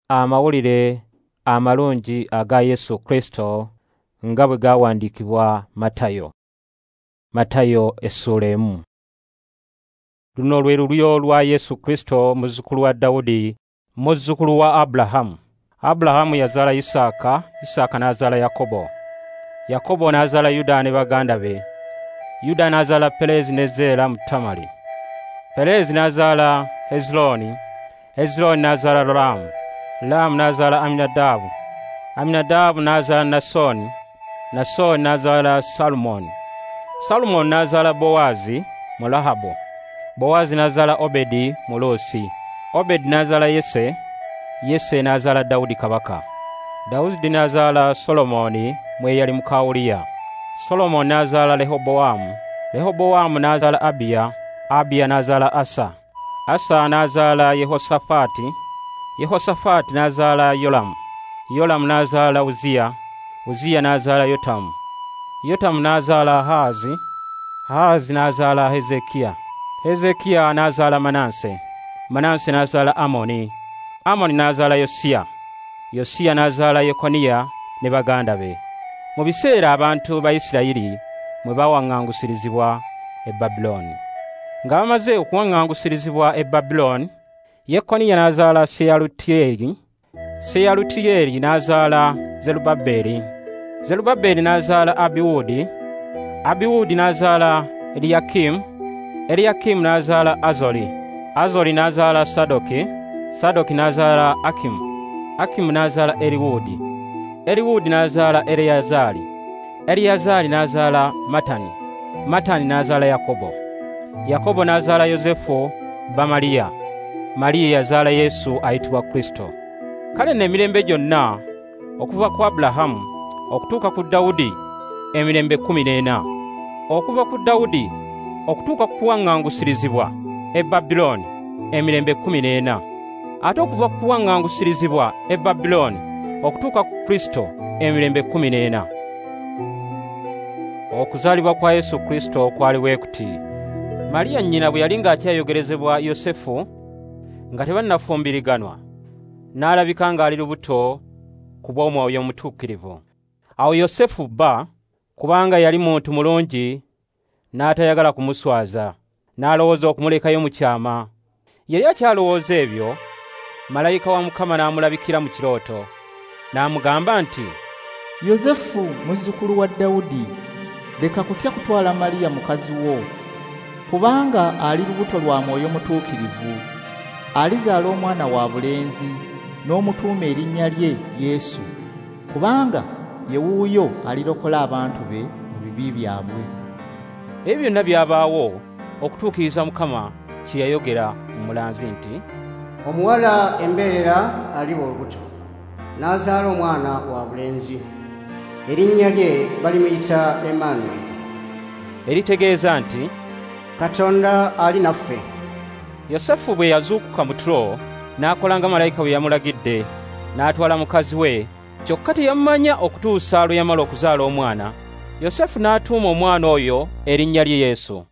Amawulire amalungi aga Yesu Kristo nga bwe gawandiikibwa Matayo. Matayo essuula 1. Luno lwe lulyo lwa Yesu Kristo, muzzukulu wa Dawudi, muzzukulu wa Abulahamu. Abulahamu yazaala Isaaka, Isaaka n'azaala Yakobo. Yakobo n'azaala Yuda ne baganda be. Yuda n'azaala Perezi ne Zeera mu Tamali. Perezi n'azaala Hezironi, Hezironi n'azaala Ramu. Ramu n'azaala Aminadaabu. Aminadaabu n'azaala Nasoni, Nasoni n'azaala Salumoni. Salumoni n'azaala Bowaazi mu Rahabu. Bowaazi n'azaala Obedi mu Luusi. Obedi n'azaala Yese, Yese n'azaala Dawudi kabaka. Dawudi n'azaala Solomoni mu eyali muka Uliya. Solomoni n'azaala Rehobowamu, Rehobowamu n'azaala Abiya, Abiya n'azaala Asa. Asa n'azaala Yehosafaati, Yehosafaati n'azaala Yolamu, Yolamu n'azaala Uziya, Uziya n'azaala Yotamu. Yotamu n'azaala Ahazi, Ahazi n'azaala Hezekiya. Hezekiya n'azaala Manase, Manase n'azaala Amoni, Amoni n'azaala Yosiya. Yosiya n'azaala Yekoniya ne baganda be. Mu biseera abantu ba Isirayiri mwe bawaŋŋangusirizibwa e Babulooni. Nga bamaze okuwaŋŋangusirizibwa e Babulooni, Yekoniya n'azaala Seyalutiyeeri, Seyalutiyeeri n'azaala Zerubbaberi, Zerubbaberi n'azaala Abiwudi, Abiwudi n'azaala Eliyakimu, Eliyakimu n'azaala Azoli, Azoli n'azaala Sadoki, Sadoki n'azaala Akimu, Akimu n'azaala Eriwudi, Eriwudi n'azaala Eleyazaali, Eleyazaali n'azaala Matani, Matani n'azaala Yakobo. Yakobo n'azaala Yosefu bba Mariya. Mariya yazaala Yesu ayitibwa Kristo. Kale nno emirembe gyonna okuva ku Abulahamu okutuuka ku Dawudi emirembe 14. Okuva ku Dawudi okutuuka ku kuwaŋŋangusirizibwa e Babulooni emirembe 14. Ate okuva ku kuwaŋŋangusirizibwa e Babulooni okutuuka ku Kristo emirembe 14. Okuzaalibwa kwa Yesu Kristo kwali bwe kuti. Mariya nnyina bwe yali ng'akyayogerezebwa Yosefu, nga tebannafumbiriganwa, n'alabika ng'ali lubuto ku bw'Omwoyo Omutuukirivu. Awo Yosefu bba, kubanga yali muntu mulungi, n'atayagala kumuswaza, n'alowooza okumulekayo mu kyama. Yali akyalowooza ebyo, malayika wa Mukama n'amulabikira mu kirooto, n'amugamba nti, Yosefu muzzukulu wa Dawudi, leka kutya kutwala Mariya mukazi wo, kubanga ali lubuto lwa Mwoyo Mutuukirivu. Alizaala omwana wa bulenzi, n'omutuuma erinnya lye Yesu, kubanga ye wuuyo alirokola abantu be mu bibi byabwe. Ebyo byonna byabaawo okutuukiriza Mukama kye yayogera mu mulanzi nti, Omuwala embeerera aliba olubuto, n'azaala omwana wa bulenzi, erinnya lye balimuyita Emmanuel, eritegeeza nti Katonda ali naffe. Yosefu bwe yazuukuka mu tulo, n'akola nga malayika bwe yamulagidde, n'atwala mukazi we, kyokka teyamumanya okutuusa lwe yamala okuzaala omwana. Yosefu n'atuuma omwana oyo erinnya lye Yesu.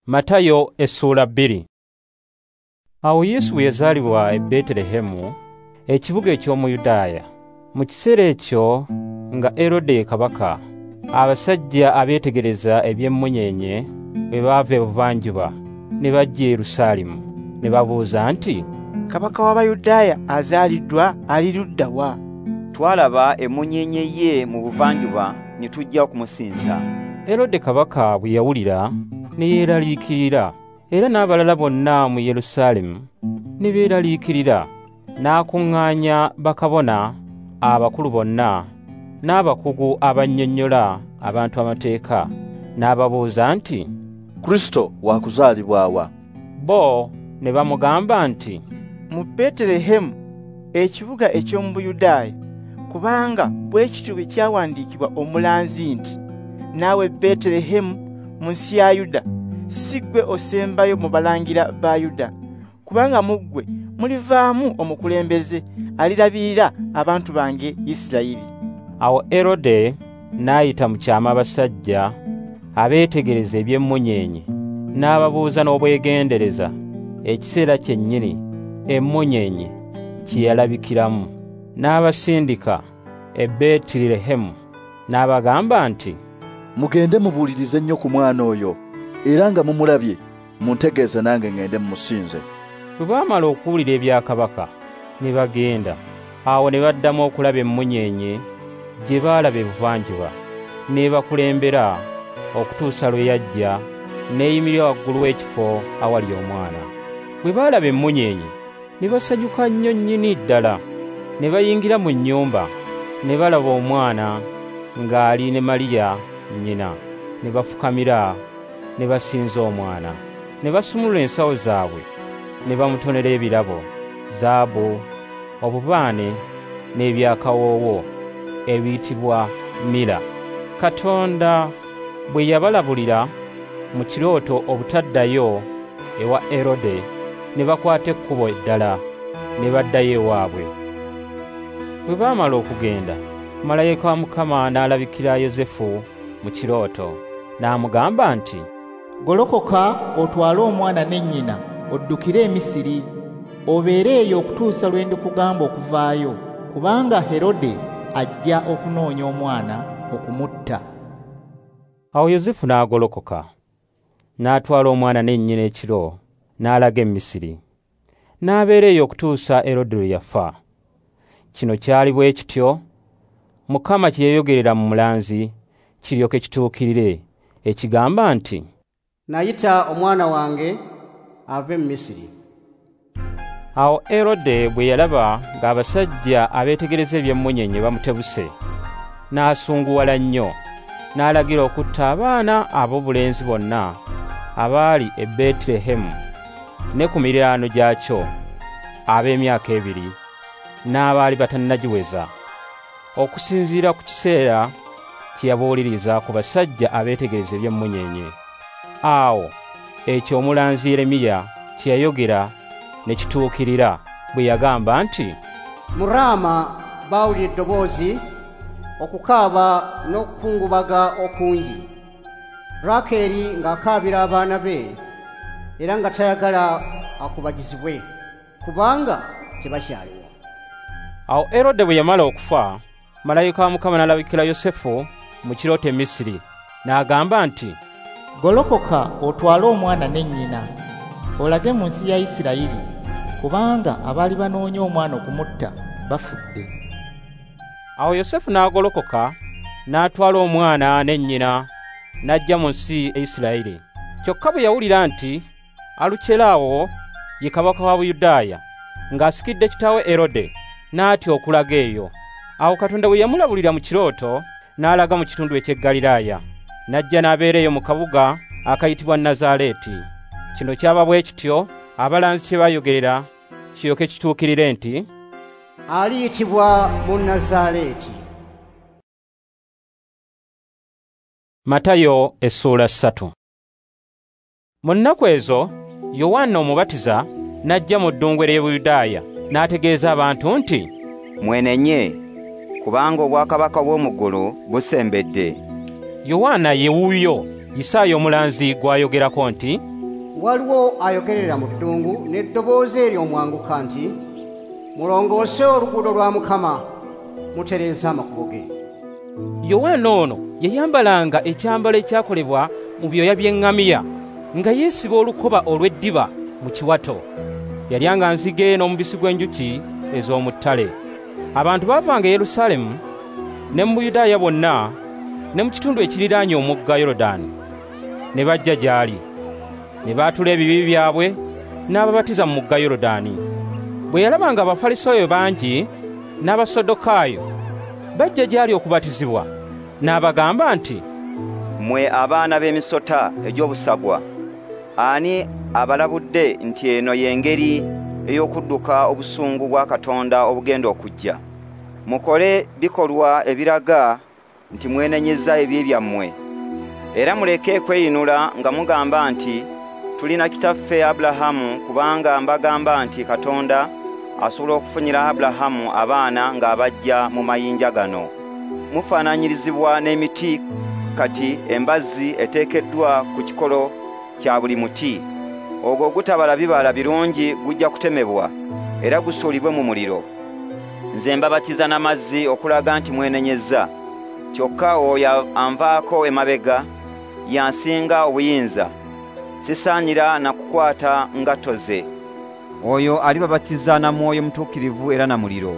Matayo essuula 2. Awo Yesu bwe yazaalibwa e Betelehemu, ekibuga eky'omu Yudaaya, mu kiseera ekyo nga Erode ye kabaka, abasajja abeetegereza eby'emmunyeenye bwe baava ebuvanjuba ne bajja e Yerusaalemu, ne babuuza nti, Kabaka w'Abayudaaya azaaliddwa ali ludda wa? Twalaba emmunyeenye ye mu buvanjuba ne tujja okumusinza. Erode kabaka bwe yawulira ne yeeraliikirira, era n'abalala bonna mu Yerusaalemu ne beeraliikirira. N'akuŋŋaanya bakabona abakulu bonna n'abakugu abannyonnyola abantu amateeka, n'ababuuza nti, Kristo wakuzaalibwa wa? Bo ne bamugamba nti, Mu Betelehemu, ekibuga eky'omu Buyudaaya, kubanga bwe kityo bwe kyawandiikibwa omulanzi nti, Naawe Betelehemu mu nsi ya Yuda, si ggwe osembayo mu balangira ba Yuda, kubanga mu ggwe mulivaamu omukulembeze alirabirira abantu bange Isirayiri. Awo Erode n'ayita mu kyama abasajja abeetegereza eby'emmunyeenye, n'ababuuza n'obwegendereza ekiseera kyennyini emmunyeenye kye yalabikiramu. N'abasindika e Beetirehemu, n'abagamba nti, Mugende mubuulirize nnyo ku mwana oyo, era nga mumulabye, muntegeeze nange ngende mmusinze. Bwe baamala okuwulira ebya kabaka, ne bagenda. Awo ne baddamu okulaba emmunyeenye gye baalaba ebuvanjuba, n'ebakulembera okutuusa lwe yajja n'eyimirira waggulu w'ekifo awali omwana. Bwe baalaba emmunyeenye, ne basanyuka nnyo nnyini ddala. Ne bayingira mu nnyumba, ne balaba omwana ng'ali ne Mariya nnyina, ne bafukamira ne basinza omwana. Ne basumulula ensawo zaabwe, ne bamutonera ebirabo, zaabu, obubaane n'ebyakawoowo ebiyitibwa mira. Katonda bwe yabalabulira mu kirooto obutaddayo ewa Erode, ne bakwata ekkubo eddala ne baddayo ewaabwe. Bwe baamala okugenda, malayika wa Mukama n'alabikira Yosefu mu kirooto, n'amugamba nti, Golokoka otwale omwana ne nnyina oddukire e Misiri, obeere eyo okutuusa lwe ndikugamba okuvaayo, kubanga Herode ajja okunoonya omwana okumutta. Awo Yosefu n'agolokoka, n'atwala omwana ne nnyina ekiro, n'alaga e Misiri. N'abeera eyo okutuusa Erode lwe yafa. Kino kyali bwe kityo Mukama kye yayogerera mu mulanzi kiryoke kituukirire, ekigamba nti, Nayita omwana wange ave mu Misiri. Awo Erode bwe yalaba ng'abasajja abeetegereza eby'emmunyeenye bamutebuse, n'asunguwala nnyo, n'alagira okutta abaana ab'obulenzi bonna abaali e Beetirehemu ne ku miriraano gyakyo ab'emyaka 2 n'abaali batannagiweza, okusinziira ku kiseera kye yabuuliriza ku basajja abeetegereza eby'emmunyeenye. Awo ekyo omulanzi Yeremiya kye yayogera ne kituukirira bwe yagamba nti, Mu Raama baawulira eddoboozi, okukaaba n'okukungubaga okungi. Rakeeri ng'akaabira abaana be, era nga tayagala akubagizibwe, kubanga tebakyaliwo. Awo Erode bwe yamala okufa, malayika wa Mukama n'alabikira Yosefu mu kirooto e Misiri, n'agamba nti, Golokoka otwale omwana ne nnyina, olage mu nsi ya Isirayiri, kubanga abaali banoonya omwana okumutta bafudde. Awo Yosefu n'agolokoka, n'atwala omwana ne nnyina, n'ajja mu nsi e Isirayiri. Kyokka bwe yawulira nti Alukyelaawo ye kabaka wa Buyudaaya, ng'asikidde kitaawe Erode, n'atya okulaga eyo. Awo Katonda bwe yamulabulira mu kirooto, n'alaga mu kitundu eky'e Ggaliraaya, n'ajja n'abeera eyo mu kabuga akayitibwa Nazaaleeti. Kino kyaba bwe kityo abalanzi kye baayogerera kiryoke kituukirire nti, Aliyitibwa mu Nazaaleeti. Matayo essuula 3. Mu nnaku ezo Yowanna Omubatiza n'ajja mu ddungu ery'e Buyudaaya, n'ategeeza abantu nti, Mwenenye, kubanga obwakabaka bw'omu ggulu busembedde. Yowanna ye wuuyo Isaaya omulanzi gw'ayogerako nti, Waliwo ayogerera mu ddungu n'eddoboozi ery'omwanguka nti, Mulongoose oluguudo lwa Mukama, mutereeze amakubo ge. Yowanna ono yayambalanga ekyambalo ekyakolebwa mu byoya by'eŋŋamiya, nga yeesiba olukoba olw'eddiba mu kiwato. Yalyanga nzige n'omubisi gw'enjuki ez'omu ttale. Abantu baavanga e Yerusaalemu ne mu Buyudaaya bwonna ne mu kitundu ekiriraanye omugga Yorodaani, ne bajja gy'ali, ne baatula ebibi byabwe, n'ababatiza mu mugga Yorodaani. Bwe yalaba nga Abafalisaayo bangi n'Abasaddukaayo bajja gy'ali okubatizibwa, n'abagamba nti, Mmwe abaana b'emisota egy'obusagwa, ani abalabudde nti eno y'engeri ey'okudduka obusungu bwa Katonda obugenda okujja? Mukole bikolwa ebiraga nti mwenenyezza ebibi byammwe, era muleke kweyinula nga mugamba nti tulina kitaffe Abulahamu, kubanga mbagamba nti Katonda asobola okufunyira Abulahamu abaana ng'abajja mu mayinja gano. Mufaananyirizibwa n'emiti kati embazzi eteekeddwa ku kikolo kya buli muti. Ogwo ogutabala bibala birungi gujja kutemebwa era gusuulibwe mu muliro. Nze mbabatiza n'amazzi okulaga nti mwenenyezza. Kyokka oyo anvaako emabega yansinga obuyinza, sisaanira na kukwata ngatto ze. Oyo alibabatiza na Mwoyo Mutuukirivu era na muliro.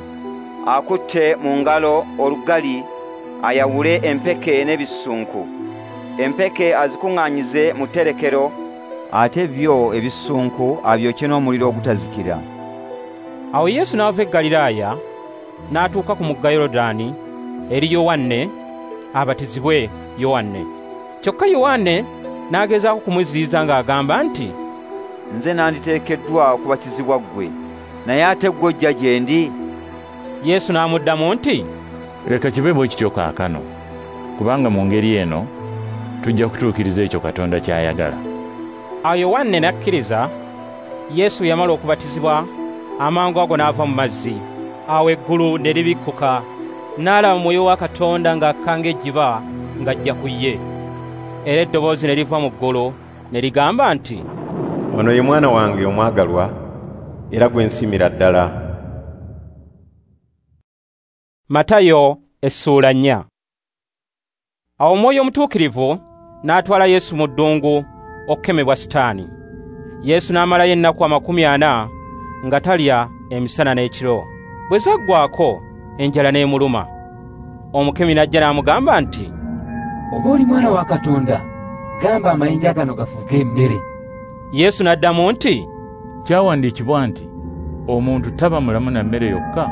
Akutte mu ngalo olugali ayawule empeke n'ebisunku. Empeke azikuŋŋaanyize mu tterekero, ate byo ebisunku abyokye n'omuliro ogutazikira. Awo Yesu n'ava e Ggaliraaya n'atuuka ku mugga Yoludaani eri Yowanne abatizibwe Yowanne. Kyokka Yowanne n'agezaako kumuziyiza ng'agamba nti, "Nze nanditeekeddwa okubatizibwa ggwe, naye ate ggwe ojja gye ndi?" Yesu n'amuddamu nti, "Leka kibe bwe kityo kaakano, kubanga mu ngeri eno tujja kutuukiriza ekyo Katonda ky'ayagala." Awo Yowanne n'akkiriza. Yesu yamala okubatizibwa, amangu ago n'ava mu mazzi. Awo eggulu ne libikkuka, n'alaba Mwoyo wa Katonda ng'akka ng'ejjiba ng'ajja ku ye. Era eddoboozi ne liva mu ggulu ne ligamba nti, "Ono ye mwana wange omwagalwa, era gwe nsiimira ddala." Matayo essuula 4. Awo Omwoyo Omutuukirivu n'atwala Yesu mu ddungu okukemebwa Sitaani. Yesu n'amalayo ennaku 40 nga talya emisana n'ekiro. Bwe zaggwaako enjala n'emuluma. Omukemi n'ajja n'amugamba nti, "Oba oli mwana wa Katonda, gamba amayinja gano gafuuke emmere." Yesu n'addamu nti, "Kyawandiikibwa nti omuntu taba mulamu na mmere yokka,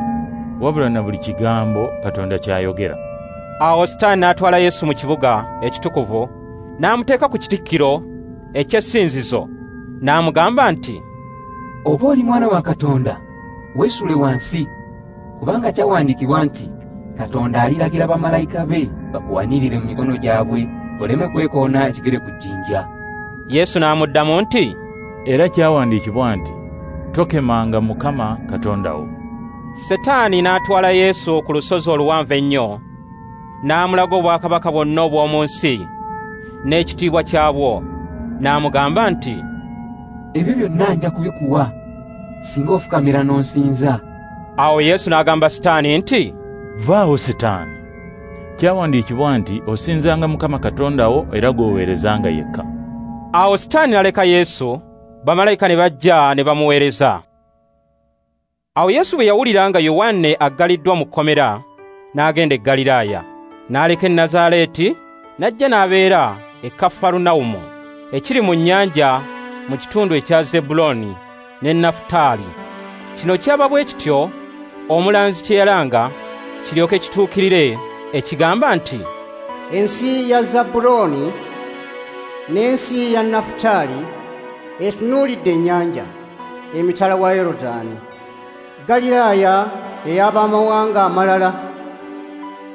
wabula na buli kigambo Katonda ky'ayogera." Awo Sitaani n'atwala Yesu mu kibuga ekitukuvu, n'amuteeka ku kitikkiro eky'essinzizo, n'amugamba nti, "Oba oli mwana wa Katonda, weesule wansi, kubanga kyawandiikibwa nti Katonda aliragira bamalayika be bakuwanirire mu mikono gyabwe, oleme kwekoona ekigere ku jjinja." Yesu n'amuddamu nti, "Era kyawandiikibwa nti tokemanga Mukama Katonda wo." Setaani n'atwala Yesu ku lusozi oluwanvu ennyo, n'amulaga obwakabaka bwonna obw'omu nsi n'ekitiibwa kyabwo, n'amugamba nti, "Ebyo byonna nja kubikuwa singa ofukamira n'onsinza." Awo Yesu n'agamba Sitaani nti, "Vaawo Sitaani, kyawandiikibwa nti osinzanga Mukama Katonda wo era gw'oweerezanga yekka." Awo Sitaani n'aleka Yesu, bamalayika ne bajja ne bamuweereza. Awo Yesu bwe yawulira nga Yowanne aggaliddwa mu kkomera, n'agenda e Ggaliraaya, n'aleka e Nazaaleeti, n'ajja n'abeera e Kafarunawumu, ekiri mu nnyanja mu kitundu ekya Zebbulooni ne Nafutaali. Kino kyaba bwe kityo omulanzi kye yalanga kiryoke kituukirire, ekigamba nti, "Ensi ya Zebbulooni n'ensi ya Nafutaali etunuulidde ennyanja, emitala wa Yorudaani, Ggaliraaya ey'abamawanga amalala,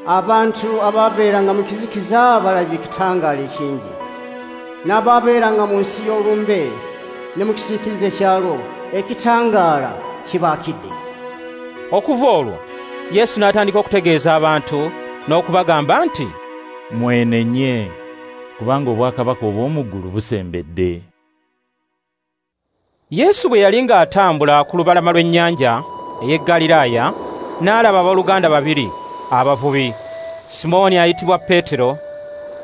abantu ababeeranga mu kizikiza balabye ekitangaala ekingi, n'ababeeranga mu nsi y'olumbe ne mu kisiikirize kyalwo, ekitangaala kibaakidde." Okuva olwo Yesu n'atandika okutegeeza abantu n'okubagamba nti, "Mwenenye, kubanga obwakabaka obw'omu ggulu busembedde." Yesu bwe yali ng'atambula ku lubalama lw'ennyanja ey'e Ggaliraaya, n'alaba abooluganda babiri abavubi, Simooni ayitibwa Peetero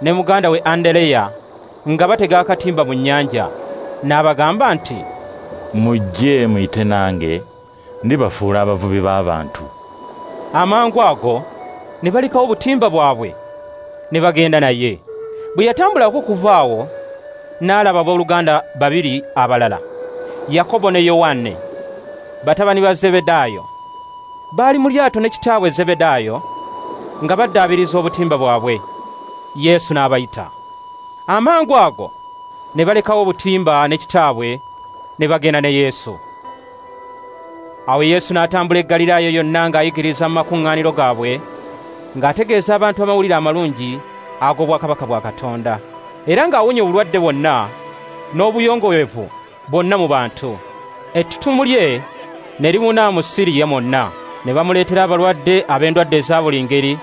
ne muganda we Andereya, nga batega akatimba mu nnyanja. N'abagamba nti, "Mujje muyite nange, ndibafuula abavubi b'abantu." Amangu ago ne balekawo obutimba bwabwe ne bagenda naye. Bwe yatambulako okuva awo, n'alaba abooluganda babiri abalala, Yakobo ne Yowanne, batabani ba Zebedaayo. Baali mu lyato ne kitaabwe Zebedaayo nga baddaabiriza obutimba bwabwe. Yesu n'abayita. Amangu ago ne balekawo obutimba ne kitaabwe ne bagenda ne Yesu. Awo Yesu n'atambula e Ggaliraaya yonna ng'ayigiriza mu makuŋŋaaniro gaabwe, ng'ategeeza abantu amawulire amalungi ag'obwakabaka bwa Katonda, era ng'awonya obulwadde bwonna n'obuyongobevu bwonna mu bantu. Ettutumu lye ne libuna mu Siriya mwonna, ne bamuleetera abalwadde ab'endwadde eza buli ngeri,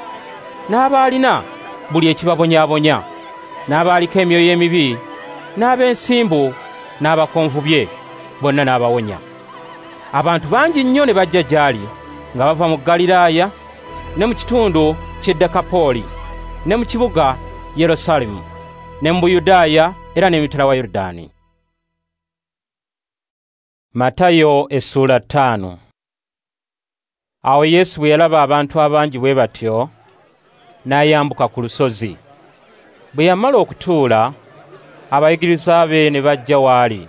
n'abaalina buli ekibabonyaabonya, n'abaaliko emyoyo emibi, n'ab'ensimbu, n'abakonvubye, bonna n'abawonya. Abantu bangi nnyo ne bajja gy'ali nga bava mu Ggaliraaya ne mu kitundu ky'e Dekapooli ne mu kibuga Yerusaalemu ne mu Buyudaaya era n'emitala wa Yorudaani. Matayo essuula 5. Awo Yesu bwe yalaba abantu abangi bwe batyo, n'ayambuka ku lusozi. Bwe yamala okutuula, abayigirizwa be ne bajja w'ali.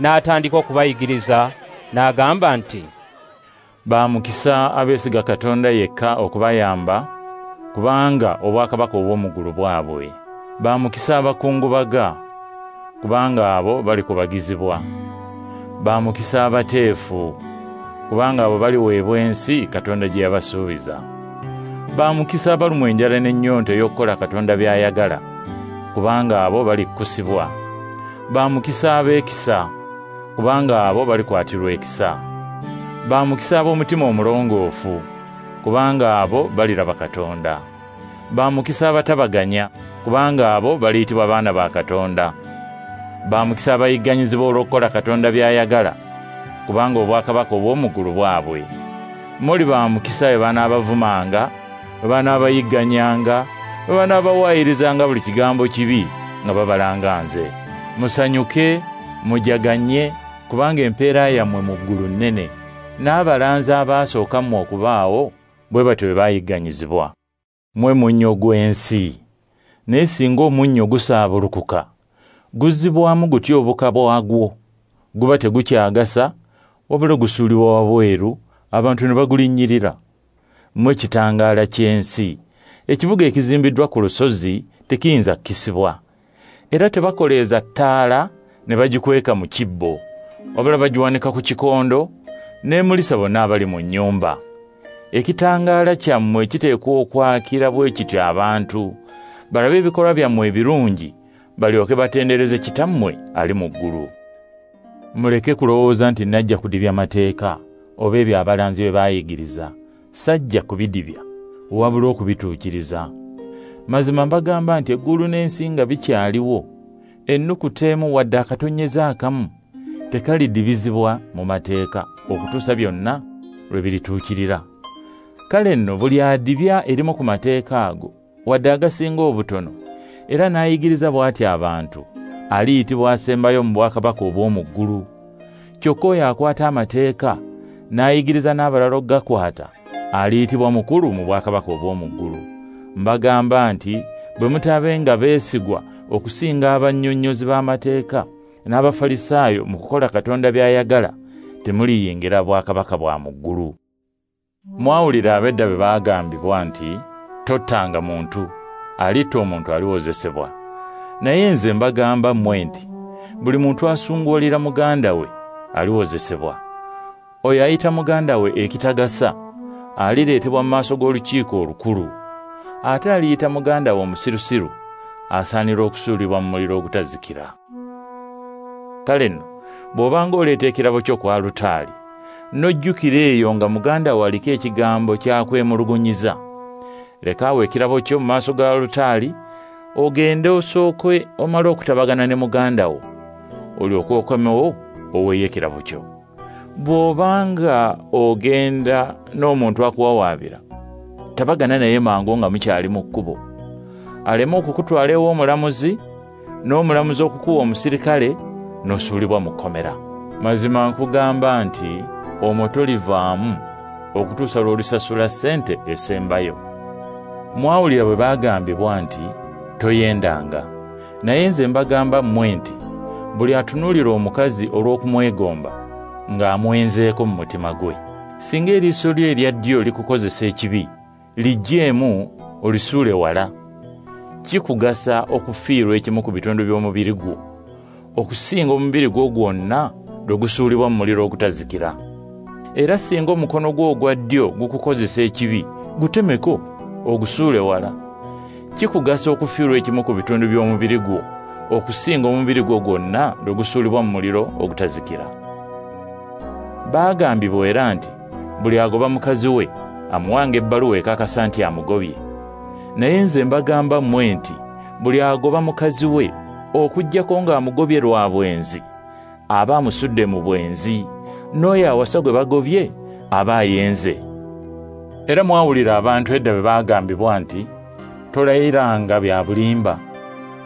N'atandika okubayigiriza n'agamba nti, Ba mukisa abeesiga Katonda yekka okubayamba, kubanga obwakabaka obw'omu ggulu bwabwe. Ba mukisa abakungubaga, kubanga abo balikubagizibwa. Ba mukisa abateefu, kubanga abo baliweebwa ensi Katonda gye yabasuubiza. Ba mukisa abalumwa enjala n'ennyonta ey'okukola Katonda by'ayagala, kubanga abo balikkusibwa. Ba mukisa abeekisa, kubanga abo balikwatirwa ekisa. Ba mukisa ab'omutima omulongoofu, kubanga abo baliraba Katonda. Ba mukisa abatabaganya, kubanga abo baliyitibwa baana ba Katonda. Ba mukisa abayigganyizibwa olw'okukola Katonda by'ayagala, kubanga obwakabaka obw'omu ggulu bwabwe. Muli ba mukisa bwe banaabavumanga, bwe banaabayigganyanga, bwe banaabawayirizanga buli kigambo kibi nga babalanga nze. Musanyuke, mujaganye, kubanga empeera yammwe mu ggulu nnene. N'abalanzi abaasooka mmwe okubaawo bwe batyo bwe bayigganyizibwa. Mmwe munnyo gw'ensi, naye singa omunnyo gusaabulukuka, guzzibwamu gutya obuka bwagwo? Guba tegukyagasa, wabula gusuulibwa wabweru, abantu ne bagulinnyirira. Mmwe kitangaala ky'ensi. Ekibuga ekizimbiddwa ku lusozi tekiyinza kukisibwa. Era tebakoleeza ttaala ne bagikweka mu kibbo, wabula bagiwanika ku kikondo, n'emulisa bonna abali mu nnyumba. Ekitangaala kyammwe kiteekwa okwakira bwe kityo abantu, balabe ebikolwa byammwe ebirungi, balyoke batendereze Kitammwe ali mu ggulu. Muleke kulowooza nti najja kudibya mateeka oba ebyo abalanzi bye baayigiriza. Sajja kubidibya, wabula okubituukiriza. Mazima mbagamba nti eggulu n'ensi nga bikyaliwo, ennukuta emu wadde akatonnyeze akamu tekalidibizibwa mu mateeka okutuusa byonna lwe birituukirira. Kale nno buli adibya erimu ku mateeka ago, wadde agasinga obutono, era n'ayigiriza bw'atyo abantu, aliyitibwa asembayo mu bwakabaka obw'omu ggulu. Kyokka oyo akwata amateeka n'ayigiriza n'abalala okugakwata, aliyitibwa mukulu mu bwakabaka obw'omu ggulu. Mbagamba nti bwe mutaabenga beesigwa okusinga abannyonnyozi b'amateeka n'Abafalisaayo mu kukola Katonda by'ayagala, temuliyingira bwakabaka bwa mu ggulu. Mwawulira ab'edda bwe baagambibwa nti, tottanga muntu, alitta omuntu aliwozesebwa. Naye nze mbagamba mmwe nti, buli muntu asunguwalira muganda we aliwozesebwa. Oyo ayita muganda we ekitagasa alireetebwa mu maaso g'olukiiko olukulu. Ate aliyita muganda we omusirusiru asaanira okusuulibwa mu muliro ogutazikira. Kale nno bw'obanga oleeta ekirabo kyo ku alutaari, n'ojjukira eyo nga muganda wo aliko ekigambo kyakwemulugunyiza, leka awo ekirabo kyo mu maaso ga alutaari, ogende osooke omale okutabagana ne muganda wo, olyoke okomewo oweeyo ekirabo kyo. Bw'obanga ogenda n'omuntu akuwawaabira, tabagana naye mangu nga mukyali mu kkubo, aleme okukutwala ew'omulamuzi, n'omulamuzi okukuwa omusirikale, n'osuulibwa mu kkomera. Mazima nkugamba nti omwo tolivaamu okutuusa lw'olisasula ssente esembayo. Mwawulira bwe baagambibwa nti, toyendanga. Naye nze mbagamba mmwe nti, buli atunuulira omukazi olw'okumwegomba, ng'amwenzeeko mu mutima gwe. Singa eriiso lyo erya ddyo likukozesa ekibi, liggyeemu olisuule wala. Kikugasa okufiirwa ekimu ku bitundu by'omubiri gwo, okusinga omubiri gwo gwonna lwe gusuulibwa mu muliro ogutazikira. Era singa omukono gwo ogwa ddyo gukukozesa ekibi, gutemeko ogusuule wala. Kikugasa okufiirwa ekimu ku bitundu by'omubiri gwo, okusinga omubiri gwo gwonna lwe gusuulibwa mu muliro ogutazikira. Baagambibwa era nti, buli agoba mukazi we amuwanga ebbaluwa ekakasa nti amugobye. Naye nze mbagamba mmwe nti, buli agoba mukazi we okuggyako ng'amugobye lwa bwenzi, aba amusudde mu bwenzi, N'oyo awasa gwe bagobye aba ayenze. Era mwawulira abantu edda bwe baagambibwa nti, tolayiranga bya bulimba,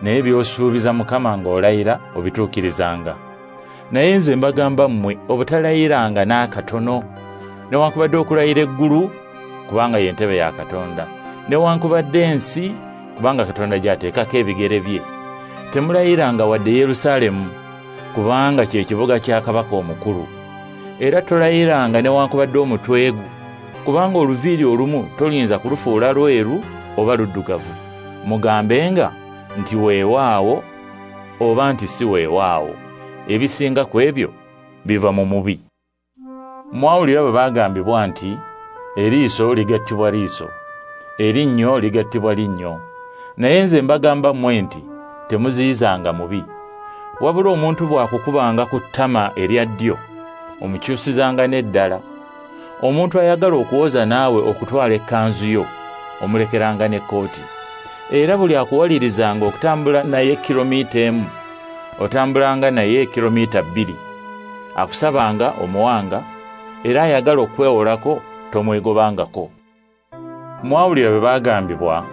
naye by'osuubiza Mukama ng'olayira obituukirizanga. Naye nze mbagamba mmwe obutalayiranga n'akatono, newankubadde okulayira eggulu, kubanga ye ntebe ya Katonda, newankubadde ensi, kubanga Katonda gy'ateekako ebigere bye. Temulayiranga wadde Yerusaalemu, kubanga kye kibuga kya kabaka omukulu. Era tolayiranga newankubadde omutwe gwo, kubanga oluviiri olumu toyinza kulufuula lweru oba luddugavu. Mugambenga nti weewaawo oba nti si weewaawo. Ebisinga ku ebyo biva mu mubi. Mwawulira bwe baagambibwa nti eriiso ligattibwa liiso, erinnyo ligattibwa linnyo. Naye nze mbagamba mmwe nti temuziyizanga mubi. Wabula omuntu bw'akukubanga ku ttama erya ddyo, omukyusizanga n'eddala. Omuntu ayagala okuwoza naawe okutwala ekkanzu yo, omulekeranga n'ekkooti. Era buli akuwalirizanga okutambula naye kilomita 1, otambulanga naye kilomita 2. Akusabanga omuwanga, era ayagala okwewolako tomwegobangako. Mwawulira bwe baagambibwa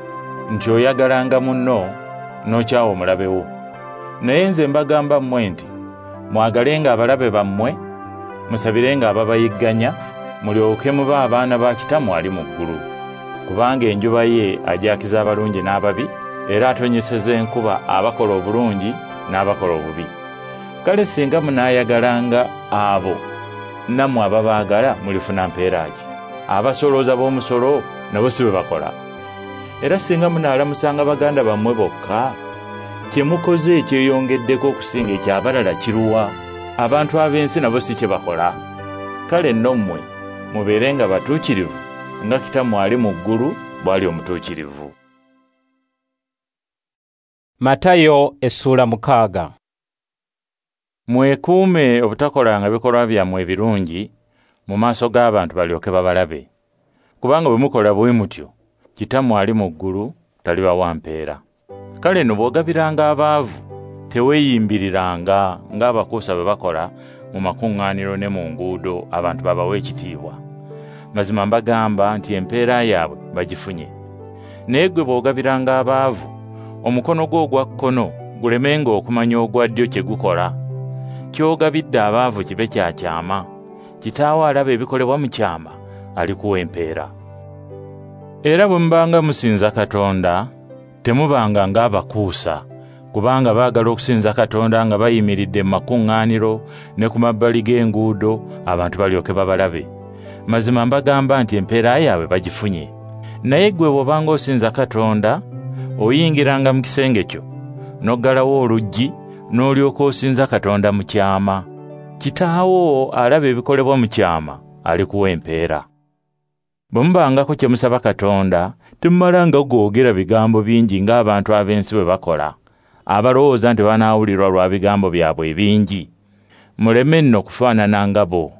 nti oyagalanga munno n'okyawa omulabe wo. Naye nze mbagamba mmwe nti mwagalenga abalabe bammwe, musabirenga ababayigganya, mulyoke mube abaana ba Kitammwe ali mu ggulu. Kubanga enjuba ye ajakiza abalungi n'ababi, era atonyeseza enkuba abakola obulungi n'abakola obubi. Kale singa munaayagalanga abo nammwe ababaagala, mulifuna mpeera ki? Abasolooza b'omusolo nabo si bwe bakola? Era singa munaalamusanga baganda bammwe bokka, kye mukoze ekyeyongeddeko okusinga eky'abalala kiruwa? Abantu ab'ensi nabo si kye bakola? Kale nno mmwe mubeerenga batuukirivu nga Kitammwe ali mu ggulu bw'ali omutuukirivu. Matayo essula 6. Mwekuume obutakolanga bikolwa byammwe ebirungi mu maaso g'abantu balyoke babalabe. Kubanga bwe mukola bwe mutyo, Kitammwe ali mu ggulu talibawa mpeera. Kale nno bw'ogabiranga abaavu, teweeyimbiriranga ng'abakuusa bwe bakola mu makuŋŋaaniro ne mu nguudo abantu babawe ekitiibwa. Mazima mbagamba nti empeera yaabwe bagifunye. Naye ggwe bw'ogabiranga abaavu, omukono gwo ogwa kkono gulemenga okumanya ogwa ddyo kye gukola. Ky'ogabidde abaavu kibe kya kyama. Kitaawo alaba ebikolebwa mu kyama alikuwa empeera. Era bwe mubanga musinza Katonda, temubanga ng'abakuusa, kubanga baagala okusinza Katonda nga bayimiridde mu makuŋŋaaniro ne ku mabbali g'enguudo abantu balyoke babalabe. Mazima mbagamba nti empeera yaabwe bagifunye. Naye ggwe bw'obanga osinza Katonda, oyingiranga mu kisenge kyo, n'oggalawo oluggi, n'olyoka osinza Katonda mu kyama. Kitaawo alaba ebikolebwa mu kyama alikuwa empeera. Bwe mubangako kye musaba Katonda, temumalanga googera bigambo bingi ng'abantu ab'ensi bwe bakola, abalowooza nti banaawulirwa lwa bigambo byabwe ebingi. Muleme nno kufaanana nga bo.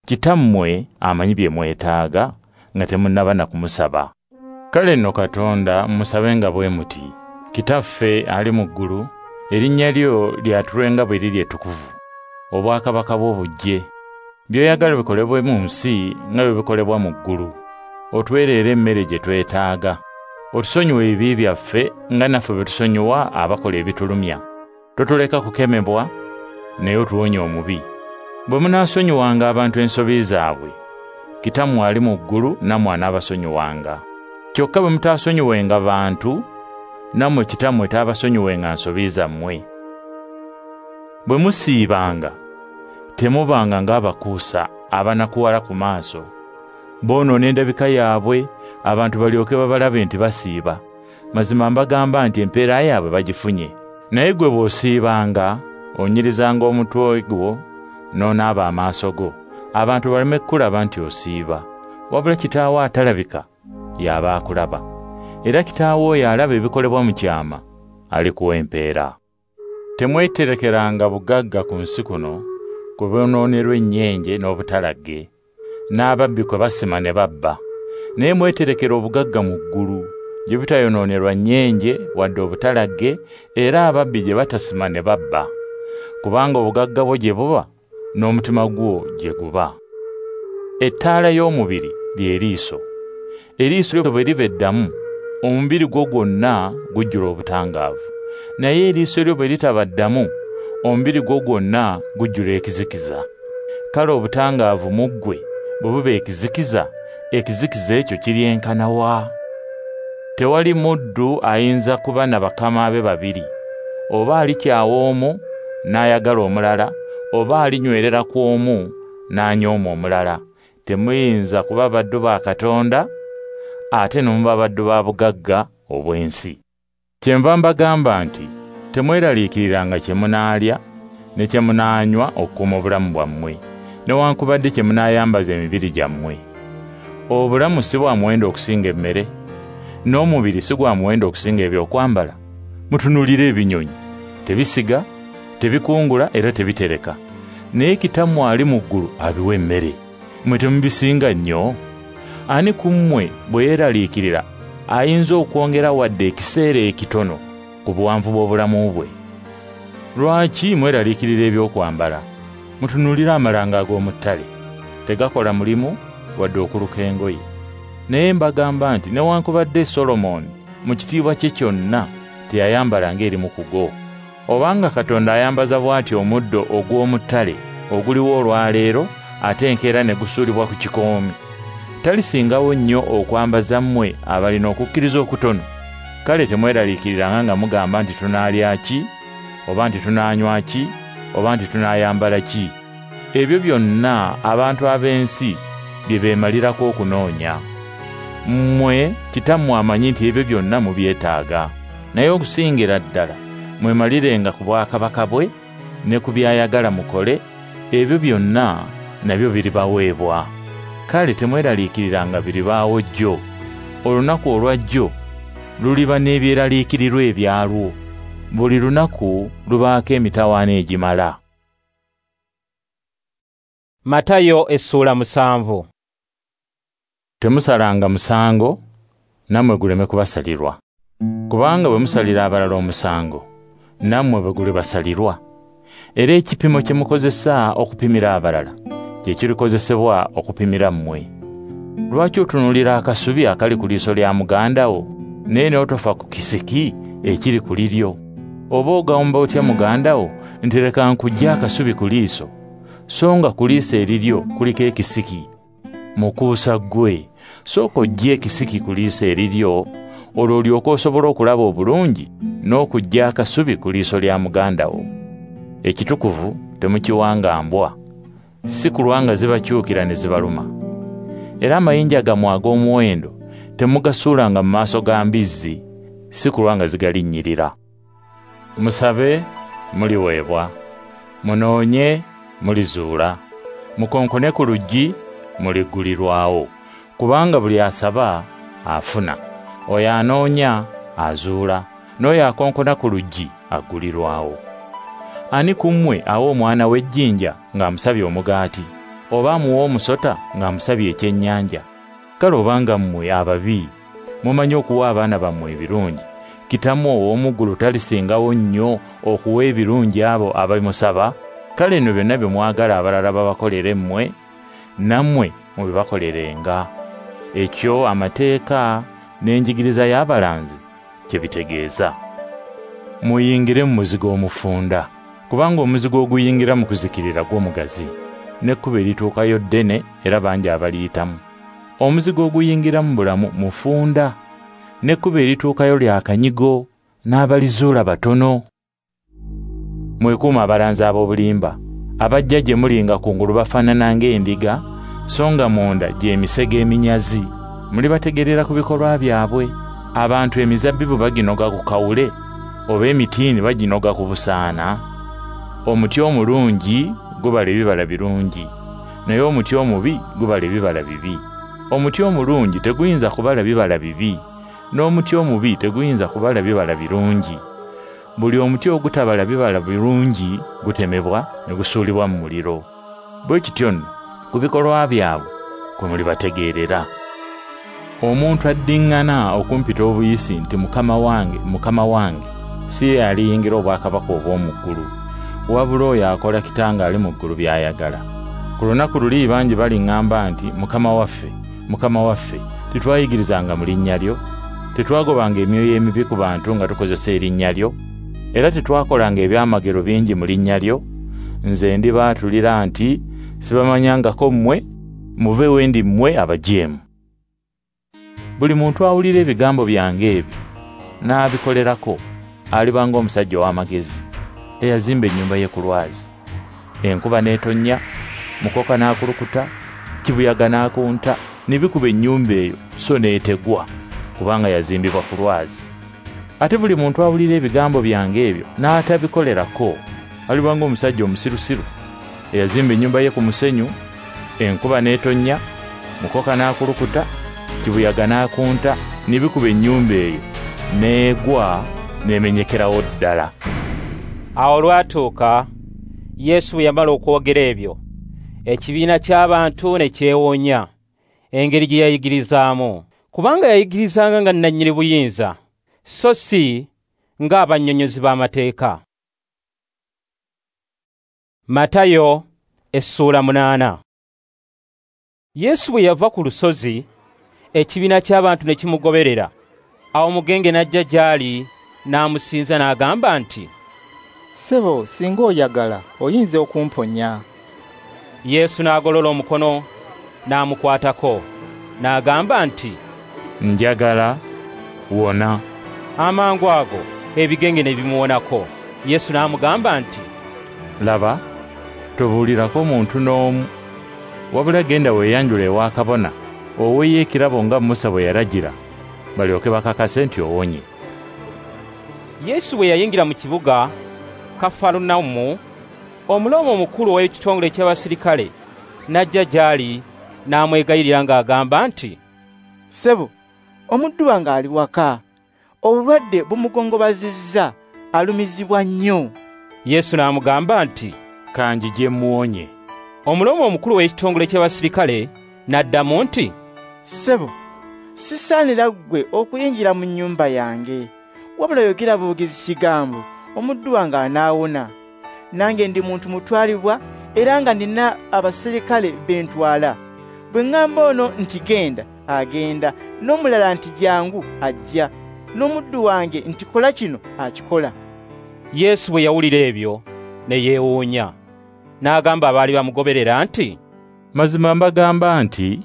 Kitammwe amanyi bye mwetaaga nga temunnaba na kumusaba. Kale nno Katonda musabenga bwe muti: Kitaffe ali mu ggulu, erinnya lyo lyatulwenga bwe liri ettukuvu, obwakabaka bwo bujje, by'oyagala bikolebwe mu nsi nga bwe bikolebwa mu ggulu. Otuweerere emmere gye twetaaga. Otusonyiwe ebibi byaffe nga naffe bwe tusonyiwa abakola ebitulumya. Totuleka kukemebwa, naye otuwonye omubi. Bwe munaasonyiwanga abantu ensobi zaabwe, Kitammwe ali mu ggulu nammwe anaabasonyiwanga. Kyokka bwe mutaasonyiwenga bantu, nammwe Kitammwe taabasonyiwenga nsobi zammwe. Bwe musiibanga, temubanga ng'abakuusa abanakuwala ku maaso. Boonoona endabika yaabwe, abantu balyoke babalabe nti basiiba. Mazima mbagamba nti empeera yaabwe bagifunye. Naye ggwe bw'osiibanga, onyirizanga omutwe gwo n'onaaba amaaso go, abantu baleme kukulaba nti osiiba. Wabula Kitaawo atalabika y'aba akulaba. Era Kitaawo oyo alaba ebikolebwa mu kyama alikuwa empeera. Temweterekeranga bugagga ku nsi kuno, kwe bwonoonerwa ennyenje n'obutalagge, n'ababbi kwe basima ne babba. Naye mweterekera obugagga mu ggulu, gye butayonoonerwa nnyenje wadde obutalagge, era ababbi gye batasima ne babba. Kubanga obugagga bwo gye buba, n'omutima gwo gye guba. Ettaala y'omubiri ly'eriiso. Eriiso lyo bwe liba eddamu, omubiri gwo gwonna gujjula obutangaavu. Naye eriiso lyo bwe litaba ddamu, omubiri gwo gwonna gujjula ekizikiza. Kale obutangaavu mu ggwe bwe buba ekizikiza, ekizikiza ekyo kiryenkana wa? Tewali muddu ayinza kuba na bakama be babiri. Oba alikyawa omu n'ayagala omulala, oba alinywerera ku omu n'anyooma omulala. Temuyinza kuba baddu ba Katonda ate ne muba baddu ba bugagga obw'ensi. Kyenva mbagamba nti temweraliikiriranga kye munaalya ne kye munaanywa okukuuma obulamu bwammwe, newankubadde kye munaayambaza emibiri gyammwe. Obulamu si bwa muwendo okusinga emmere, n'omubiri si gwa muwendo okusinga ebyokwambala. Mutunuulire ebinyonyi, tebisiga, tebikungula era tebitereka, naye Kitammwe ali mu ggulu abiwa emmere. Mmwe temubisinga nnyo? Ani ku mmwe bwe yeeraliikirira ayinza okwongera wadde ekiseera ekitono ku buwanvu bw'obulamu bwe? Lwaki mweraliikirira ebyokwambala? Mutunuulire amalanga ag'omu ttale, tegakola mulimu wadde okuluka engoye. Naye mbagamba nti newankubadde Solomoni mu kitiibwa kye kyonna teyayambala ng'erimu ku go. Obanga Katonda ayambaza bw'ati omuddo ogw'omu ttale oguliwo olwaleero ate enkeera ne gusuulibwa ku kikoomi, talisingawo nnyo okwambaza mmwe abalina okukkiriza okutono? Kale temweraliikiriranga nga mugamba nti tunaalya ki, oba nti tunaanywa ki, oba nti tunaayambala ki. Ebyo byonna abantu ab'ensi bye beemalirako okunoonya. Mmwe Kitammwe amanyi nti ebyo byonna mubyetaaga. Naye okusingira ddala mwemalirenga ku bwakabaka bwe ne ku by'ayagala mukole, ebyo byonna nabyo biribaweebwa. Kale temweraliikiriranga biribaawo jjo. Olunaku olwa jjo luliba n'ebyeraliikirirwa ebyalwo. Buli lunaku lubaako emitawaana egimala. Matayo essuula 7. Temusalanga musango, nammwe guleme kubasalirwa. Kubanga bwe musalira abalala omusango, nammwe bwe gulibasalirwa. Era ekipimo kye mukozesa okupimira abalala kye kirikozesebwa okupimira mmwe. Lwaki otunuulira akasubi akali ku liiso lya muganda wo, naye n'otofa ku kisiki ekiri ku liryo? Oba ogamba otya muganda wo nti leka nkuggye akasubi ku liiso, so nga ku liiso eriryo kuliko ekisiki? Mukuusa ggwe, sooka oggye ekisiki ku liiso eriryo, olwo olyoke osobola okulaba obulungi n'okuggya akasubi ku liiso lya muganda wo. Ekitukuvu temukiwanga mbwa, si kulwa nga zibakyukira ne zibaluma. Era amayinja gammwe ag'omuwendo temugasuulanga mu maaso ga mbizzi, si kulwa nga zigalinnyirira. Musabe, muliweebwa. Munoonye, mulizuula. Mukonkone ku luggi, muliggulirwawo. Kubanga buli asaba afuna, oyo anoonya azuula, n'oyo akonkona ku luggi aggulirwawo. Ani ku mmwe awa omwana w'ejjinja ng'amusabye omugaati, oba amuwa omusota ng'amusabye ekyennyanja? Kale obanga mmwe ababi mumanyi okuwa abaana bammwe ebirungi, Kitammwe ow'omu ggulu talisingawo nnyo okuwa ebirungi abo ababimusaba? Kale nno byonna bye mwagala abalala babakolere mmwe, nammwe mubibakolerenga. Ekyo amateeka n'enjigiriza y'abalanzi kye bitegeeza. Muyingire mu muzigo omufunda, kubanga omuzigo oguyingira mu kuzikirira gw'omugazi, n'ekkubo erituukayo ddene era bangi abaliyitamu. Omuzigo oguyingira mu bulamu mufunda, n'ekkubo erituukayo lya kanyigo, n'abalizuula batono. Mwekuume abalanzi ab'obulimba, abajja gye muli nga kungulu bafaanana ng'endiga, so nga munda gy'emisege eminyazi. Mulibategeerera ku bikolwa byabwe. Abantu emizabbibu baginoga ku kawule, oba emitiini baginoga ku busaana? Omuti omulungi gubala ebibala birungi, naye omuti omubi gubala ebibala bibi. Omuti omulungi teguyinza kubala bibala bibi, n'omuti omubi teguyinza kubala bibala birungi. Buli omuti ogutabala bibala birungi gutemebwa ne gusuulibwa mu muliro. Bwe kityo nno ku bikolwa byabwe kwe mulibategeerera. Omuntu addiŋŋana okumpita obuyisi nti Mukama wange, Mukama wange, si ye aliyingira obwakabaka obw'omu ggulu, wabula oyo akola Kitange ali mu ggulu by'ayagala. Ku lunaku luli bangi baliŋŋamba nti, Mukama waffe, Mukama waffe, tetwayigirizanga mu linnya lyo, tetwagobanga emyoyo emibi ku bantu nga tukozesa erinnya lyo, era tetwakolanga ebyamagero bingi mu linnya lyo. Nze ndibaatulira nti, sibamanyangako mmwe, muve we ndi mmwe abajeemu. Buli muntu awulira ebigambo byange ebyo n'abikolerako aliba ng'omusajja ow'amagezi eyazimba ennyumba ye ku lwazi. Enkuba n'etonnya, mukoka n'akulukuta, kibuyaga n'akunta, ne bikuba ennyumba eyo so n'etegwa, kubanga yazimbibwa ku lwazi. Ate buli muntu awulira ebigambo byange ebyo n'atabikolerako aliba ng'omusajja omusirusiru eyazimba ennyumba ye ku musenyu. Enkuba n'etonnya, mukoka n'akulukuta, kibuyaga n'akunta, ne bikuba ennyumba eyo n'egwa n'emenyekerawo ddala. Awo olwatuuka Yesu bwe yamala okwogera ebyo, ekibiina ky'abantu ne kyewuunya engeri gye yayigirizaamu, kubanga yayigirizanga nga nnannyini buyinza, so si ng'abannyonnyozi b'amateeka. Matayo essuula 8. Yesu bwe yava ku lusozi, ekibiina ky'abantu ne kimugoberera. Awo omugenge n'ajja gy'ali n'amusinza n'agamba nti, Ssebo, singa oyagala oyinza okumponya. Yesu n'agolola omukono n'amukwatako n'agamba nti, Njagala, wona. Amangu ago ebigenge ne bimuwonako. Yesu n'amugamba nti, Laba, tobuulirako muntu n'omu, wabula genda weeyanjule ewa kabona, oweeyo ekirabo nga Musa bwe yalagira, balyoke bakakase nti owonye. Yesu bwe yayingira mu kibuga Kafarunawumu, Omulooma omukulu ow'ekitongole ky'abasirikale n'ajja gy'ali n'amwegayirira ng'agamba nti, Ssebo, omuddu wange ali waka, obulwadde bumugongobazizza, alumizibwa nnyo. Yesu n'amugamba nti, Kanjije muwonye. Omulooma omukulu ow'ekitongole ky'abasirikale n'addamu nti, Ssebo, sisaanira ggwe okuyingira mu nnyumba yange, wabula yogera bwogezi kigambo, omuddu wange anaawona. Nange ndi muntu mutwalibwa era nga nina abaserikale be ntwala. Bwe ŋŋamba ono nti genda, agenda, n'omulala nti jangu, ajja, n'omuddu wange nti kola kino, akikola. Yesu bwe yawulira ebyo ne yeewuunya, n'agamba abaali bamugoberera nti, Mazima mbagamba nti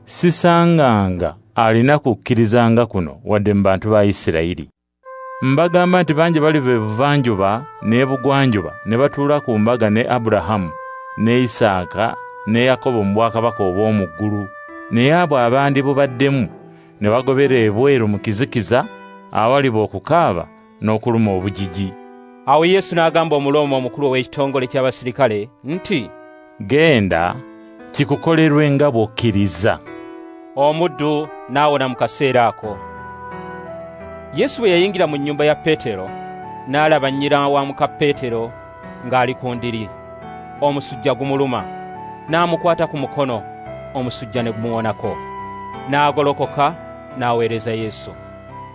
sisanganga alina kukkirizanga kuno wadde mu bantu ba Isirayiri. Mbagamba nti bangi baliva ebuvanjuba n'ebugwanjuba ne batuula ku mbaga ne Aburahamu ne Isaaka ne Yakobo mu bwakabaka obw'omu ggulu, naye abo abandi bubaddemu ne bagobera ebweru mu kizikiza awaliba okukaaba n'okuluma obujiji. Awo Yesu n'agamba Omulooma omukulu ow'ekitongole ky'abasirikale nti, Genda, kikukolerwe nga bw'okkiriza. Omuddu n'awona mu kaseera ako. Yesu bwe yayingira mu nnyumba ya Peetero, n'alaba nnyina wa muka Peetero ng'ali ku ndiri, omusujja gumuluma. N'amukwata ku mukono, omusujja ne gumuwonako. N'agolokoka n'aweereza Yesu.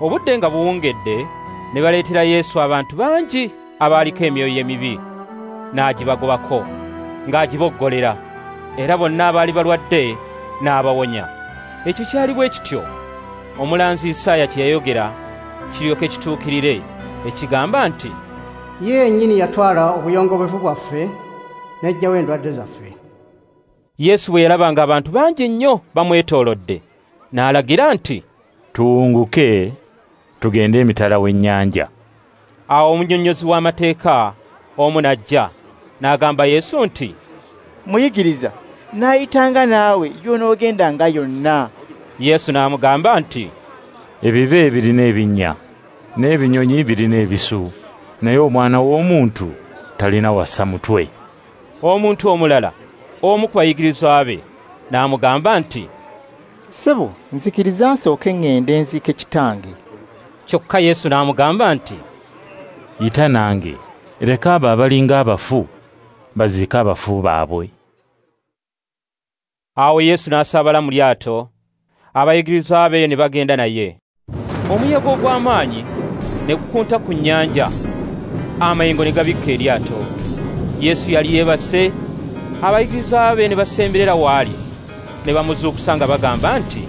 Obudde nga buwungedde, ne baleetera Yesu abantu bangi abaaliko emyoyo emibi, n'agibagobako ng'agiboggolera, era bonna abaali balwadde n'abawonya. Ekyo kyali bwe kityo omulanzi Isaaya kye yayogera kiryoke kituukirire, ekigamba nti, Ye yennyini yatwala obuyongobevu bwaffe n'aggyawo endwadde zaffe. Yesu bwe yalaba ng'abantu bangi nnyo bamwetoolodde, n'alagira nti, Tuwunguke tugende emitala w'ennyanja. Awo omunnyonnyozi w'amateeka omu n'ajja n'agamba Yesu nti, Muyigiriza, naayitanga naawe gy'onoogendanga yonna. Yesu n'amugamba nti, Ebibe birina ebinnya, n'ebinyonyi birina ebisu, naye Omwana w'Omuntu talina wassa mutwe. Omuntu omulala, omu ku bayigirizwa be, n'amugamba nti, Ssebo, nzikiriza nsooke ŋŋende nziike kitange. Kyokka Yesu n'amugamba nti, Yita nange, leka abo abalinga abafu baziike abafu baabwe. Awo Yesu n'asaabala mu lyato, abayigirizwa be ne bagenda naye. Omuyaga ogw'amaanyi ne gukunta ku nnyanja, amayengo ne gabikka eryato, Yesu yali yeebase, abayigirizwa be ne basemberera w'ali, ne bamuzuukusa nga bagamba nti,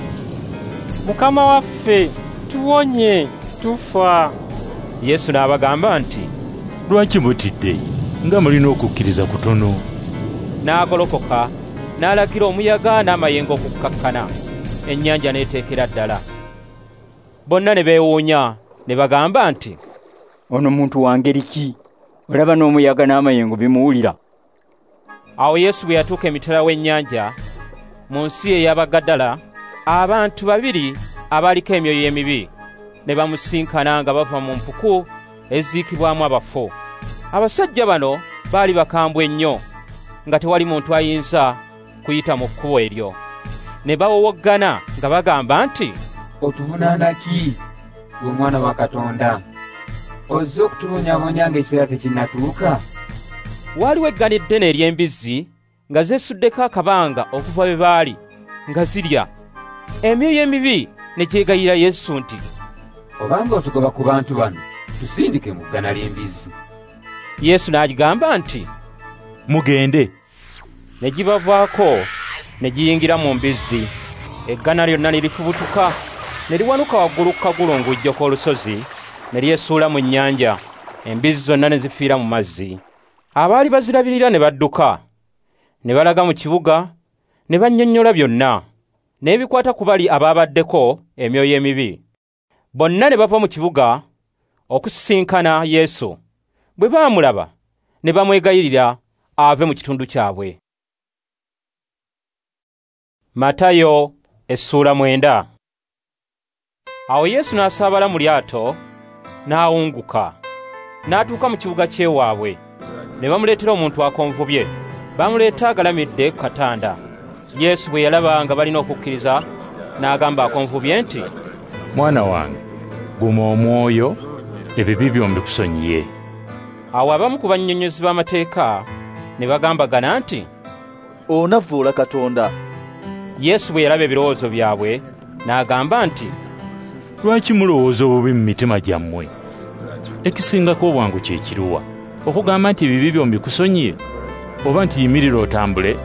Mukama waffe, tuwonye, tufa. Yesu n'abagamba nti, Lwaki mutidde, nga mulina okukkiriza kutono? N'agolokoka, n'alagira omuyaga n'amayengo okukkakkana, ennyanja n'eteekera ddala. Bonna ne beewuunya, ne bagamba nti, Ono muntu wa ngeri ki? Olaba n'omuyaga n'amayengo bimuwulira. Awo Yesu bwe yatuuka emitala w'ennyanja, mu nsi ey'Abagadala, abantu babiri abaaliko emyoyo emibi ne bamusinkana nga bava mu mpuku eziikibwamu abafu. Abasajja bano baali bakambwe nnyo, nga tewali muntu ayinza kuyita mu kkubo eryo. Ne bawowoggana nga bagamba nti, Otuvunaana ki, ggwe Omwana wa Katonda? Ozze okutubonyaabonya ng'ekiseera tekinnatuuka? Waaliwo eggana eddene ery'embizzi nga zeesuddeko akabanga okuva be baali nga zirya. Emyoyo emibi ne gyegayirira Yesu nti, Obanga otugoba ku bantu bano, tusindike mu ggana ly'embizzi. Yesu n'agigamba nti, Mugende. Ne gibavaako ne giyingira mu mbizzi. Eggana lyonna ne lifubutuka, ne liwanuka waggulu ku kagulungujjo k'olusozi, ne lyesuula mu nnyanja. Embizzi zonna ne zifiira mu mazzi. Abaali bazirabirira ne badduka, ne balaga mu kibuga, ne bannyonnyola byonna, n'ebikwata ku bali abaabaddeko emyoyo emibi. Bonna ne bava mu kibuga okusisinkana Yesu. Bwe baamulaba, ne bamwegayirira ave mu kitundu kyabwe. Matayo essuula 9. Awo Yesu n'asaabala mu lyato, n'awunguka, n'atuuka mu kibuga ky'ewaabwe. Ne bamuleetera omuntu akonvubye, bamuleeta agalamidde ku katanda. Yesu bwe yalaba nga balina okukkiriza, n'agamba akonvubye nti, Mwana wange, guma omwoyo, ebibi byo mbikusonyiye. Awo abamu ku bannyonnyozi b'amateeka ne bagambagana nti, Onavvoola Katonda. Yesu bwe yalaba ebirowoozo byabwe, n'agamba nti, Lwaki mulowooza obubi mu mitima gyammwe? Ekisingako obwangu kye kiruwa? Okugamba nti ebibi byo mbikusonyiye, oba nti yimirira otambule?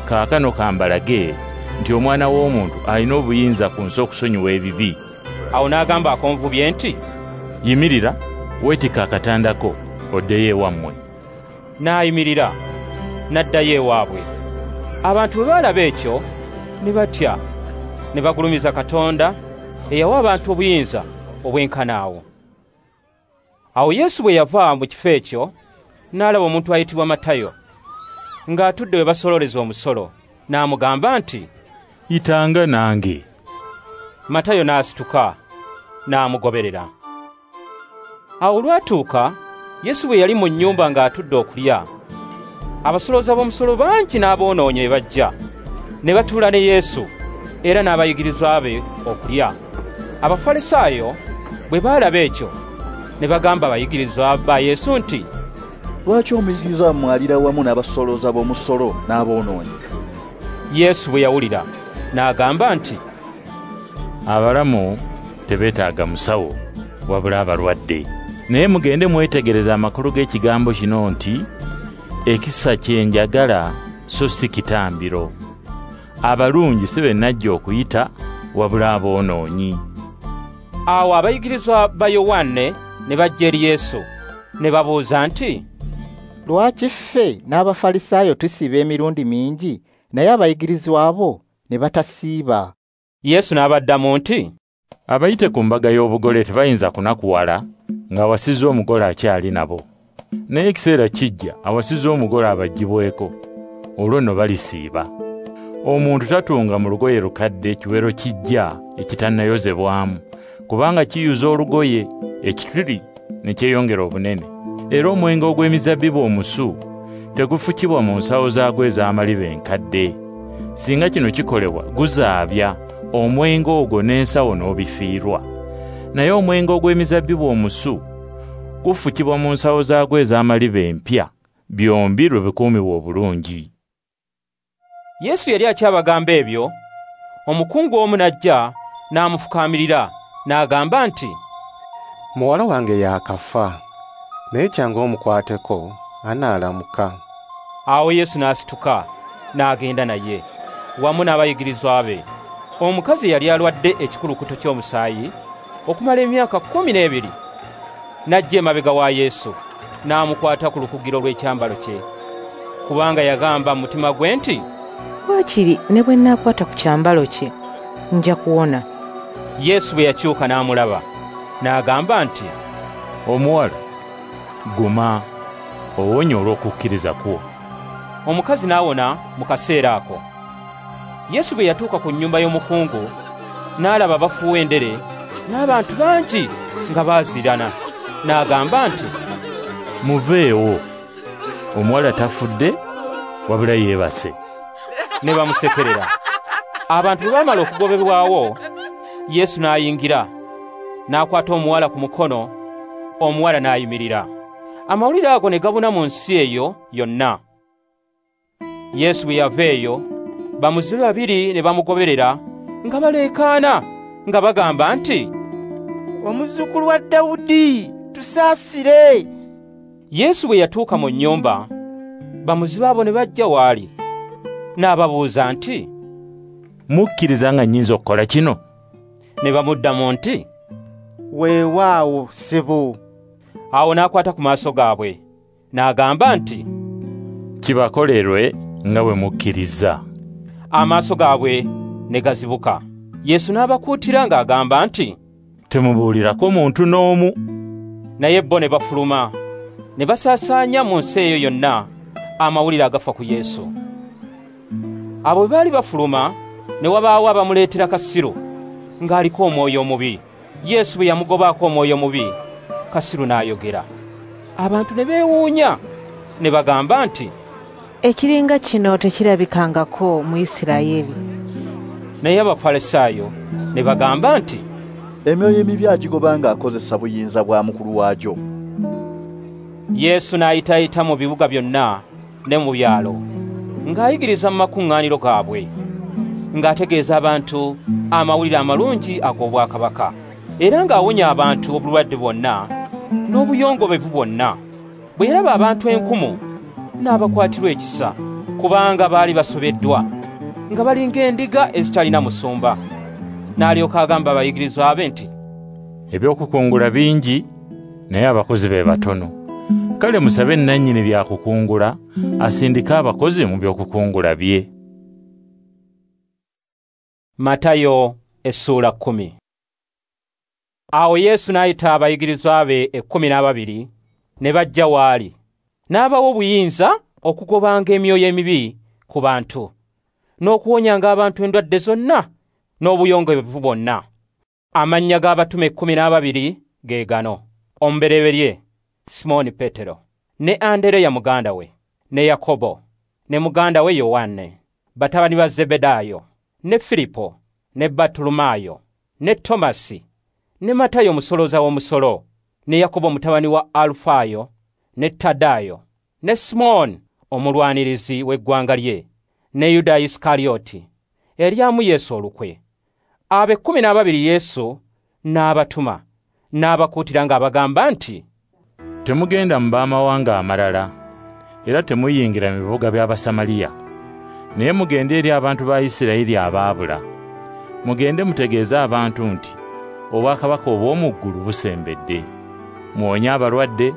Kaakano kambalage nti Omwana w'Omuntu alina obuyinza ku nsi okusonyiwa ebibi. Awo n'agamba akonvubye nti, Yimirira, weetikke akatanda ko, oddeyo ewammwe. N'ayimirira, n'addayo ewaabwe. Abantu bwe baalaba ekyo, ne batya, ne bagulumiza Katonda eyawa abantu obuyinza obwenkana awo. Awo Yesu bwe yava mu kifo ekyo, n'alaba omuntu ayitibwa Matayo, ng'atudde we basololeza omusolo, n'amugamba nti, Yitanga nange. Matayo n'asituka, n'amugoberera. Awo olwatuuka, Yesu bwe yali mu nnyumba ng'atudde okulya, abasolooza b'omusolo bangi n'aboonoonyi ne bajja, ne batuula ne Yesu era n'abayigirizwa be okulya. Abafalisaayo bwe baalaba ekyo, ne bagamba abayigirizwa ba Yesu nti, Lwaki omuyigiriza wammwe alira wamu n'abasolooza b'omusolo n'aboonoonyi? Yesu bwe yawulira, n'agamba nti, Abalamu tebeetaaga musawo, wabula abalwadde. Naye mugende mwetegereze amakulu g'ekigambo kino nti, ekisa kye njagala so si kitambiro. Abalungi si be najja okuyita, wabula aboonoonyi. Awo abayigirizwa ba Yowanne ne bajja eri Yesu, ne babuuza nti, Lwaki ffe n'Abafalisaayo tusiiba emirundi mingi, naye abayigirizwa bo ne batasiiba? Yesu n'abaddamu nti, Abayite ku mbaga y'obugole tebayinza kunakuwala ng'awasizza omugole akyali nabo. Naye ekiseera kijja awasizza omugole abaggyibweko, olwo nno balisiiba. Omuntu tatunga mu lugoye lukadde ekiwero kijja ekitannayozebwamu, kubanga kiyuza olugoye, ekituli ne kyeyongera obunene. Era omwenge ogw'emizabbibu omusu tegufukibwa mu nsawo zaagwo ez'amaliba enkadde. Singa kino kikolebwa, guzaabya omwenge ogwo n'ensawo n'obifiirwa. Naye omwenge ogw'emizabbibu omusu gufukibwa mu nsawo zaagwo ez'amaliba empya, byombi lwe bikuumibwa obulungi. Yesu yali akyabagamba ebyo, omukungu omu n'ajja n'amufukaamirira n'agamba nti, Muwala wange yaakafa, naye kyangu omukwateko anaalamuka. Awo Yesu n'asituka n'agenda naye wamu n'abayigirizwa be. Omukazi yali alwadde ekikulukuto ky'omusaayi okumala emyaka 12 n'ajja emabega wa Yesu n'amukwata ku lukugiro lw'ekyambalo kye, kubanga yagamba mu mutima gwe nti, "Waakiri ne bwe nnaakwata ku kyambalo kye nja kuwona." Yesu bwe yakyuka n'amulaba n'agamba nti, "Omuwala, guma, owonye olw'okukkiriza kwo." Omukazi n'awona mu kaseera ako. Yesu bwe yatuuka ku nnyumba y'omukungu n'alaba bafuuwa endere n'abantu bangi nga baazirana, n'agamba nti, "Muveewo, omuwala tafudde wabula yeebase." Ne bamusekerera. Abantu bwe baamala okugobebwawo, Yesu n'ayingira, n'akwata omuwala ku mukono, omuwala n'ayimirira. Amawulire ago ne gabuna mu nsi eyo yonna. Yesu bwe yava eyo, bamuzibe babiri ne bamugoberera nga baleekaana nga bagamba nti, "Omuzzukulu wa Dawudi, tusaasire!" Yesu bwe yatuuka mu nnyumba, bamuzibe abo ne bajja w'ali, n'ababuuza nti, "Mukkiriza nga nnyinza okukola kino?" Ne bamuddamu nti, "Weewaawo, ssebo." Awo n'akwata ku maaso gaabwe n'agamba nti, "Kibakolerwe nga bwe mukkiriza." Amaaso gaabwe ne gazibuka. Yesu n'abakuutira ng'agamba nti, "Temubuulirako muntu n'omu." Naye bo ne bafuluma ne basaasaanya mu nsi eyo yonna amawulire agafa ku Yesu. Abo bwe baali bafuluma, ne wabaawo abamuleetera kasiru ng'aliko omwoyo omubi. Yesu bwe yamugobaako omwoyo omubi, kasiru n'ayogera. Abantu ne beewuunya ne bagamba nti, "Ekiringa kino tekirabikangako mu Isirayiri." Naye Abafalisaayo ne bagamba nti, "Emyoyo emibi agigoba ng'akozesa buyinza bwa mukulu waagyo." Yesu n'ayitaayita mu bibuga byonna ne mu byalo, ng'ayigiriza mu makuŋŋaaniro gaabwe, ng'ategeeza abantu amawulire amalungi ag'obwakabaka, era ng'awonya abantu obulwadde bwonna n'obuyongobevu bwonna. Bwe yalaba abantu enkumu, n'abakwatirwa ekisa, kubanga baali basobeddwa, nga balinga endiga ezitalina musumba. N'alyoka agamba abayigirizwa be nti, "Ebyokukungula bingi, naye abakozi be batono. Kale musabe nnannyini byakukungula asindike abakozi mu byokukungula bye." Matayo essuula 10. Awo Yesu n'ayita abayigirizwa be 12 ne bajja w'ali, n'abawa obuyinza okugobanga emyoyo emibi ku bantu, n'okuwonyanga abantu endwadde zonna n'obuyongobevu bwonna. Amannya g'abatume 12 ge gano: omubereberye Simooni Petero, ne Andereya muganda we, ne Yakobo, ne muganda we Yowanne, batabani ba Zebedaayo, ne Filipo, ne Bartolomaayo, ne Tomasi, ne Matayo omusolooza w'omusolo, ne Yakobo mutabani wa Alufaayo, ne Tadaayo, ne Simooni omulwanirizi w'eggwanga lye, ne Yuda Isikarioti eryamu Yesu olukwe. Abo 12 Yesu n'abatuma, n'abakuutira ng'abagamba nti, "Temugenda mu b'amawanga amalala, era temuyingira mu bibuga by'Abasamaliya. Naye mugende eri abantu ba Isirayiri abaabula. Mugende mutegeeze abantu nti obwakabaka obw'omu ggulu busembedde. Muwonye abalwadde,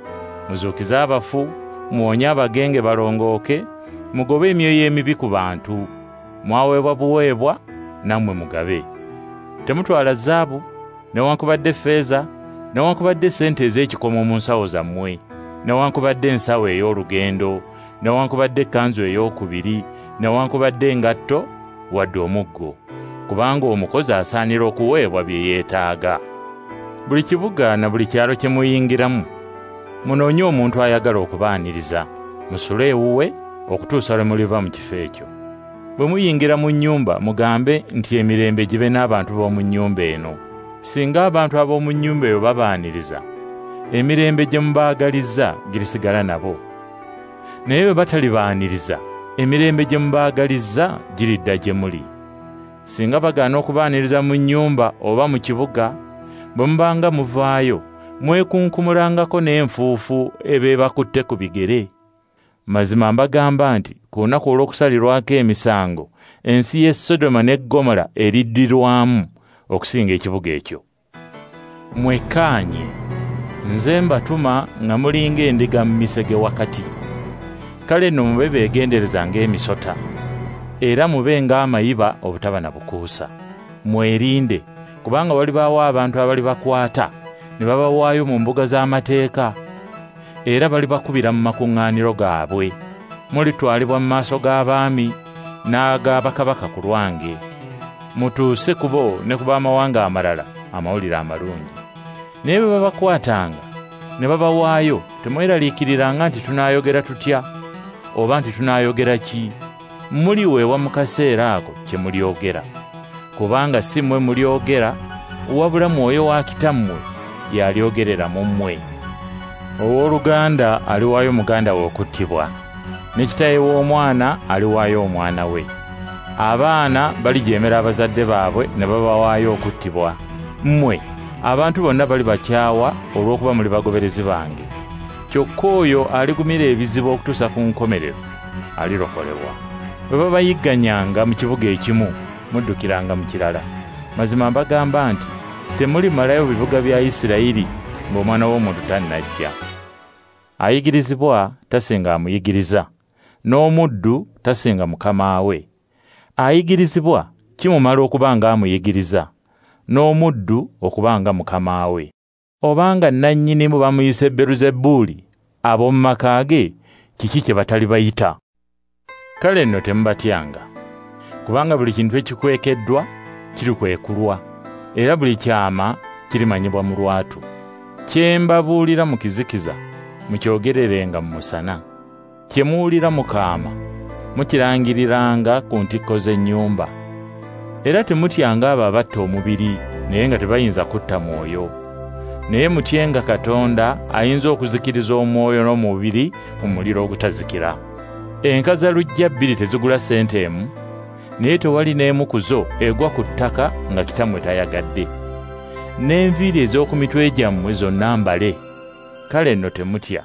muzuukize abafu, muwonye abagenge balongooke, mugobe emyoyo emibi ku bantu. Mwaweebwa buweebwa, nammwe mugabe. Temutwala zaabu, newankubadde ffeeza, newankubadde ssente ez'ekikomo mu nsawo zammwe, newankubadde ensawo ey'olugendo, newankubadde ekkanzu ey'okubiri, newankubadde engatto, wadde omuggo, kubanga omukozi asaanira okuweebwa bye yeetaaga. Buli kibuga na buli kyalo kye muyingiramu, munoonye omuntu ayagala okubaaniriza, musule ewuwe okutuusa lwe muliva mu kifo ekyo. Bwe muyingira mu nnyumba, mugambe nti emirembe gibe n'abantu b'omu nnyumba eno. Singa abantu ab'omu nnyumba eyo babaaniriza, emirembe gye mubaagalizza girisigala nabo. Naye bwe batalibaaniriza, emirembe gye mubaagalizza giridda gye muli. Singa bagaana okubaaniriza mu nnyumba oba mu kibuga, bwe mubanga muvaayo, mwekunkumulangako n'enfuufu ebeebakutte ku bigere. Mazima mbagamba nti ku lunaku olw'okusalirwako emisango, ensi y'e Sodoma ne Ggomola eriddirwamu okusinga ekibuga ekyo. Mwekkaanye, nze mbatuma nga mulinga endiga mu misege wakati. Kale nno mube beegendereza ng'emisota, era mube ng'amayiba obutaba na bukuusa. Mwerinde, kubanga walibaawo abantu abalibakwata ne babawaayo mu mbuga z'amateeka, era balibakubira mu makuŋŋaaniro gaabwe. Mulitwalibwa mu maaso g'abaami n'ag'abakabaka ku lwange. Mutuuse ku bo ne ku b'amawanga amalala amawulire amalungi. Naye bwe babakwatanga ne babawaayo, temweraliikiriranga nti tunaayogera tutya oba nti tunaayogera ki. Muliweebwa mu kaseera ako kye mulyogera, kubanga si mmwe mulyogera, wabula Mwoyo wa Kitammwe y'alyogerera mu mmwe. Owooluganda aliwaayo muganda we okuttibwa, ne kitaawe w'omwana aliwaayo omwana we. Abaana balijeemera abazadde baabwe ne babawaayo okuttibwa. Mmwe abantu bonna balibakyawa olw'okuba muli bagoberezi bange. Kyokka oyo aligumira ebizibu okutuusa ku nkomerero alirokolebwa. Bwe babayigganyanga mu kibuga ekimu, muddukiranga mu kirala. Mazima mbagamba nti temulimalayo bibuga bya Isirayiri ng'Omwana w'Omuntu tannajja. Ayigirizibwa tasinga amuyigiriza, n'omuddu tasinga mukama we. Ayigirizibwa kimumala okuba ng'amuyigiriza, n'omuddu okuba nga mukama we. Obanga nnannyinimu bamuyise Beruzebuli, ab'omu maka ge kiki kye batalibayita? Kale nno temubatyanga, kubanga buli kintu ekikwekeddwa kirikwekulwa, era buli kyama kirimanyibwa mu lwatu. Kye mbabuulira mu kizikiza mukyogererenga mu musana, kye muwulira mu kaama mukirangiriranga ku ntikko z'ennyumba. Era temutyanga abo abatta omubiri naye nga tebayinza kutta mwoyo. Naye mutyenga Katonda ayinza okuzikiriza omwoyo n'omubiri mu muliro ogutazikira. Enkazaluggya bbiri tezigula ssente emu, naye tewali n'emu ku zo egwa ku ttaka nga Kitammwe tayagadde. N'enviiri ez'oku mitwe gyammwe zonna mbale. Kale nno temutya,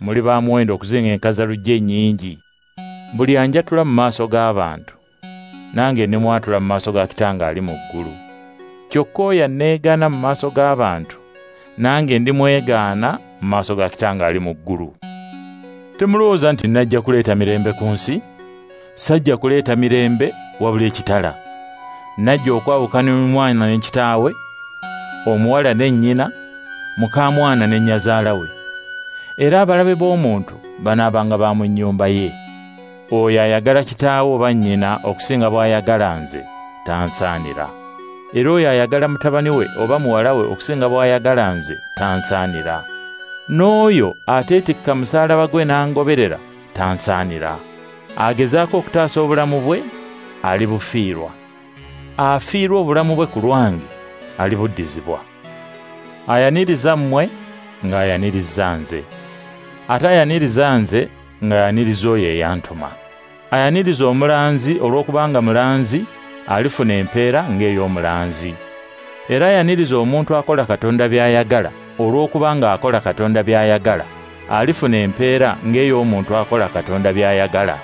muli ba muwendo okusinga enkazaluggya ennyingi. Buli anjatula mu maaso g'abantu, nange ndimwatula mu maaso ga Kitange ali mu ggulu. Kyokka oyo anneegaana mu maaso g'abantu, nange ndimwegaana mu maaso ga Kitange ali mu ggulu. Temulowooza nti najja kuleeta mirembe ku nsi? Sajja kuleeta mirembe wabula ekitala. Najja okwawukana omwana ne kitaawe, omuwala ne nnyina, mukaamwana ne nnyazaala we. Era abalabe b'omuntu banaabanga ba mu nnyumba ye. Oyo ayagala kitaawe oba nnyina okusinga bw'ayagala nze tansaanira. Era oyo ayagala mutabani we oba muwala we okusinga bw'ayagala nze tansaanira. N'oyo ateetikka musaalaba gwe n'angoberera tansaanira. Agezaako okutaasa obulamu bwe alibufiirwa. Afiirwa obulamu bwe ku lwange alibuddizibwa. Ayaniriza mmwe ng'ayaniriza nze, ate ayaniriza nze ng'ayaniriza oyo eyantuma. Ayaniriza omulanzi olw'okubanga mulanzi alifuna empeera ng'ey'omulanzi. Era ayaniriza omuntu akola Katonda by'ayagala olw'okubanga akola Katonda by'ayagala alifuna empeera ng'ey'omuntu akola Katonda by'ayagala.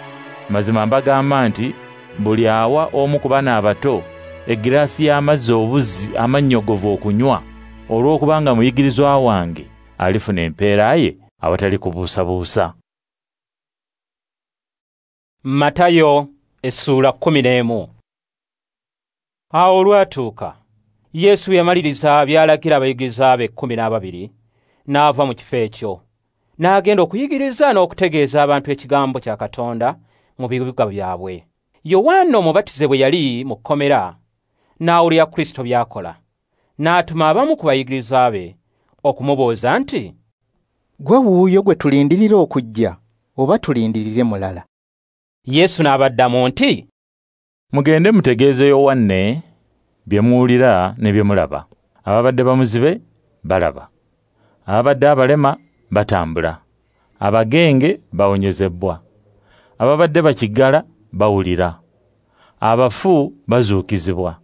Mazima mbagamba nti buli awa omu ku bana abato egiraasi y'amazzi obuzzi amannyogovu okunywa olw'okubanga muyigirizwa wange alifuna empeera ye awatali kubuusabuusa. Matayo essuula 11. Awo olwatuuka Yesu yamaliriza by'alagira abayigirizwa be 12 n'ava mu kifo ekyo n'agenda okuyigiriza n'okutegeeza abantu ekigambo kya Katonda mu bibuga byabwe. Yowaana Omubatize bwe yali mu kkomera n'awulira Kristo by'akola, n'atuma abamu ku bayigirizwa be okumubuuza nti, "Ggwe wuuyo gwe tulindirira okujja oba tulindirire mulala?" Yesu n'abaddamu nti, "Mugende mutegeeze Yowanne bye muwulira ne bye mulaba. Ababadde bamuzibe balaba, ababadde abalema batambula, abagenge bawonyezebwa, ababadde bakiggala bawulira, abafu bazuukizibwa,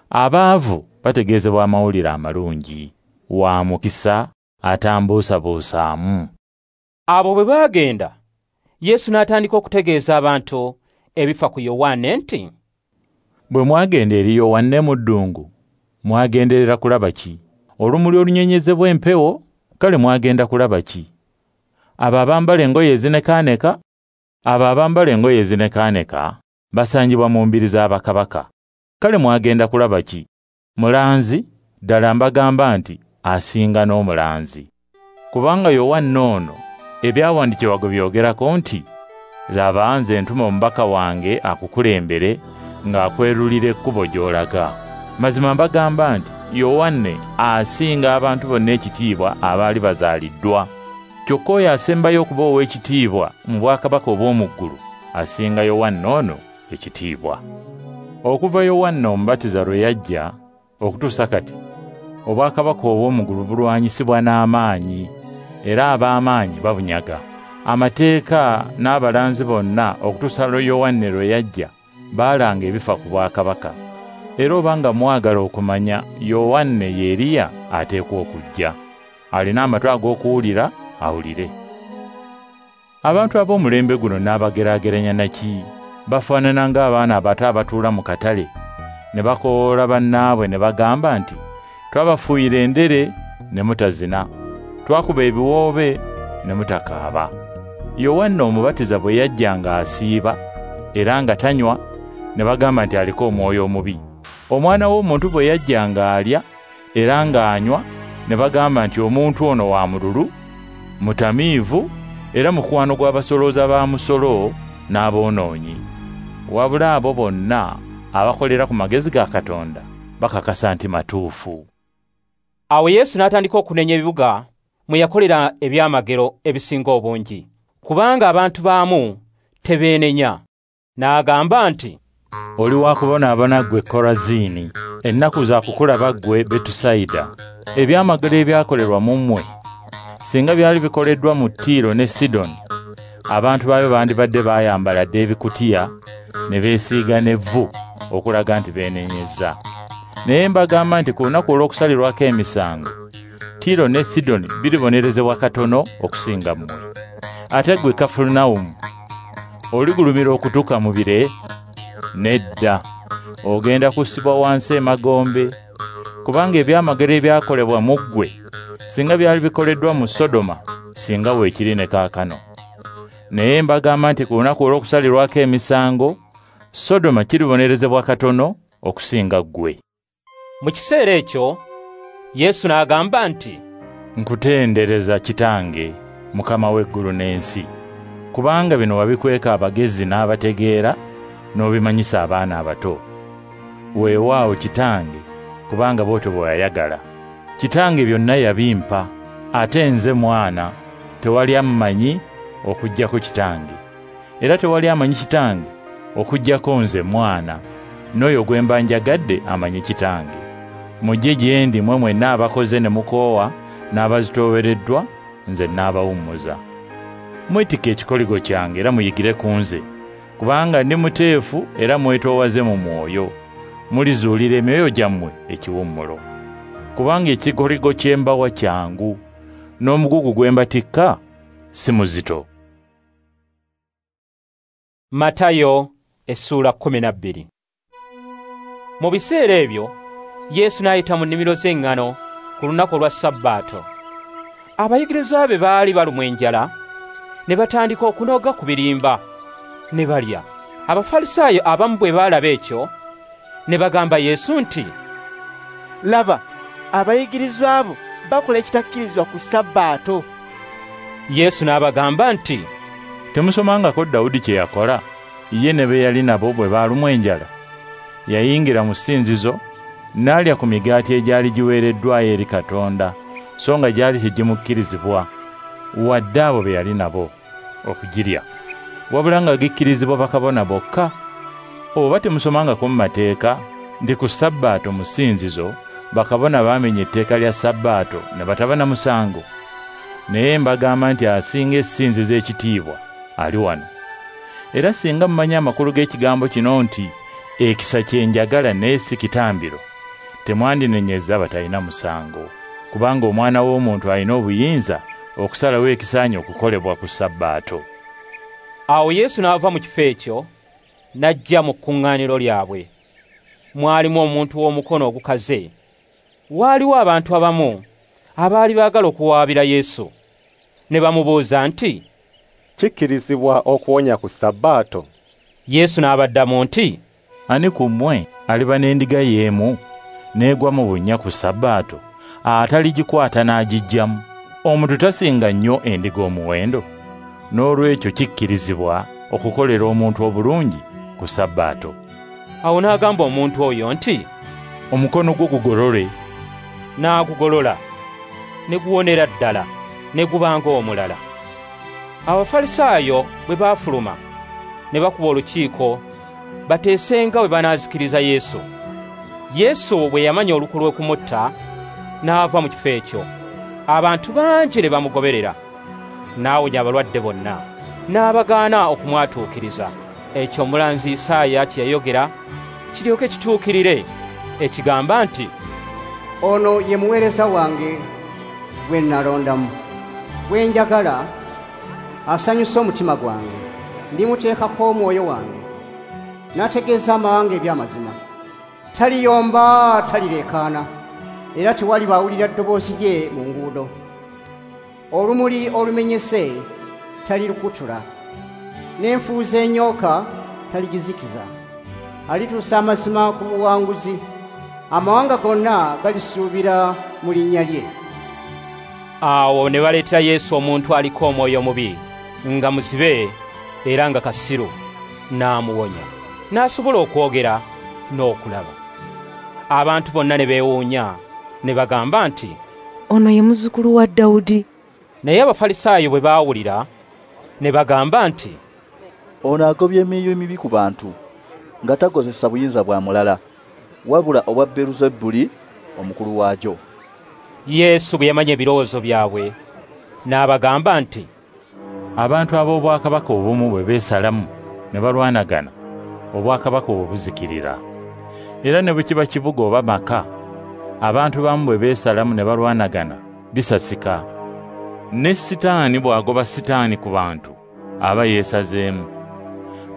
abaavu bategeezebwa amawulire amalungi. Wa mukisa atambuusabuusaamu." Abo bwe baagenda, Yesu n'atandika okutegeeza abantu ebifa ku Yowanne nti, Bwe mwagenda eri Yowanne mu ddungu, mwagenderera kulaba ki? Olumuli olunyenyezebwa empewo? Kale mwagenda kulaba ki? Abo abambala engoye ezinekaaneka? Abo abambala engoye ezinekaaneka basangibwa mu mbiri z'abakabaka. Kale mwagenda kulaba ki? Mulanzi? Ddala mbagamba nti asinga n'omulanzi. Kubanga Yowanne ono ebyawandiikibwa gwe byogerako nti, Laba nze ntuma omubaka wange akukulembere ng'akwerulira ekkubo gy'olaga. Mazima mbagamba nti Yowanne asinga abantu bonna ekitiibwa abaali bazaaliddwa. Kyokka oyo asembayo okuba ow'ekitiibwa mu bwakabaka obw'omu ggulu asinga Yowanne ono ekitiibwa. Okuva Yowanne Omubatiza lwe yajja okutuusa kati, obwakabaka obw'omu ggulu bulwanyisibwa n'amaanyi, era ab'amaanyi babunyaga. Amateeka n'abalanzi bonna okutuusa Yowanne lwe yajja baalanga ebifa ku bwakabaka. Era obanga mwagala okumanya, Yowanne ye Eriya ateekwa okujja. Alina amatu ag'okuwulira awulire. Abantu ab'omulembe guno n'abageraageranya na ki? Bafaanana ng'abaana abato abatuula mu katale ne bakoowoola bannaabwe ne bagamba nti, Twabafuuyira endere ne mutazina, twakuba ebiwoobe ne mutakaaba. Yowanne Omubatiza bwe yajja ng'asiiba era nga tanywa, ne bagamba nti aliko omwoyo omubi. Omwana w'omuntu bwe yajja ng'alya era ng'anywa, ne bagamba nti omuntu ono wa mululu, mutamiivu, era mukwano gw'abasolooza ba musolo n'aboonoonyi. Wabula abo bonna abakolera ku magezi ga Katonda bakakasa nti matuufu. Awo Yesu n'atandika okunenya ebibuga mwe yakolera ebyamagero ebisinga obungi, kubanga abantu baamu tebeenenya. N'agamba nti, Oli wa kubonaabona ggwe Koraziini, ennaku za kukulaba ggwe Betusayida. Ebyamagero ebyakolerwa mu mmwe singa byali bikoleddwa mu Tiiro ne Sidoni, abantu baayo bandibadde baayambala dda ebikutiya ne beesiiga n'evvu okulaga nti beenenyezza. Naye mbagamba nti ku lunaku olw'okusalirwako emisango, Tiiro ne Sidoni biribonerezebwa katono okusinga mmwe. Ate ggwe Kafarunawumu, oligulumira okutuuka mu bire? Nedda, ogenda kussibwa wansi emagombe, kubanga ebyamagero ebyakolebwa mu ggwe singa byali bikoleddwa mu Sodoma, singa weekiri ne kaakano. Naye mbagamba nti ku lunaku olw'okusalirwako emisango, Sodoma kiribonerezebwa katono okusinga ggwe. Mu kiseera ekyo Yesu n'agamba nti, Nkutendereza Kitange, Mukama w'eggulu n'ensi, kubanga bino wabikweka abagezi n'abategeera n'obimanyisa abaana abato. Weewaawo Kitange, kubanga bw'otyo bwe wayagala. Kitange byonna yabimpa, ate nze mwana, tewali ammanyi okuggyako Kitange. Era tewali amanyi Kitange okuggyako nze mwana, n'oyo gwe mba njagadde amanyi Kitange. Mujje gye ndi mmwe mwenna abakoze ne mukoowa n'abazitoowereddwa, nze nnaabawummuza. Mwetikke ekikoligo kyange era muyigire ku nze, kubanga ndi muteefu era mwetoowaze mu mwoyo. Mulizuulira emyoyo gyammwe ekiwummulo. Kubanga ekikoligo kye mbawa kyangu, n'omugugu gwe mbatikka si muzito. Matayo essuula 12. Mu biseera ebyo Yesu n'ayita mu nnimiro z'eŋŋano ku lunaku olwa Sabbaato. Abayigirizwa be baali balumwa enjala, ne batandika okunoga ku birimba ne balya. Abafalisaayo abamu bwe baalaba ekyo, ne bagamba Yesu nti, Laba, abayigirizwa bo bakola ekitakkirizibwa ku Sabbaato. Yesu n'abagamba nti, Temusomangako Dawudi kye yakola, ye ne be yali nabo bwe baalumwa enjala? Yayingira mu ssinzizo n'alya ku migaati egyali giweereddwayo eri Katonda, so nga gyali tegimukkirizibwa, wadde abo be yali nabo okugirya, wabula nga gikkirizibwa bakabona bokka. Oba temusomangako mu mateeka nti ku Sabbaato mu ssinzizo bakabona baamenya etteeka lya Sabbaato ne bataba na musango? Naye mbagamba nti asinga essinzizo ekitiibwa ali wano. Era singa mumanyi amakulu g'ekigambo kino nti ekisa kye njagala naye si kitambiro, temwandinenyezza abatalina musango, kubanga Omwana w'Omuntu alina obuyinza okusalawo ekisaanye okukolebwa ku Sabbaato. Awo Yesu n'ava mu kifo ekyo n'ajja mu kkuŋŋaaniro lyabwe. Mwalimu omuntu w'omukono ogukaze. Waaliwo abantu abamu abaali baagala okuwaabira Yesu, ne bamubuuza nti, "Kikkirizibwa okuwonya ku Sabbaato?" Yesu n'abaddamu nti, "Ani ku mmwe aliba n'endiga y'emu n'egwa mu bunnya ku Sabbaato, ataligikwata n'agiggyamu? Omuntu tasinga nnyo endiga omuwendo? N'olwekyo kikkirizibwa okukolera omuntu obulungi ku Sabbaato." Awo n'agamba omuntu oyo nti, "Omukono gwo gugolole." N'agugolola, ne guwonera ddala, ne guba ng'omulala. Abafalisaayo bwe baafuluma, ne bakuba olukiiko bateesenga bwe banaazikiriza Yesu. Yesu bwe yamanya olukwe lw'okumutta, n'ava mu kifo ekyo. Abantu bangi ne bamugoberera. N'awonya abalwadde bonna, n'abagaana okumwatuukiriza. Ekyo omulanzi Isaaya kye yayogera kiryoke kituukirire, ekigamba nti, "Ono ye muweereza wange gwe nalondamu, gwe njagala, asanyusa omutima gwange. Ndimuteekako omwoyo wange, n'ategeeza amawanga eby'amazima. Taliyomba, talireekaana, era tewaliba awulira ddoboozi lye mu nguudo. Olumuli olumenyese talirukutula, n'enfuuzi ennyooka taligizikiza. Alituusa amazima ku buwanguzi, amawanga gonna galisuubira mu linnya lye." Awo ne baleetera Yesu omuntu aliko omwoyo omubi, nga muzibe era nga kasiru, n'amuwonya, n'asobola okwogera n'okulaba. Abantu bonna ne beewuunya, ne bagamba nti, "Ono ye muzzukulu wa Dawudi." Naye Abafalisaayo bwe baawulira, ne bagamba nti, "Ono agobye emyoyo emibi ku bantu, nga takozesa buyinza bwa mulala, wabula obwa Beeluzebuli omukulu waagyo." Yesu bwe yamanya ebirowoozo byabwe, n'abagamba nti, "Abantu ab'obwakabaka obumu bwe beesalamu ne balwanagana, obwakabaka obwo buzikirira. Era ne bwe kiba kibuga oba maka, abantu bamu bwe beesalamu ne balwanagana, bisasika. Ne Sitaani bw'agoba Sitaani ku bantu, aba yeesazeemu.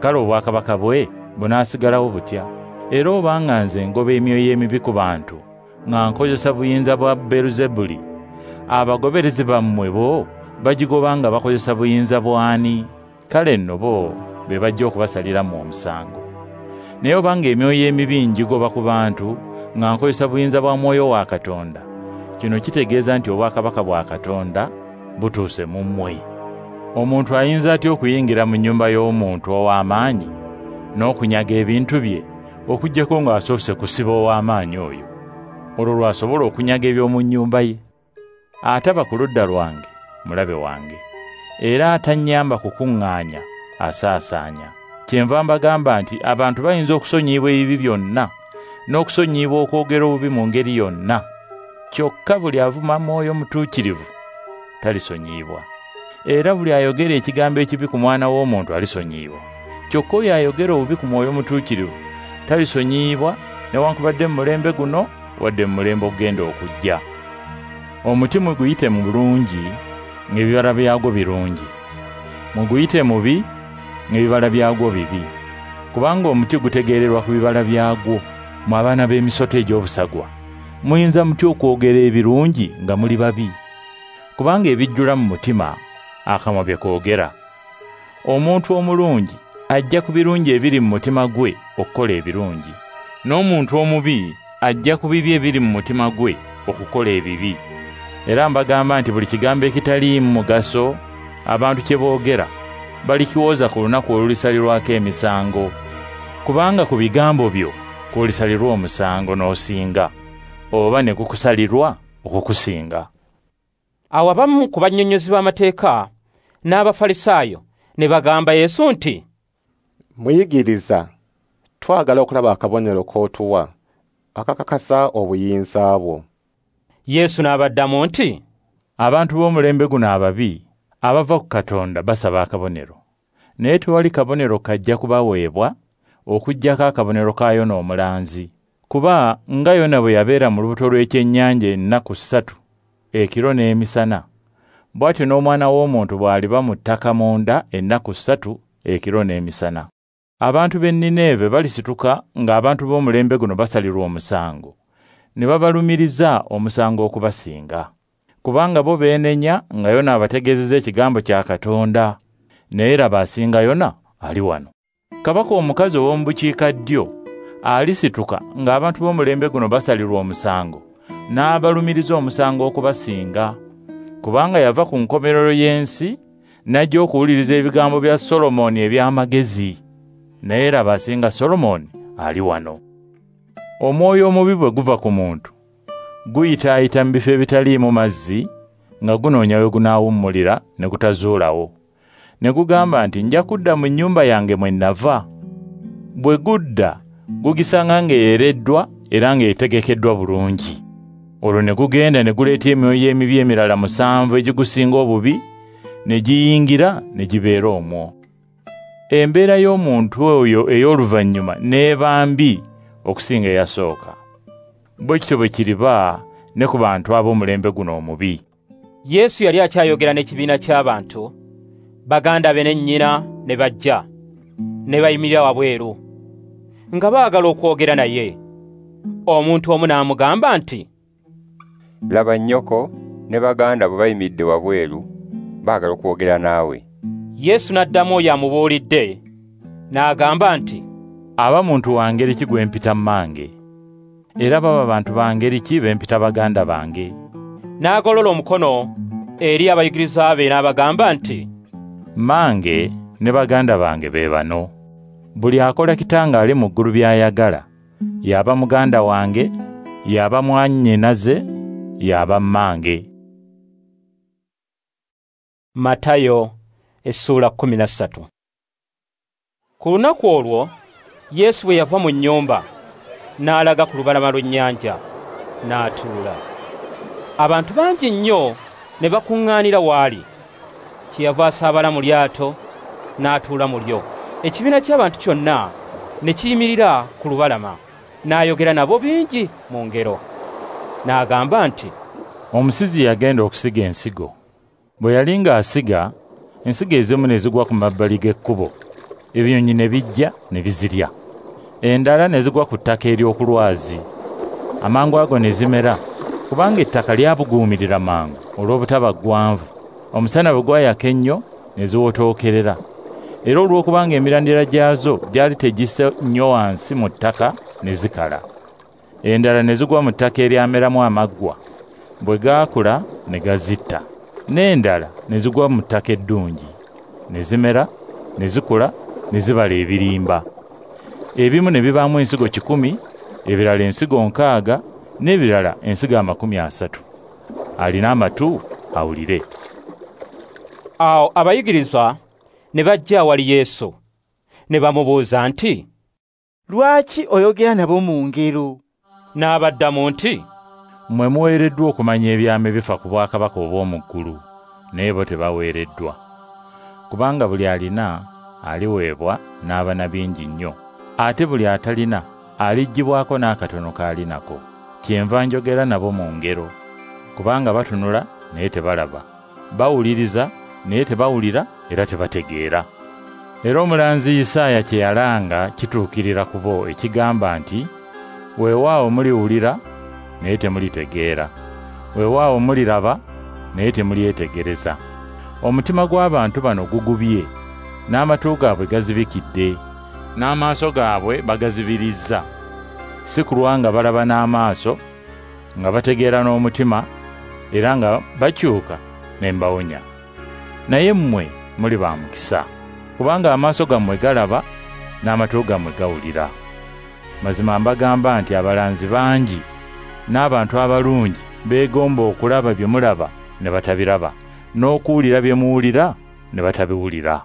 Kale obwakabaka bwe bunaasigalawo butya? Era obanga nze ngoba emyoyo emibi ku bantu, nga nkozesa buyinza bwa Beeluzebuli, abagoberezi bammwe bo bagigoba nga bakozesa buyinza bw'ani? Kale nno bo be bajja okubasaliramu omusango. Naye obanga emyoyo emibi ngigoba ku bantu nga nkozesa buyinza bwa Mwoyo wa Katonda, kino kitegeeza nti obwakabaka bwa Katonda butuuse mu mmwe. Omuntu ayinza atya okuyingira mu nnyumba y'omuntu ow'amaanyi n'okunyaga ebintu bye, okuggyako ng'asoose kusiba ow'amaanyi oyo? Olwo lw'asobola okunyaga eby'omu nnyumba ye. Ataba ku ludda lwange mulabe wange, era atannyamba kukuŋŋaanya asaasaanya. Kyenva mbagamba nti abantu bayinza okusonyiyibwa ebibi byonna, n'okusonyiyibwa okwogera obubi mu ngeri yonna. Kyokka buli avuma Mwoyo Mutuukirivu talisonyiyibwa. Era buli ayogera ekigambo ekibi ku Mwana w'Omuntu alisonyiyibwa. Kyokka oyo ayogera obubi ku Mwoyo Mutuukirivu talisonyiyibwa, newankubadde mu mulembe guno wadde mu mulembe ogugenda okujja. Omuti muguyite mu bulungi, ng'ebibala byagwo birungi. Muguyite mubi, ng'ebibala byagwo bibi. Kubanga omuti gutegeererwa ku bibala byagwo. Mmwe abaana b'emisota egy'obusagwa, muyinza mutya okwogera ebirungi nga muli babi? Kubanga ebijjula mu mutima akamwa bye koogera. Omuntu omulungi ajja ku birungi ebiri mu mutima gwe okukola ebirungi, n'omuntu omubi ajja ku bibi ebiri mu mutima gwe okukola ebibi. Era mbagamba nti buli kigambo ekitaliimu mugaso abantu kye boogera balikiwoza ku lunaku olulisalirwako emisango. Kubanga ku bigambo byo kw'olisalirwa omusango n'osinga, oba ne gukusalirwa okukusinga. Awo abamu ku bannyonnyozi b'amateeka n'Abafalisaayo ne bagamba Yesu nti, "Muyigiriza, twagala okulaba akabonero k'otuwa akakakasa obuyinza bwo." Yesu n'abaddamu nti, "Abantu b'omulembe guno ababi abava ku Katonda basaba akabonero, naye tewali kabonero kajja kubaweebwa okuggyako akabonero ka Yona omulanzi. Kuba nga Yona bwe yabeera mu lubuto lw'ekyennyanja ennaku 3 ekiro n'emisana, bw'atyo n'Omwana w'Omuntu bw'aliba mu ttaka munda ennaku 3 ekiro n'emisana. Abantu b'e Nineeve balisituka ng'abantu b'omulembe guno basalirwa omusango, ne babalumiriza omusango okubasinga. Kubanga bo beenenya nga Yona abategeezezza ekigambo kya Katonda, naye laba asinga Yona ali wano. Kabaka omukazi ow'omu bukiikaddyo alisituka ng'abantu b'omulembe guno basalirwa omusango, n'abalumiriza omusango okubasinga. Kubanga yava ku nkomerero y'ensi n'ajja okuwuliriza ebigambo bya Solomoni eby'amagezi, naye laba asinga Solomoni ali wano. Omwoyo omubi bwe guva ku muntu, guyitaayita mu bifo ebitaliimu mazzi nga gunoonya we gunaawummulira ne gutazuulawo. Ne gugamba nti, nja kudda mu nnyumba yange mwe nava. Bwe gudda, gugisanga ng'eyereddwa era ng'etegekeddwa bulungi. Olwo ne gugenda ne guleeta emyoyo emibi emirala 7 egigusinga obubi, ne giyingira ne gibeera omwo. Embeera y'omuntu oyo ey'oluvannyuma n'eba mbi okusinga eyasooka. Bwe kityo bwe kiriba ne ku bantu ab'omulembe guno omubi. Yesu yali akyayogera n'ekibiina ky'abantu, baganda be ne nnyina ne bajja, ne bayimirira wabweru, nga baagala okwogera naye. Omuntu omu n'amugamba nti, laba nnyoko ne baganda bo bayimiridde wabweru, baagala okwogera naawe. Yesu n'addamu oyo amubuulidde, n'agamba nti, aba muntu wa ngeri ki gwe mpita mmange? Era baba bantu ba ngeri ki be mpita baganda bange? N'agolola omukono eri abayigirizwa be n'abagamba nti, mmange ne baganda bange be bano. Buli akola kitange ali mu ggulu by'ayagala, y'aba muganda wange, y'aba mwannyinaze, y'aba mmange. Matayo essuula 13. Ku lunaku olwo Yesu bwe yava mu nnyumba n'alaga ku lubalama lw'ennyanja n'atuula. Abantu bangi nnyo ne bakuŋŋaanira w'ali. Kyeyava asaabala mu lyato n'atuula mu lyo. Ekibiina ky'abantu kyonna ne kiyimirira ku lubalama, n'ayogera nabo bingi mu ngero. N'agamba nti, omusizi yagenda okusiga ensigo. Bwe yali ng'asiga, ensigo ezimu ne zigwa ku mabbali g'ekkubo, ebinyonyi ne bijja ne bizirya. Endala ne zigwa ku ttaka ery'okulwazi, amangu ago ne zimera, kubanga ettaka lyabuguumirira mangu olw'obutaba ggwanvu. Omusana bwe gwayaka ennyo ne ziwotookerera, era olw'okubanga emirandira gyazo gyali tegisse nnyo wansi mu ttaka ne zikala. Endala ne zigwa mu ttaka eryameramu amaggwa, bwe gaakula ne gazitta. N'endala ne zigwa mu ttaka eddungi, ne zimera, ne zikula, ne zibala ebirimba. Ebimu ne bibaamu ensigo 100, ebirala ensigo 60, n'ebirala ensigo 30. Alina amatu awulire. Awo abayigirizwa ne bajja awali Yesu, ne bamubuuza nti, lwaki oyogera nabo mu ngero? N'abaddamu nti, mmwe muweereddwa okumanya ebyama ebifa ku bwakabaka obw'omu ggulu, naye bo tebaweereddwa. Kubanga buli alina aliweebwa n'aba na bingi nnyo, ate buli atalina aliggyibwako n'akatono k'alinako. Kyenva njogera nabo mu ngero, kubanga batunula naye tebalaba, bawuliriza naye tebawulira era tebategeera. Era omulanzi Isaaya kye yalanga kituukirira ku bo ekigamba nti, weewaawo muliwulira naye temulitegeera, weewaawo muliraba naye temulyetegereza. Omutima gw'abantu bano gugubye, n'amatu gaabwe gazibikidde, n'amaaso gaabwe bagazibirizza. Si kulwa nga balaba n'amaaso, nga bategeera n'omutima, era nga bakyuka ne mbawonya. Naye mmwe muli ba mukisa, kubanga amaaso gammwe galaba n'amatu gammwe gawulira. Mazima mbagamba nti abalanzi bangi n'abantu abalungi beegomba okulaba bye mulaba ne batabiraba, n'okuwulira bye muwulira ne batabiwulira.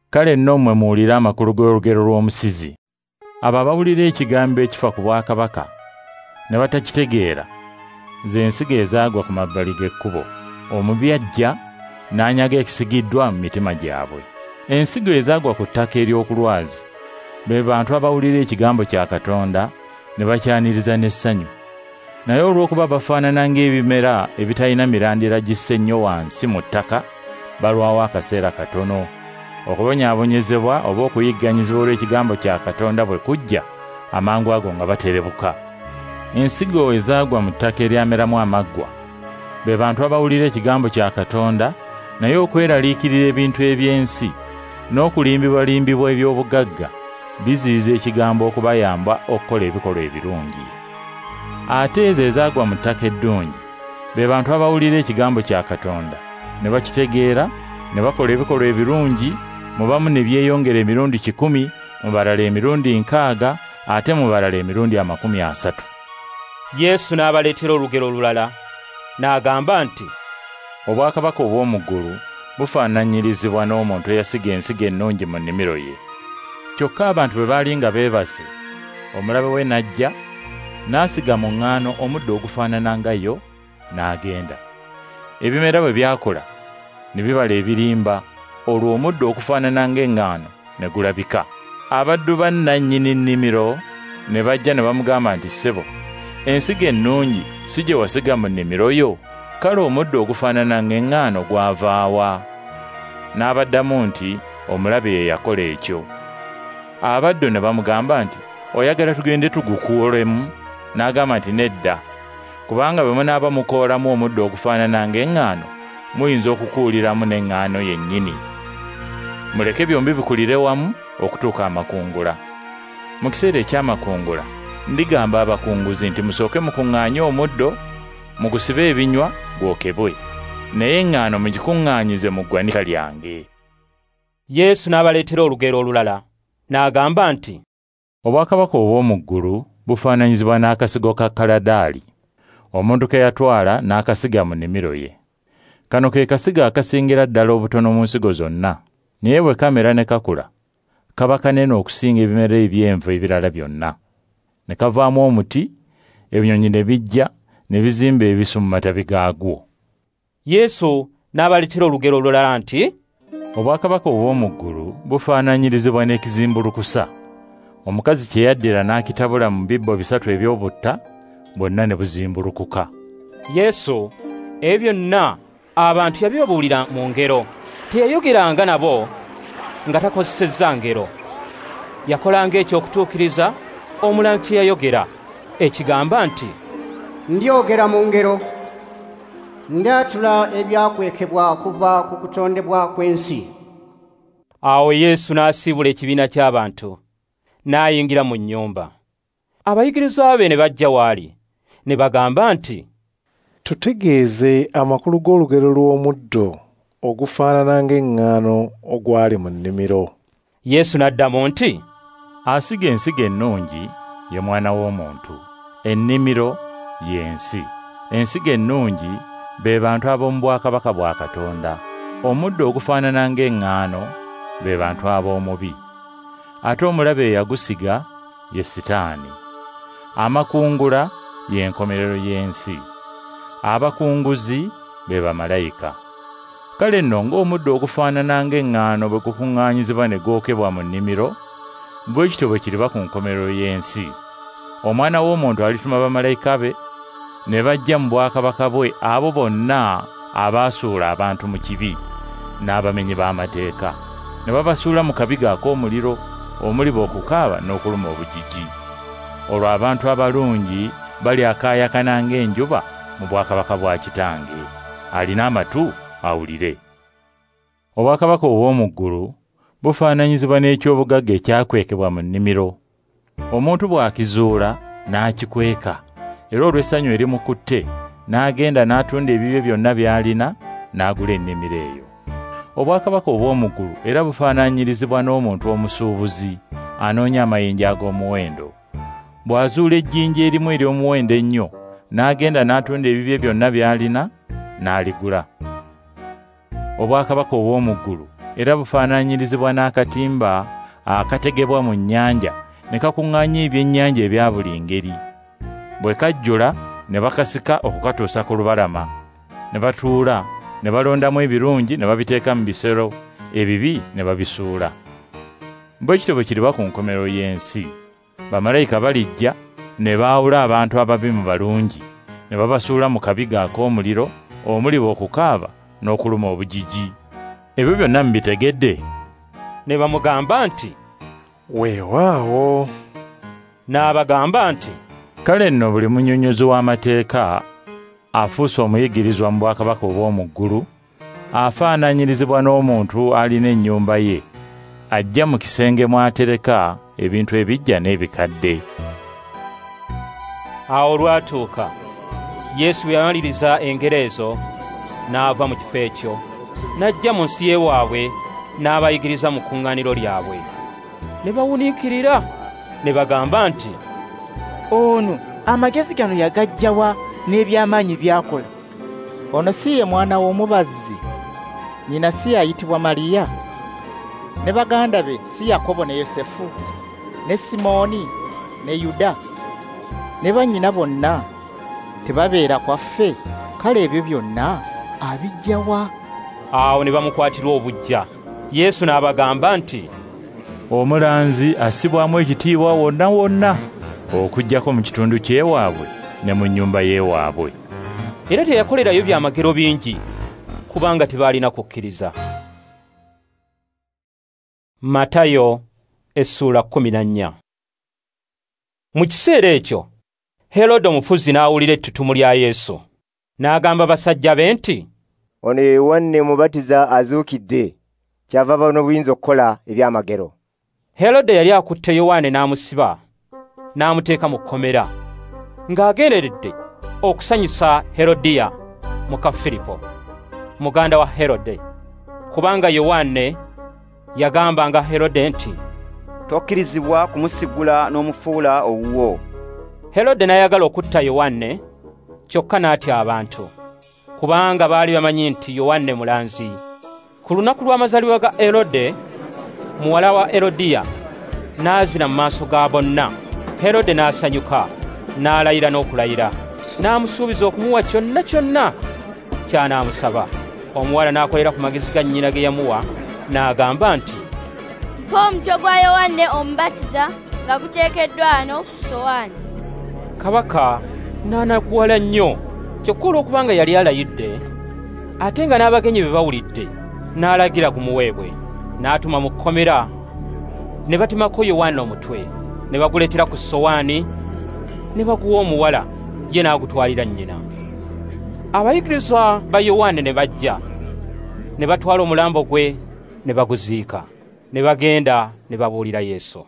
Kale nno mmwe muwulire amakulu g'olugero lw'omusizi. Abo abawulira ekigambo ekifa ku bwakabaka ne batakitegeera, ze nsigo ezaagwa ku mabbali g'ekkubo. Omubi ajja n'anyaga ekisigiddwa mu mitima gyabwe. Ensigo ezaagwa ku ttaka ery'okulwazi be bantu abawulira ekigambo kya Katonda ne bakyaniriza n'essanyu. Naye olw'okuba bafaanana ng'ebimera ebitalina mirandira gisse nnyo wansi mu ttaka, balwawo akaseera katono. Okubonyaabonyezebwa oba okuyigganyizibwa olw'ekigambo kya Katonda bwe kujja, amangu ago nga baterebuka. Ensigo ezaagwa mu ttaka eryameramu amaggwa be bantu abawulira ekigambo kya Katonda, naye okweraliikirira ebintu eby'ensi n'okulimbibwalimbibwa eby'obugagga biziyiza ekigambo okubayamba okukola ebikolwa ebirungi. Ate ezo ezaagwa mu ttaka eddungi be bantu abawulira ekigambo kya Katonda ne bakitegeera, ne bakola ebikolwa ebirungi, mu bamu ne byeyongera emirundi 100, mu balala emirundi 60, ate mu balala emirundi 30. Yesu n'abaleetera olugero olulala n'agamba nti, Obwakabaka obw'omu ggulu bufaananyirizibwa n'omuntu eyasiga ensigo ennungi mu nnimiro ye. Kyokka abantu bwe baali nga beebase, omulabe we n'ajja, n'asiga mu ŋŋaano omuddo ogufaanana nga yo, n'agenda. Ebimera bwe byakula, ne bibala ebirimba, olwo omuddo okufaanana ng'eŋŋaano ne gulabika. Abaddu ba nnannyini nnimiro ne bajja ne bamugamba nti, Ssebo, ensigo ennungi si gye wasiga mu nnimiro yo? Kale omuddo ogufaanana ng'eŋŋaano gwavaawa? N'abaddamu nti, Omulabe ye yakola ekyo. Abaddu ne bamugamba nti, Oyagala tugende tugukuulemu? N'agamba nti, Nedda, kubanga bwe munaaba mukoolamu omuddo ogufaanana ng'eŋŋaano, muyinza okukuuliramu n'eŋŋaano yennyini. Muleke byombi bikulire wamu okutuuka amakungula. Mu kiseera eky'amakungula ndigamba abakunguzi nti, musooke mukuŋŋaanye omuddo, mugusibe ebinywa gwokebwe, naye eŋŋaano mugikuŋŋaanyize mu ggwanika lyange. Yesu n'abaleetera olugero olulala n'agamba nti, Obwakabaka obw'omu ggulu bufaananyizibwa n'akasigo ka kaladaali, omuntu ke yatwala n'akasiga mu nnimiro ye. Kano ke kasigo akasingira ddala obutono mu nsigo zonna, naye bwe kamera ne kakula, kaba kanene okusinga ebimera eby'enva ebirala byonna. Ne kavaamu omuti, ebinyonyi ne bijja ne bizimba ebisu mu matabi gaagwo. Yesu n'abaleetera olugero olulala nti, Obwakabaka obw'omu ggulu bufaananyirizibwa n'ekizimbulukusa, omukazi kye yaddira n'akitabula mu bibbo 3 eby'obutta, bwonna ne buzimbulukuka. Yesu ebyo byonna abantu yabibabuulira mu ngero. Teyayogeranga nabo nga takozesezza ngero. Yakolanga eky'okutuukiriza omulanzi kye yayogera, ekigamba nti, Ndyogera mu ngero, ndyatula ebyakwekebwa okuva ku kutondebwa kw'ensi. Awo Yesu n'asiibula ekibiina ky'abantu, n'ayingira mu nnyumba. Abayigirizwa be ne bajja w'ali, ne bagamba nti, Tutegeeze amakulu g'olugero lw'omuddo ogufaanana ng'eŋŋaano ogwali mu nnimiro. Yesu n'addamu nti, Asiga ensigo ennungi ye Mwana w'Omuntu, ennimiro y'ensi. Ensigo ennungi be bantu ab'omu bwakabaka bwa Katonda. Omuddo ogufaanana ng'eŋŋaano be bantu ab'omubi. Ate omulabe eyagusiga ye Sitaani. Amakungula y'enkomerero y'ensi. Abakunguzi be bamalayika. Kale nno ng'omuddo ogufaanana ng'eŋŋaano bwe gukuŋŋaanyizibwa ne gwokebwa mu nnimiro, bwe kityo bwe kiriba ku nkomerero y'ensi. Omwana w'Omuntu alituma bamalayika be ne bajja mu bwakabaka bwe abo bonna abaasuula abantu mu kibi n'abamenyi b'amateeka, ne babasuula mu kabiga ak'omuliro omuliba okukaaba n'okuluma obujiji. Olwo abantu abalungi balyakaayakana ng'enjuba mu bwakabaka bwa Kitange. Alina amatu awulire. Obwakabaka obw'omu ggulu bufaananyizibwa n'eky'obugagga ekyakwekebwa mu nnimiro. Omuntu bw'akizuula n'akikweka, era olw'essanyu erimukutte n'agenda n'atunda ebibye byonna by'alina n'agula ennimiro eyo. Obwakabaka obw'omu ggulu era bufaananyirizibwa n'omuntu omusuubuzi anoonya amayinja ag'omuwendo. Bw'azuula ejjinja erimu ery'omuwendo ennyo, n'agenda n'atunda ebibye byonna by'alina n'aligula. Obwakabaka obw'omu ggulu era bufaananyirizibwa n'akatimba akategebwa mu nnyanja ne kakuŋŋaanya ebyennyanja ebya buli ngeri. Bwe kajjula ne bakasika okukatuusa ku lubalama, ne batuula ne balondamu ebirungi ne babiteeka mu bisero, ebibi ne babisuula. Bwe kityo bwe kiriba ku nkomerero y'ensi. Bamalayika balijja ne baawula abantu ababi mu balungi, ne babasuula mu kabiga ak'omuliro omuliba okukaaba n'okuluma obujiji. Ebyo byonna mubitegedde? Ne bamugamba nti, "Weewaawo." N'abagamba nti, "Kale nno buli munnyonnyozi w'amateeka afuuse omuyigirizwa mu bwakabaka obw'omu ggulu afaananyirizibwa n'omuntu alina ennyumba ye, ajja mu kisenge mw'atereka ebintu ebijja n'ebikadde." Awo olwatuuka, Yesu bwe yamaliriza engero ezo, n'ava mu kifo ekyo, n'ajja mu nsi y'ewaabwe, n'abayigiriza mu kkuŋŋaaniro lyabwe. Ne bawuniikirira, ne bagamba nti, "Ono amagezi gano yagaggya wa n'ebyamaanyi by'akola? Ono si ye mwana w'omubazzi? Nnyina si ayitibwa Mariya? Ne baganda be si Yakobo ne Yosefu, ne Simooni ne Yuda? Ne bannyina bonna tebabeera kwaffe? Kale ebyo byonna abiggya wa?" Awo ne bamukwatirwa obuggya. Yesu n'abagamba nti, "Omulanzi assibwamu ekitiibwa wonna wonna, okuggyako mu kitundu ky'ewaabwe ne mu nnyumba y'ewaabwe." Era teyakolerayo byamagero bingi, kubanga tebaalina kukkiriza. Matayo essula 14. Mu kiseera ekyo Herode omufuzi n'awulira ettutumu lya Yesu, n'agamba basajja be nti, "Ono ye Yowanne Omubatiza azuukidde, kyava aba n'obuyinza okukola ebyamagero." Herode yali akutte Yowanne n'amusiba, n'amuteeka mu kkomera, ng'agenderedde okusanyusa Herodiya muka Firipo, muganda wa Herode, kubanga Yowanne yagambanga Herode nti, "Tokkirizibwa kumusigula n'omufuula owuwo." Herode n'ayagala okutta Yowanne, kyokka n'atya abantu, kubanga baali bamanyi nti Yowanne mulanzi. Ku lunaku lw'amazaalibwa ga Herode, muwala wa Herodiya n'azina mu maaso ga bonna. Herode n'asanyuka, n'alayira n'okulayira, n'amusuubiza okumuwa kyonna kyonna ky'anaamusaba. Omuwala n'akolera ku magezi ga nnyina ge yamuwa, n'agamba nti, "Mpa omutwe gwa Yowanne Omubatiza nga guteekeddwa wano ku ssowaani." Kabaka n'anakuwala nnyo, kyokka olw'okubanga yali alayidde, ate nga n'abagenyi be bawulidde, n'alagira gumuweebwe. N'atuma mu kkomera, ne batemako Yowanne omutwe, ne baguleetera ku ssowaani, ne baguwa omuwala, ye n'agutwalira nnyina. Abayigirizwa ba Yowanne ne bajja, ne batwala omulambo gwe ne baguziika, ne bagenda ne babuulira Yesu.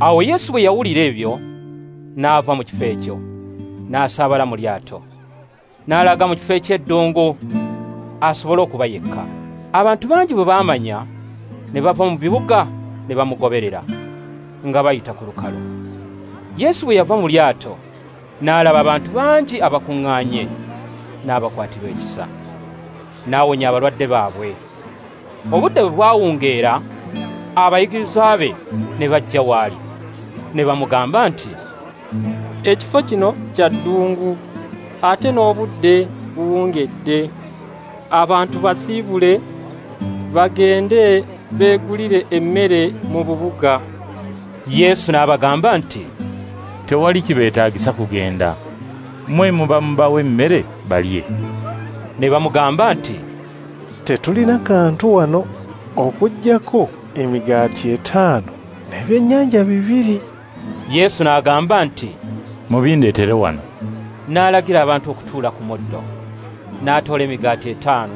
Awo Yesu bwe yawulira ebyo, n'ava mu kifo ekyo, n'asaabala mu lyato, n'alaga mu kifo eky'eddungu asobole okuba yekka. Abantu bangi bwe baamanya, ne bava mu bibuga ne bamugoberera nga bayita ku lukalu. Yesu bwe yava mu lyato, n'alaba abantu bangi abakuŋŋaanye, n'abakwatirwa ekisa, n'awonya abalwadde baabwe. Obudde bwe bwawungeera, abayigirizwa be ne bajja w'ali, ne bamugamba nti, "Ekifo kino kya ddungu, ate n'obudde buwungedde. Abantu basiibule bagende beegulire emmere mu bubuga." Yesu n'abagamba nti, "Tewali kibeetaagisa kugenda, mmwe muba mubawe emmere balye." Ne bamugamba nti, "Tetulina kantu wano okuggyako emigaati 5 n'ebyennyanja 2. Yesu n'agamba nti, "Mubindeetere wano." N'alagira abantu okutuula ku muddo. N'atoola emigaati 5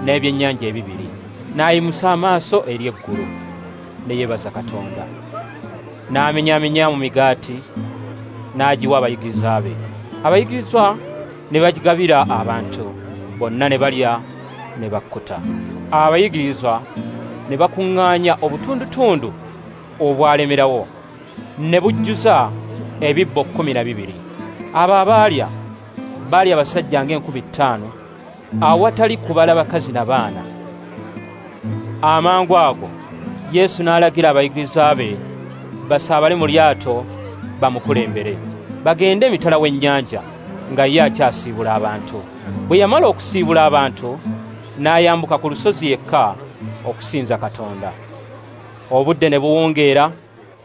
n'ebyennyanja 2, n'ayimusa amaaso eri eggulu, ne yeebaza Katonda. N'amenyaamenya mu migaati, n'agiwa abayigirizwa be. Abayigirizwa ne bagigabira abantu, bonna ne balya ne bakkuta. Abayigirizwa ne bakuŋŋaanya obutundutundu obwalemerawo, ne bujjuza ebibbo 12. Abo abaalya baali abasajja ng'enkumi 5, awatali kubala bakazi na baana. Amangu ago Yesu n'alagira abayigirizwa be basaabale mu lyato bamukulembere, bagende emitala w'ennyanja, nga ye akyasiibula abantu. Bwe yamala okusiibula abantu, n'ayambuka ku lusozi yekka okusinza Katonda. Obudde ne buwungeera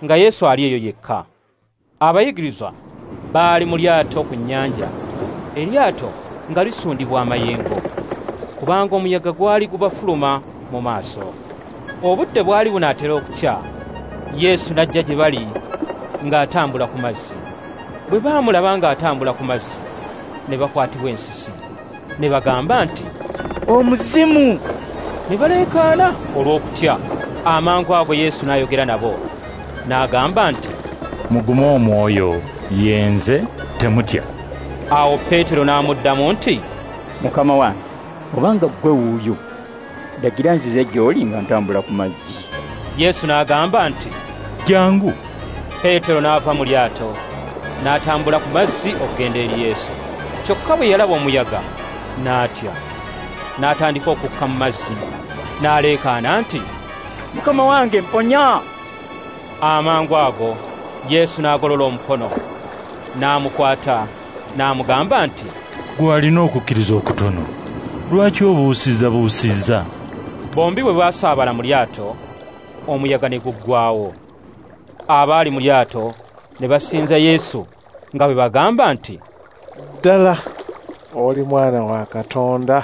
nga Yesu ali eyo yekka. Abayigirizwa baali mu lyato ku nnyanja, eryato nga lisundibwa amayengo, kubanga omuyaga gwali gubafuluma mu maaso. Obudde bwali bunaatera okukya, Yesu n'ajja gye bali ng'atambula ku mazzi. Bwe baamulaba ng'atambula ku mazzi, ne bakwatibwa ensisi, ne bagamba nti, "Omuzimu!" Ne baleekaana olw'okutya. Amangu ago Yesu n'ayogera nabo, n'agamba nti, "Mugume omwoyo, ye nze, temutya." Awo Peetero n'amuddamu nti, "Mukama wange, obanga ggwe wuuyo, lagira nzize gy'oli nga ntambula ku mazzi." Yesu n'agamba nti, "Jjangu." Peetero n'ava mu lyato, n'atambula ku mazzi okugenda eri Yesu. Kyokka bwe yalaba omuyaga, n'atya, n'atandika okukka mu mazzi, n'aleekaana nti, "Mukama wange, mponya!" Amangu ago Yesu n'agolola omukono, n'amukwata, n'amugamba nti, "Ggwe alina okukkiriza okutono, lwaki obuusizza?" Bombi bwe baasaabala mu lyato, omuyaga ne guggwaawo. Abaali mu lyato ne basinza Yesu nga bwe bagamba nti, "Ddala oli mwana wa Katonda."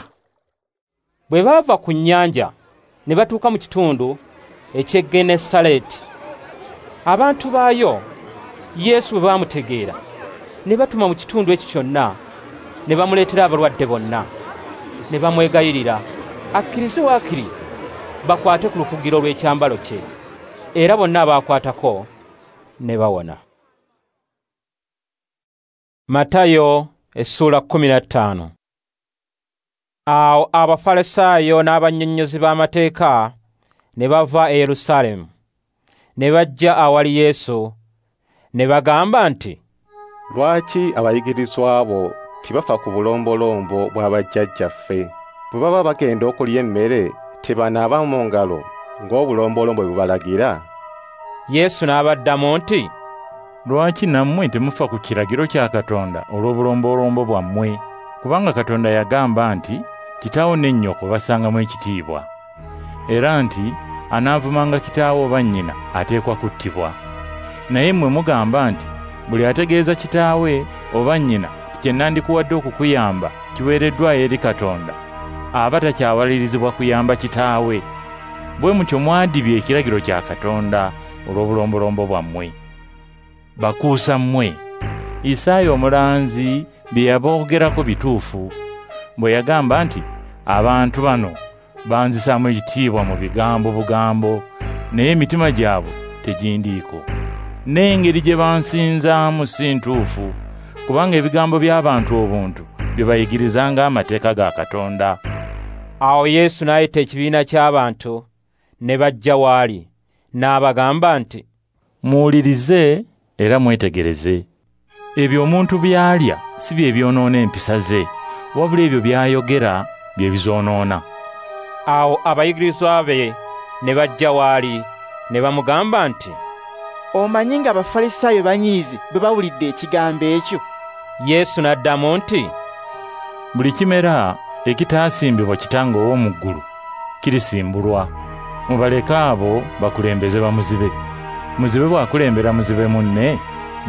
Bwe baava ku nnyanja ne batuuka mu kitundu eky'e Genesaleeti. Abantu baayo Yesu bwe baamutegeera, ne batuma mu kitundu ekyo kyonna, ne bamuleetera abalwadde bonna, ne bamwegayirira akkirize waakiri bakwate ku lukugiro lw'ekyambalo kye, era bonna abaakwatako ne bawona. Matayo essula 15. Awo Abafalisaayo n'abannyonnyozi b'amateeka ne bava e Yerusaalemu, ne bajja awali Yesu, ne bagamba nti, "Lwaki abayigirizwa bo tebafa ku bulombolombo bwa bajjajjaffe? Bwe baba bagenda okulya emmere tebanaaba mu ngalo ng'obulombolombo bwe bubalagira?" Yesu n'abaddamu nti, "Lwaki nammwe temufa ku kiragiro kya Katonda olw'obulombolombo bwammwe? Kubanga Katonda yagamba nti, kitaawo ne nnyoko bassangamu ekitiibwa, era nti anaavumanga kitaawe oba nnyina ateekwa kuttibwa. Naye mmwe mugamba nti buli ategeeza kitaawe oba nnyina kye nandikuwadde okukuyamba kiweereddwayo eri Katonda, aba takyawalirizibwa kuyamba kitaawe. Bwe mutyo mwadibya ekiragiro kya Katonda olw'obulombolombo bwammwe. Bakuusa mmwe! Isaaya omulanzi bye yaboogerako bituufu, bwe yagamba nti, abantu bano banzisaamu ekitiibwa mu bigambo bugambo, naye emitima gyabwe tegindiiko. N'engeri gye bansinzaamu si ntuufu, kubanga ebigambo by'abantu obuntu bye bayigirizanga amateeka ga Katonda." Awo Yesu n'ayita ekibiina ky'abantu ne bajja w'ali, n'abagamba nti, "Muwulirize era mwetegereze. Ebyo omuntu by'alya si bye byonoona empisa ze, wabula ebyo by'ayogera bye bizoonoona." Awo abayigirizwa be ne bajja w'ali ne bamugamba nti, "Omanyi nga Abafalisaayo banyiize bwe bawulidde ekigambo ekyo?" Yesu n'addamu nti, "Buli kimera ekitaasimbibwa Kitange ow'omu ggulu kirisimbulwa. Mubaleke abo bakulembeze bamuzibe. Muzibe bw'akulembera muzibe munne,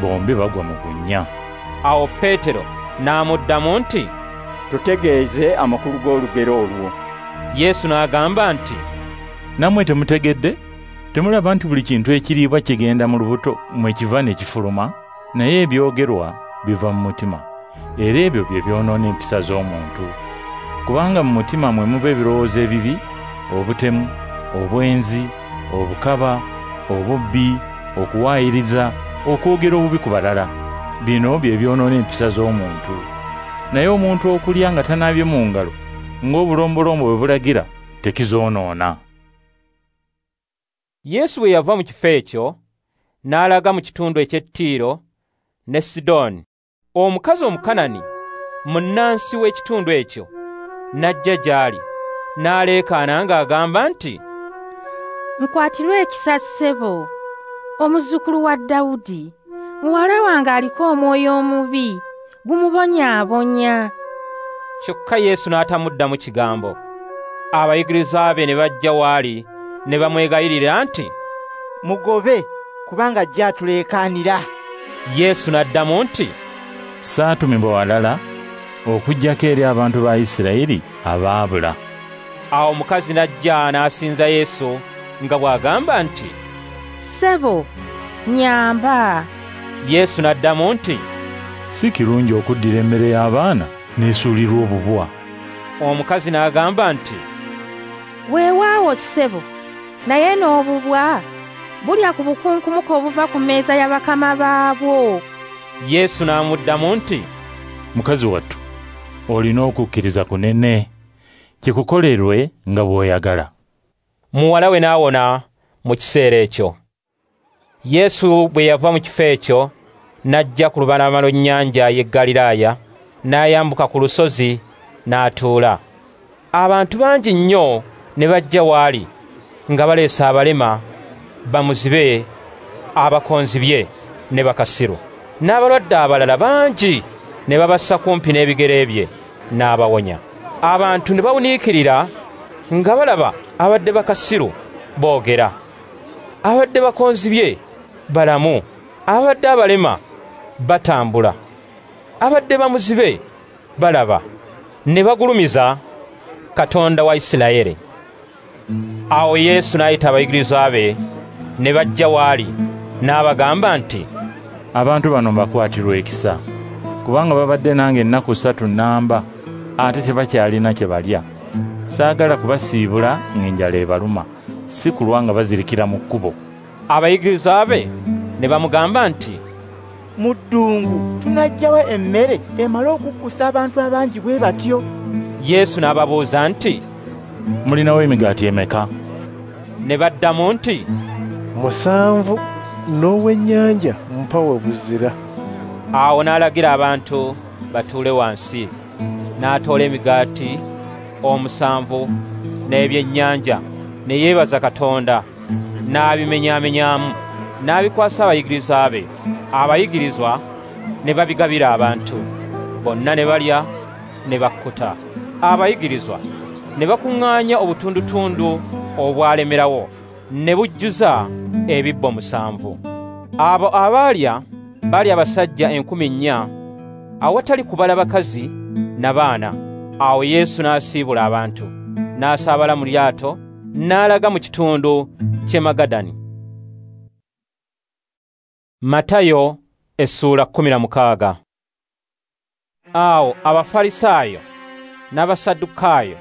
bombi bagwa mu bunnya." Awo Peetero n'amuddamu nti, "Tutegeeze amakulu g'olugero olwo." Yesu n'agamba nti, "Nammwe temutegedde? Temulaba nti buli kintu ekiriibwa kigenda mu lubuto mwe kiva ne kifuluma? Naye ebyogerwa biva mu mutima, era ebyo bye byonoona empisa z'omuntu. Kubanga mu mutima mwe muva ebirowoozo ebibi, obutemu, obwenzi, obukaba, obubbi, okuwaayiriza, okwogera obubi ku balala. Bino bye byonoona empisa z'omuntu. Naye omuntu okulya nga tanaabye mu ngalo, ng'obulombolombo bwe bulagira, tekizoonoona." Yesu bwe yava mu kifo ekyo, n'alaga mu kitundu eky'e Ttiiro ne Sidoni. Omukazi Omukanani, munnansi w'ekitundu ekyo, n'ajja gy'ali, n'aleekaana ng'agamba nti, "Nkwatirwe ekisa ssebo, omuzzukulu wa Dawudi, muwala wange aliko omwoyo omubi, gumubonyaabonya." Kyokka Yesu n'atamuddamu kigambo. Abayigirizwa be ne bajja w'ali ne bamwegayirira nti, "Mugobe, kubanga ajja atuleekaanira." Yesu n'addamu nti, "Saatumibwa walala okuggyako eri abantu ba Isirayiri abaabula." Awo omukazi n'ajja n'asinza Yesu nga bw'agamba nti, "Ssebo, nnyamba." Yesu n'addamu nti, "Si kirungi okuddira emmere y'abaana n'esuulirwa obubwa." Omukazi n'agamba nti, "Weewaawo ssebo, naye n'obubwa bulya ku bukunkumuka obuva ku mmeeza ya bakama baabwo." Yesu n'amuddamu nti, "Mukazi wattu, olina okukkiriza kunene, kikukolerwe nga bw'oyagala." Muwala we n'awona mu kiseera ekyo. Yesu bwe yava mu kifo ekyo n'ajja ku lubalama lw'ennyanja y'e Ggaliraaya, n'ayambuka ku lusozi n'atuula. Abantu bangi nnyo ne bajja w'ali nga baleese abalema, bamuzibe, abakonzibye ne bakasiru, n'abalwadde abalala bangi, ne babassa kumpi n'ebigere bye, n'abawonya. Abantu ne bawuniikirira nga balaba abadde bakasiru boogera, abadde bakonzibye balamu, abadde abalema batambula, abadde bamuzibe balaba, ne bagulumiza Katonda wa Isirayiri. Awo Yesu n'ayita abayigirizwa be ne bajja w'ali, n'abagamba nti, "Abantu bano mbakwatirwa ekisa, kubanga babadde nange ennaku 3 nnamba, ate tebakyalina kye balya. Saagala kubasiibula ng'enjala ebaluma, si kulwa nga bazirikira mu kkubo." Abayigirizwa be ne bamugamba nti, "Mu ddungu tunaggyawa emmere emale okukkusa abantu abangi bwe batyo?" Yesu n'ababuuza nti, "Mulinawo emigaati emeka?" Ne baddamu nti, 7 n'obwennyanja mpawe buzira. Awo n'alagira abantu batuule wansi, n'atoola emigaati 7 n'ebyennyanja, ne yeebaza Katonda, n'abimenyaamenyamu, n'abikwasa abayigirizwa be. Abayigirizwa ne babigabira abantu. Bonna ne balya ne bakkuta. Abayigirizwa ne bakuŋŋaanya obutundutundu obwalemerawo, ne bujjuza ebibbo 7. Abo abaalya baali abasajja 4,000, awatali kubala bakazi na baana. Awo Yesu n'asiibula abantu, n'asaabala mu lyato, n'alaga mu kitundu ky'e Magadani. Matayo essuula 16. Awo Abafalisaayo n'Abasaddukaayo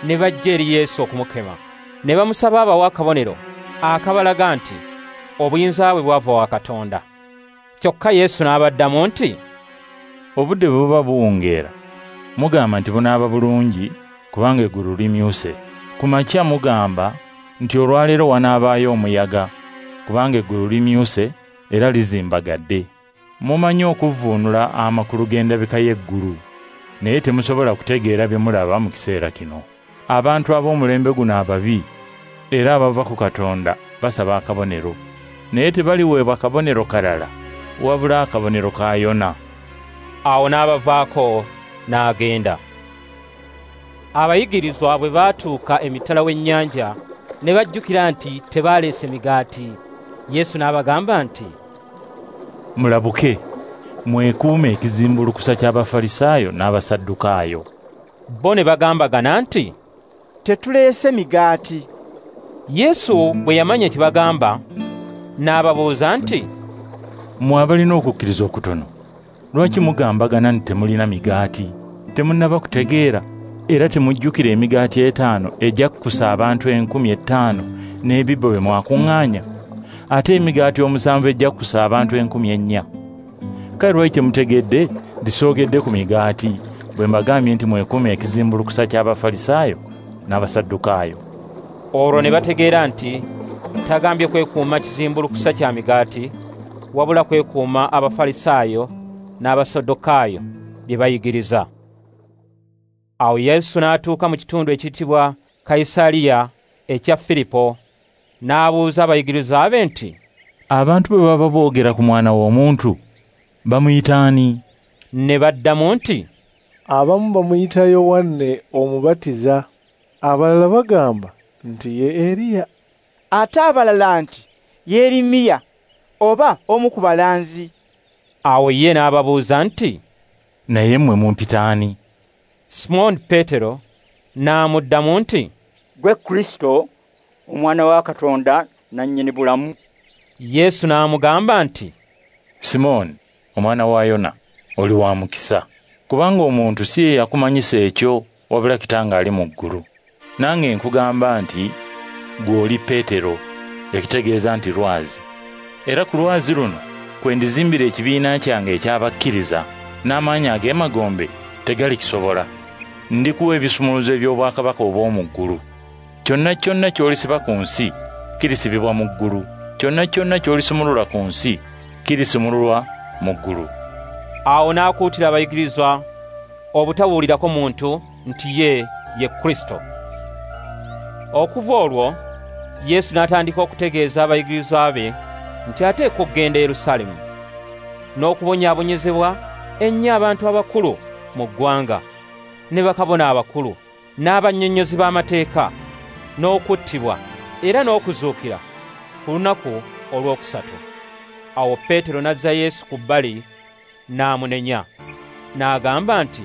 ne bajja eri Yesu okumukema, ne bamusaba abawe akabonero akabalaga nti obuyinza bwe bwava wa Katonda. Kyokka Yesu n'abaddamu nti, "Obudde bwe buba buwungeera, mugamba nti bunaaba bulungi kubanga eggulu limyuse. Ku makya mugamba nti olwaleero wanaabaayo omuyaga kubanga eggulu limyuse era lizimbagadde. Mumanyi okuvvuunula amakulu g'endabika y'eggulu, naye temusobola kutegeera bye mulaba mu kiseera kino. Abantu ab'omulembe guno ababi era abava ku Katonda basaba akabonero, naye tebaliweebwa kabonero kalala wabula akabonero ka Yona." Awo n'abavaako n'agenda. Abayigirizwa bwe baatuuka emitala w'ennyanja ne bajjukira nti tebaaleese migaati. Yesu n'abagamba nti, "Mulabuke, mwekuume ekizimbulukusa ky'Abafalisaayo n'Abasaddukaayo." Bo ne bagambagana nti, "Tetuleese migaati." Yesu bwe yamanya kye bagamba, n'ababuuza nti, "Mmwe abalina okukkiriza okutono, lwaki mugambagana nti temulina migaati? Temunnaba kutegeera era temujjukira emigaati 5 egyakkusa abantu 5,000 n'ebibbo bye mwakuŋŋaanya, ate emigaati 7 egyakkusa abantu 4,000? Kale lwaki temutegedde nti soogedde ku migaati bwe mbagambye nti mwekuume ekizimbulukusa ky'Abafalisaayo n'Abasaddukaayo?" Olwo ne bategeera nti tagambye kwekuuma kizimbulukusa kya migaati, wabula kwekuuma Abafalisaayo n'Abasaddukaayo bye bayigiriza. Awo Yesu n'atuuka mu kitundu ekiyitibwa Kayisaliya ekya Firipo, n'abuuza abayigirizwa be nti, "Abantu bwe baba boogera ku Mwana w'Omuntu bamuyita ani?" Ne baddamu nti, "Abamu bamuyita Yowanne Omubatiza, abalala bagamba nti ye Eriya, ate abalala nti Yeremiya oba omu ku balanzi." Awo ye n'ababuuza nti, "Naye mmwe mumpita ani?" Simooni Peetero n'amuddamu nti, "Ggwe Kristo, Omwana wa Katonda nannyini bulamu. Yesu n'amugamba nti, Simooni, omwana wa Yona, oli wa mukisa, kubanga omuntu si ye yakumanyisa ekyo, wabula Kitange ali mu ggulu. Nange nkugamba nti ggwe oli Peetero, ekitegeeza nti lwazi. Era ku lwazi luno kwe ndizimbira ekibiina kyange eky'abakkiriza, n'amaanyi ag'emagombe tegalikisobola. Ndikuwa ebisumuluzo eby'obwakabaka obw'omu ggulu. Kyonna kyonna ky'olisiba ku nsi kirisibibwa mu ggulu, kyonna kyonna ky'olisumulula ku nsi kirisumululwa mu ggulu. Awo n'akuutira abayigirizwa obutabuulirako muntu nti ye ye Kristo. Okuva olwo Yesu n'atandika okutegeeza abayigirizwa be nti ateekwa okugenda e Yerusaalemi n'okubonyaabonyezebwa ennyo abantu abakulu mu ggwanga ne bakabona abakulu n'abannyonnyozi b'amateeka, n'okuttibwa era n'okuzuukira ku lunaku olwokusatu. Awo Peetero n'azza Yesu ku bbali n'amunenya, n'agamba nti,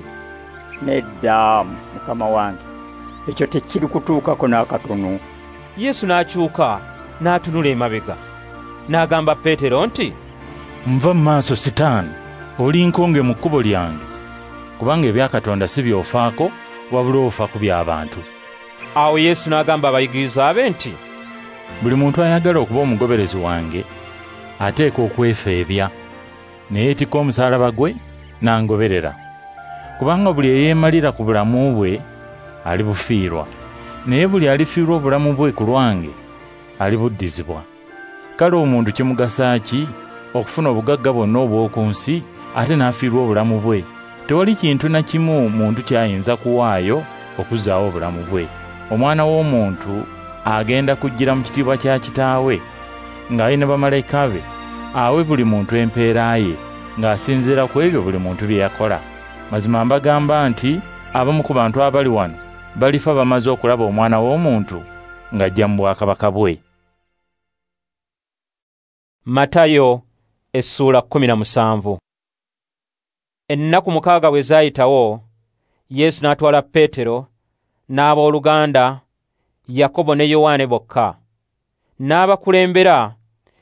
Nedda, Mukama wange, ekyo tekirikutuukako n'akatono. Yesu n'akyuka n'atunula emabega, n'agamba Peetero nti, Nva mu maaso Sitaani, oli nkonge mu kkubo lyange, kubanga ebya Katonda si by'ofaako, wabula ofa ku by'abantu. Awo Yesu n'agamba abayigirizwa be nti, Buli muntu ayagala okuba omugoberezi wange ateekwa okwefeebya, ne yeetikka omusaalaba gwe n'angoberera. Kubanga buli eyeemalira ku bulamu bwe alibufiirwa, naye buli alifiirwa obulamu bwe ku lwange alibuddizibwa. Kale omuntu kimugasa ki okufuna obugagga bwonna obw'oku nsi ate n'afiirwa obulamu bwe? Tewali kintu na kimu muntu ky'ayinza kuwaayo okuzzaawo obulamu bwe. Omwana w'omuntu agenda kujjira mu kitiibwa kya Kitaawe ng'alina bamalayika be, awe buli muntu empeera ye ng'asinziira ku ebyo buli muntu bye yakola. Mazima mbagamba nti abamu ku bantu abali wano balifa bamaze okulaba Omwana w'omuntu ng'ajja mu bwakabaka bwe. Matayo essuula 17. Ennaku 6 bwe zaayitawo, Yesu n'atwala Peetero n'abooluganda Yakobo ne Yowaane bokka, n'abakulembera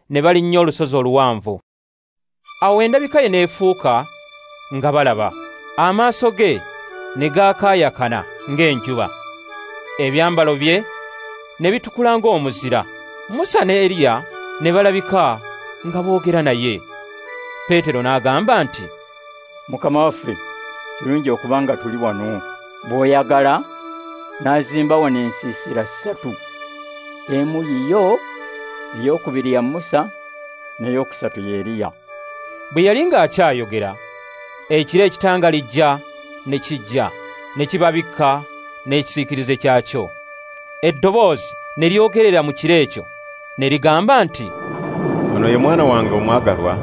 ne balinnya olusozi oluwanvu. Awo endabika ye n'efuuka nga balaba, amaaso ge ne gaakaayakana ng'enjuba, ebyambalo bye ne bitukula ng'omuzira. Musa ne Eriya ne balabika nga boogera naye. Peetero n'agamba nti, Mukama waffe, kirungi okuba nga tuli wano. Bw'oyagala n'azimba wano ensiisira 3, emu yiyo, ey'okubiri ya Musa, n'ey'okusatu ya Eriya. Bwe yali ng'akyayogera, ekire ekitangalijja ne kijja ne kibabikka n'ekisiikirize kyakyo. Eddoboozi ne lyogerera mu kire ekyo ne ligamba nti, Ono ye mwana wange omwagalwa,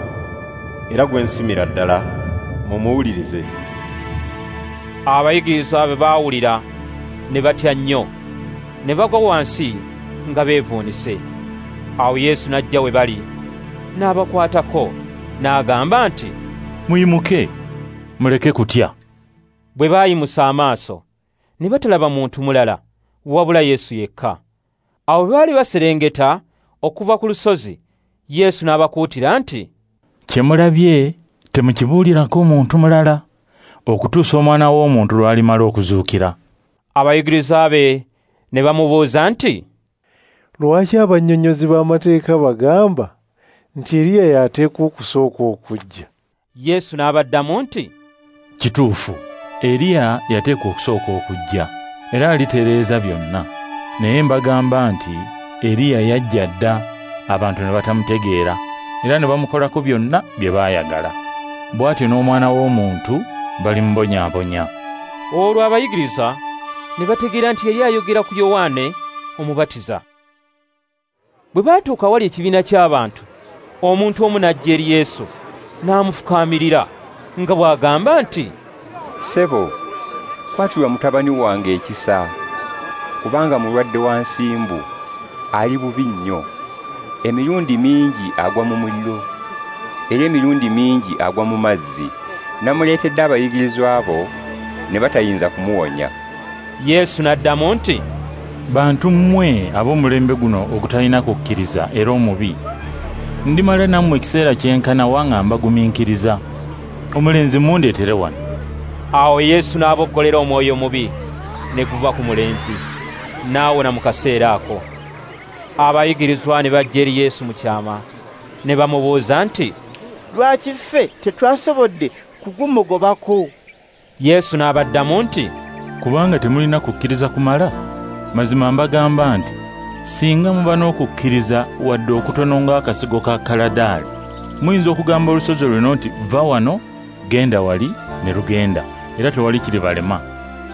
era gwe nsimira ddala, mumuwulirize. Abayigirizwa bwe baawulira ne batya nnyo, ne bagwa wansi nga beevuunise. Awo Yesu n'ajja we bali, n'abakwatako, n'agamba nti, Muyimuke, muleke kutya. Bwe baayimusa amaaso, ne batalaba muntu mulala wabula Yesu yekka. Awo bwe baali baserengeta okuva ku lusozi, Yesu n'abakuutira nti, Kye mulabye temukibuulirako muntu mulala, okutuusa Omwana w'omuntu lw'alimala okuzuukira. Abayigirizwa be ne bamubuuza nti, Lwaki abannyonnyozi b'amateeka bagamba nti Eriya y'ateekwa okusooka okujja? Yesu n'abaddamu nti, Kituufu, Eriya yateekwa okusooka okujja, era alitereeza byonna. Naye mbagamba nti Eriya yajja dda, abantu ne batamutegeera, era ne bamukolako byonna bye baayagala. Bw'atyo n'Omwana w'omuntu balimubonyaabonya. Olwo abayigiriza ne bategeera nti yali ayogera ku Yowaane Omubatiza. Bwe baatuuka awali ekibiina ky'abantu, omuntu omu n'ajja eri Yesu n'amufukaamirira nga bw'agamba nti, Ssebo, kwatirwa mutabani wange ekisa, kubanga mulwadde wa nsimbu, ali bubi nnyo. Emirundi mingi agwa mu muliro, era emirundi mingi agwa mu mazzi. Namuleetedde abayigirizwa bo ne batayinza kumuwonya. Yesu n'addamu nti, Bantu mmwe ab'omulembe guno ogutalina kukkiriza era omubi, ndimala nammwe ekiseera kyenkana wa nga mbagumiikiriza? Omulenzi mundeetere wano. Awo Yesu n'aboggolera omwoyo omubi ne guva ku mulenzi, n'awona mu kaseera ako. Abayigirizwa ne bajja eri Yesu mu kyama ne bamubuuza nti, Lwaki ffe tetwasobodde kugumugobako? Yesu n'abaddamu nti, Kubanga temulina kukkiriza kumala. Mazima mbagamba nti singa muba n'okukkiriza wadde okutono ng'akasigo ka kaladaali, muyinza okugamba olusozi luno nti va wano genda wali, ne lugenda, era tewali kiribalema.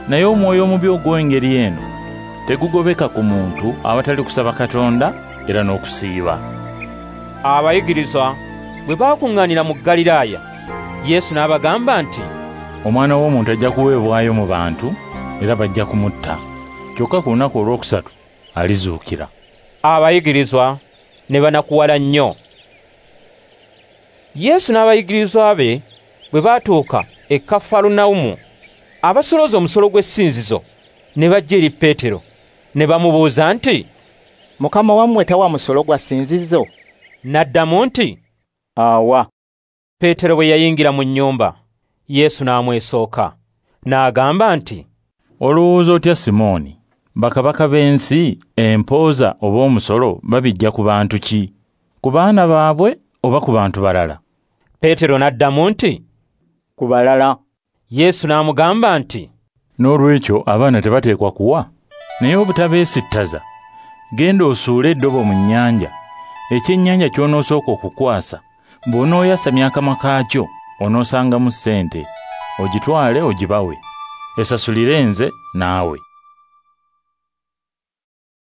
Naye omwoyo omubi ogw'engeri eno tegugobeka ku muntu awatali kusaba Katonda era n'okusiiba. Abayigirizwa bwe baakuŋŋaanira mu Ggaliraaya, Yesu n'abagamba nti, Omwana w'omuntu ajja kuweebwayo mu bantu era bajja kumutta, kyokka ku lunaku olwokusatu alizuukira. Abayigirizwa ne banakuwala nnyo. Yesu n'abayigirizwa be bwe baatuuka e Kafarunawumu, abasolooza omusolo gw'essinzizo ne bajja eri Peetero ne bamubuuza nti, Mukama wammwe tawa musolo gwa ssinzizo? N'addamu nti, Awa. Peetero bwe yayingira mu nnyumba, Yesu n'amwesooka n'agamba nti, Olowooza otya Simooni? Bakabaka b'ensi empooza oba omusolo babijja ku bantu ki? Ku baana baabwe oba ku bantu balala? Peetero n'addamu nti, Ku balala. Yesu n'amugamba nti, N'olwekyo abaana tebateekwa kuwa, naye obutabeesittaza, genda osuule eddobo mu nnyanja, ekyennyanja ky'onoosooka okukwasa, bw'onooyasamya akamwa kaakyo onoosangamu ssente, ogitwale ogibawe, esasulire nze naawe.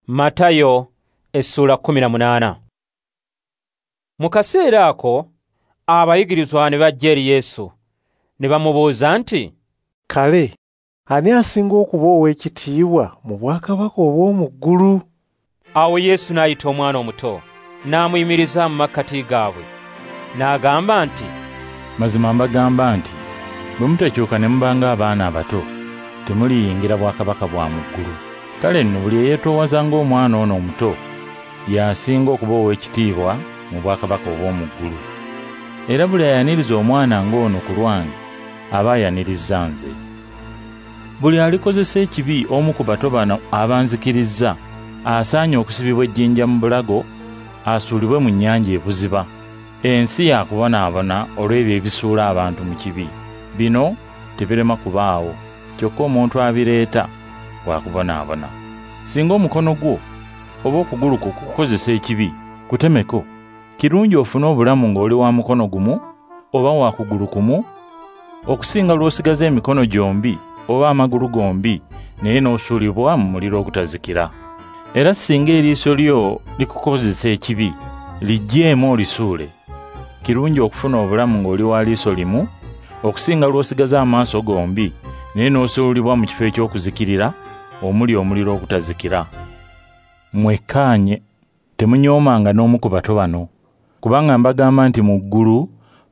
Matayo essula 18. Mu kaseera ako abayigirizwa ne bajja eri Yesu ne bamubuuza nti, Kale ani asinga okuba ow'ekitiibwa mu bwakabaka obw'omu ggulu? Awo Yesu n'ayita omwana omuto n'amuyimiriza mu makkati gaabwe n'agamba nti, Mazima mbagamba nti bwe mutakyuka ne muba ng'abaana abato, temuliyingira bwakabaka bwa mu ggulu. Kale nno buli eyeetoowaza ng'omwana ono omuto y'asinga okuba ow'ekitiibwa mu bwakabaka obw'omu ggulu. Era buli ayaniriza omwana ng'ono ku lwange aba ayanirizza nze. Buli alikozesa ekibi omu ku bato bano abanzikirizza asaanye okusibibwa ejjinja mu bulago, asuulibwe mu nnyanja ebuziba. Ensi yakubonaabona olw'ebyo ebisuula abantu mu kibi. Bino tebirema kubaawo, kyokka omuntu abireeta wakubonaabona. Singa omukono gwo oba okugulu kwo kukozesa ekibi, kutemeko. Kirungi ofune obulamu ng'oli wa mukono gumu oba wa kugulu kumu, okusinga lw'osigaza emikono gyombi oba amagulu gombi naye n'osuulibwa mu muliro ogutazikira. Era singa eriiso lyo likukozesa ekibi, liggyeemu olisuule. Kirungi okufuna obulamu ng'oli wa liiso limu, okusinga lw'osigaza amaaso gombi naye n'osuulibwa mu kifo eky'okuzikirira omuli omuliro ogutazikira. Mwekkaanye, temunyoomanga n'omu ku bato bano, kubanga mbagamba nti mu ggulu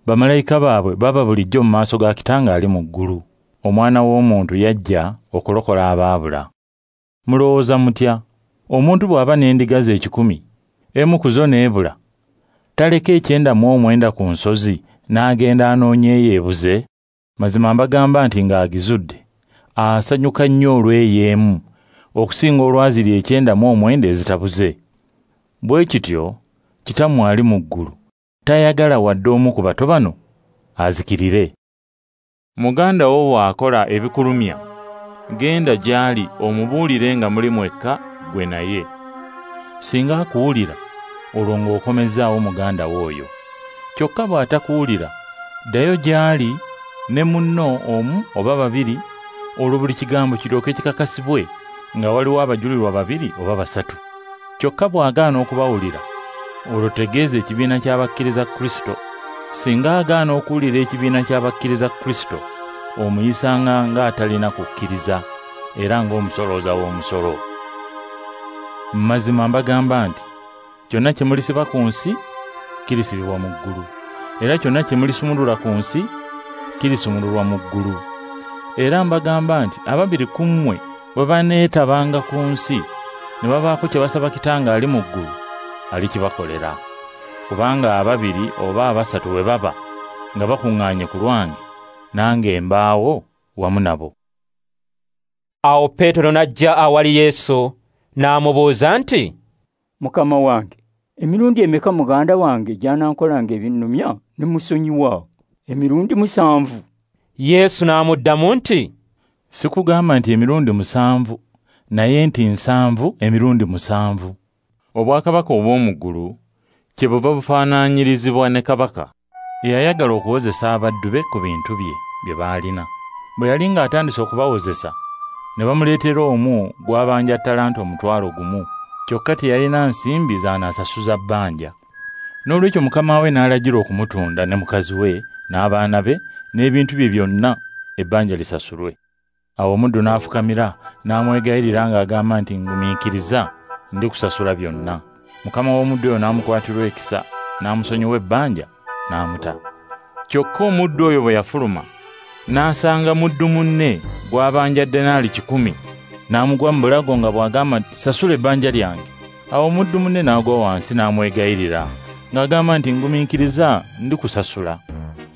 bamalayika baabwe baba bulijjo mu maaso ga Kitange ali mu ggulu. Omwana w'omuntu yajja okulokola abaabula. Mulowooza mutya? Omuntu bw'aba n'endiga ze 100, emu ku zo n'ebula, taleka 99 ku nsozi n'agenda anoonya eyo ebuze? Mazima mbagamba nti ng'agizudde, asanyuka nnyo olw'eyo emu okusinga olwaziri 99 ezitabuze. Bwe kityo Kitammwe ali mu ggulu tayagala wadde omu ku bato bano azikirire. Muganda wo bw'akola ebikulumya, genda gy'ali omubuulire nga muli mwekka ggwe naye. Singa akuwulira, olwo ng'okomezzaawo muganda wo oyo. Kyokka bw'atakuwulira, ddayo gy'ali ne munno omu oba babiri, olwo buli kigambo kiryoke kikakasibwe nga waliwo abajulirwa 2 oba 3. Kyokka bw'agaana okubawulira, olwo tegeeza ekibiina ky'abakkiriza Kristo. Singa agaana okuwulira ekibiina ky'abakkiriza Kristo, omuyisanga ng'atalina kukkiriza era ng'omusolooza w'omusolo. Mazima mbagamba nti kyonna kye mulisiba ku nsi kirisibibwa mu ggulu, era kyonna kye mulisumulula ku nsi kirisumululwa mu ggulu. Era mbagamba nti ababiri ku mmwe bwe baneetabanga ku nsi ne babaako kye basaba Kitange ali mu ggulu, alikibakolera. Kubanga ababiri oba abasatu bwe baba nga bakuŋŋaanye ku lwange, nange mbaawo wamu nabo. Awo Peetero n'ajja awali Yesu n'amubuuza nti, Mukama wange, emirundi emeka muganda wange gy'anankolanga ebinnumya ne musonyiwa? Emirundi 7. Yesu n'amuddamu nti, Sikugamba nti emirundi 7, naye nti 7 emirundi 7. Obwakabaka obw'omu ggulu kyebuva bufaanaanyirizibwa ne kabaka eyayagala okuwozesa abaddu be ku bintu bye bye baalina. Bwe yali ng'atandise okubawozesa, ne bamuleetera omu gw'abanja ttalanta 1,000, kyokka teyalina nsimbi z'anaasasuza bbanja. Noolwekyo mukama we n'alagira okumutunda ne mukazi we n'abaana be n'ebintu bye byonna ebbanja lisasulwe. Awo omuddu n'afukamira n'amwegayirira ng'agamba nti, Ngumiikiriza, ndikusasula byonna. Mukama w'omuddu oyo n'amukwatirwa ekisa, n'amusonyiwa ebbanja, n'amuta. Kyokka omuddu oyo bwe yafuluma, n'asanga muddu munne gw'abanja denaali 100, n'amugwa mu bulago nga bw'agamba nti, Sasula ebbanja lyange. Awo omuddu munne n'agwa wansi n'amwegayirira ng'agamba nti, Ngumiikiriza, ndikusasula.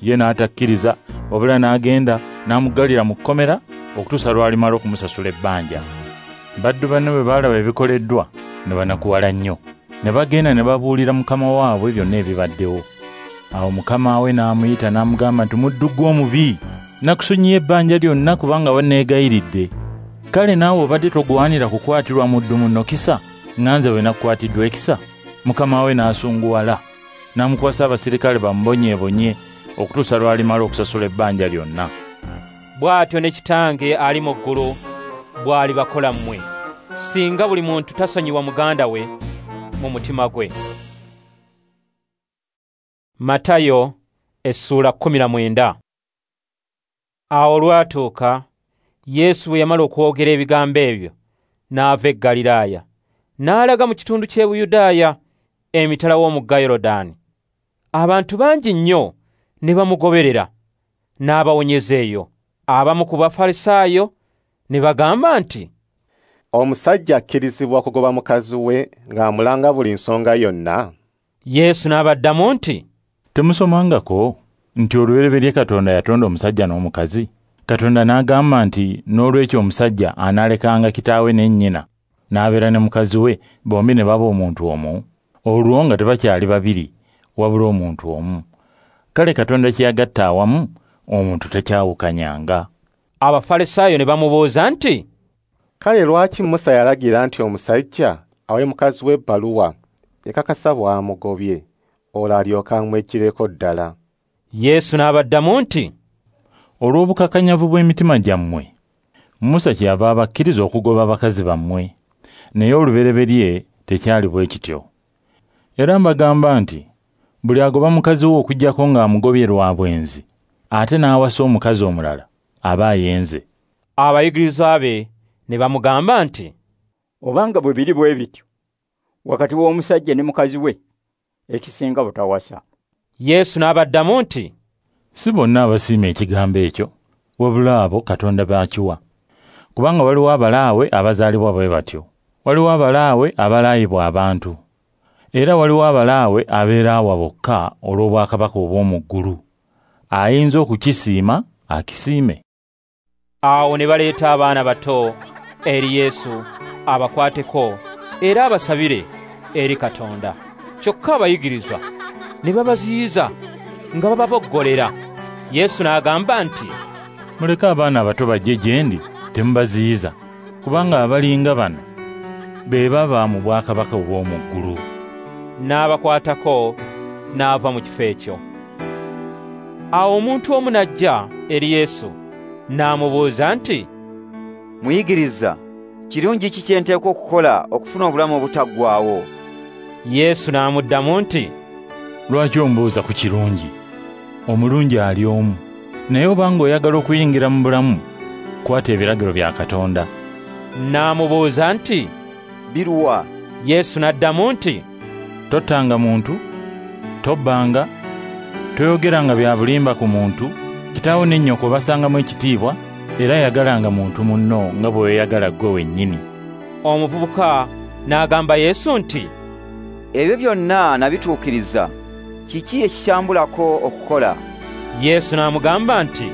Ye n'atakkiriza, wabula n'agenda n'amuggalira mu kkomera okutuusa lw'alimala okumusasula ebbanja. Baddu banne bwe baalaba ebikoleddwa ne banakuwala nnyo, ne bagenda ne babuulira mukama waabwe byonna ebibaddewo. Awo mukama we n'amuyita n'amugamba nti, Muddu gwe omubi, nakusonyiye ebbanja lyonna kubanga wanneegayiridde. Kale naawe obadde togwanira kukwatirwa muddu munno kisa, nga nze bwe nakukwatiddwa ekisa? Mukama we n'asunguwala, n'amukwasa abasirikale bamubonyeebonye okutuusa lw'alimala okusasula ebbanja lyonna. Bw'atyo ne Kitange ali mu ggulu bw'alibakola mmwe, singa buli muntu tasonyiwa muganda we mu mutima gwe. Matayo essula 19. Awo olwatuuka, Yesu bwe yamala okwogera ebigambo ebyo, n'ava e Ggaliraaya, n'alaga mu kitundu ky'e Buyudaaya emitala w'omugga Yorodaani. Abantu bangi nnyo ne bamugoberera, n'abawonyeza eyo. Abamu ku Bafalisaayo ne bagamba nti, Omusajja akkirizibwa kugoba mukazi we ng'amulanga buli nsonga yonna? Yesu n'abaddamu nti, Temusomangako nti olubereberye Katonda yatonda omusajja n'omukazi? Katonda n'agamba nti n'olwekyo omusajja anaalekanga kitaawe ne nnyina, n'abeera ne mukazi we, bombi ne baba omuntu omu, olwo nga tebakyali babiri, wabula omuntu omu. Kale Katonda kye yagatta awamu, omuntu takyawukanyanga. Abafalisaayo ne bamubuuza nti, Kale lwaki Musa yalagira nti omusajja awe mukazi we ebbaluwa ekakasa bw'amugobye, olwo alyoke amweggyireko ddala? Yesu n'abaddamu nti, Olw'obukakanyavu bw'emitima gyammwe, Musa kyeyava abakkiriza okugoba abakazi bammwe, naye olubereberye tekyali bwe kityo. Era mbagamba nti buli agoba mukazi we okuggyako ng'amugobye lwa bwenzi, ate n'awasa omukazi omulala, aba ayenze. Abayigirizwa be ne bamugamba nti, Obanga bwe biri bwe bityo wakati w'omusajja ne mukazi we, ekisinga butawasa. Yesu n'abaddamu nti, Si bonna abasiima ekigambo ekyo, wabula abo Katonda b'akiwa. Kubanga waliwo abalaawe abazaalibwa bwe batyo, waliwo abalaawe abalaayibwa abantu, era waliwo abalaawe abeeraawa bokka olw'obwakabaka obw'omu ggulu. Ayinza okukisiima akisiime. Awo ne baleeta abaana bato eri Yesu abakwateko era abasabire eri Katonda. Kyokka abayigirizwa ne babaziyiza nga bababoggolera. Yesu n'agamba nti, Muleke abaana abato bajje gye ndi, temubaziyiza, kubanga abalinga bano be baba mu bwakabaka obw'omu ggulu. N'abakwatako n'ava mu kifo ekyo. Awo omuntu omu n'ajja eri Yesu n'amubuuza nti, Muyigiriza, kirungi ki kye nteekwa okukola okufuna obulamu obutaggwaawo? Yesu n'amuddamu nti, Lwaki ombuuza ku kirungi? Omulungi ali omu. Naye obanga oyagala okuyingira mu bulamu, kwata ebiragiro bya Katonda. N'amubuuza nti, Biruwa? Yesu n'addamu nti, Tottanga muntu, tobbanga, toyogeranga bya bulimba ku muntu, kitaawo ne nnyoko obasangamu ekitiibwa, era yagalanga muntu munno nga bwe weeyagala ggwe wennyini. Omuvubuka n'agamba Yesu nti, "Ebyo byonna nabituukiriza, kiki ekikyambulako okukola?" Yesu n'amugamba nti,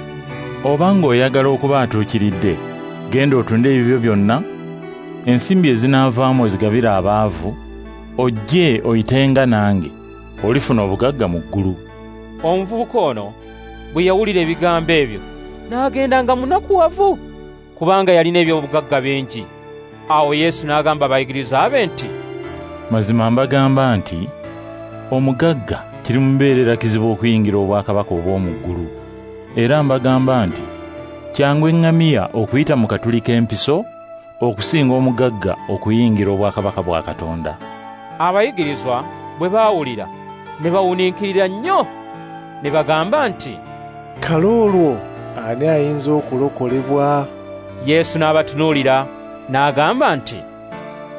"Obanga oyagala okuba atuukiridde, genda otunde ebibyo byonna, ensimbi ezinaavaamu ozigabire abaavu, ojje oyitenga nange, olifuna obugagga mu ggulu." Omuvubuka ono bwe yawulira ebigambo ebyo n'agenda nga munakuwavu, kubanga yalina eby'obugagga bingi. Awo Yesu n'agamba abayigiriza be nti, "Mazima mbagamba nti omugagga kirimubeerera kizibu okuyingira obwakabaka obw'omu ggulu. Era mbagamba nti kyangu eŋŋamiya okuyita mu katuli k'empiso okusinga omugagga okuyingira obwakabaka bwa Katonda." Abayigirizwa bwe baawulira ne bawuniikirira nnyo, ne bagamba nti, "Kale olwo ani ayinza okulokolebwa?" Yesu n'abatunuulira n'agamba nti,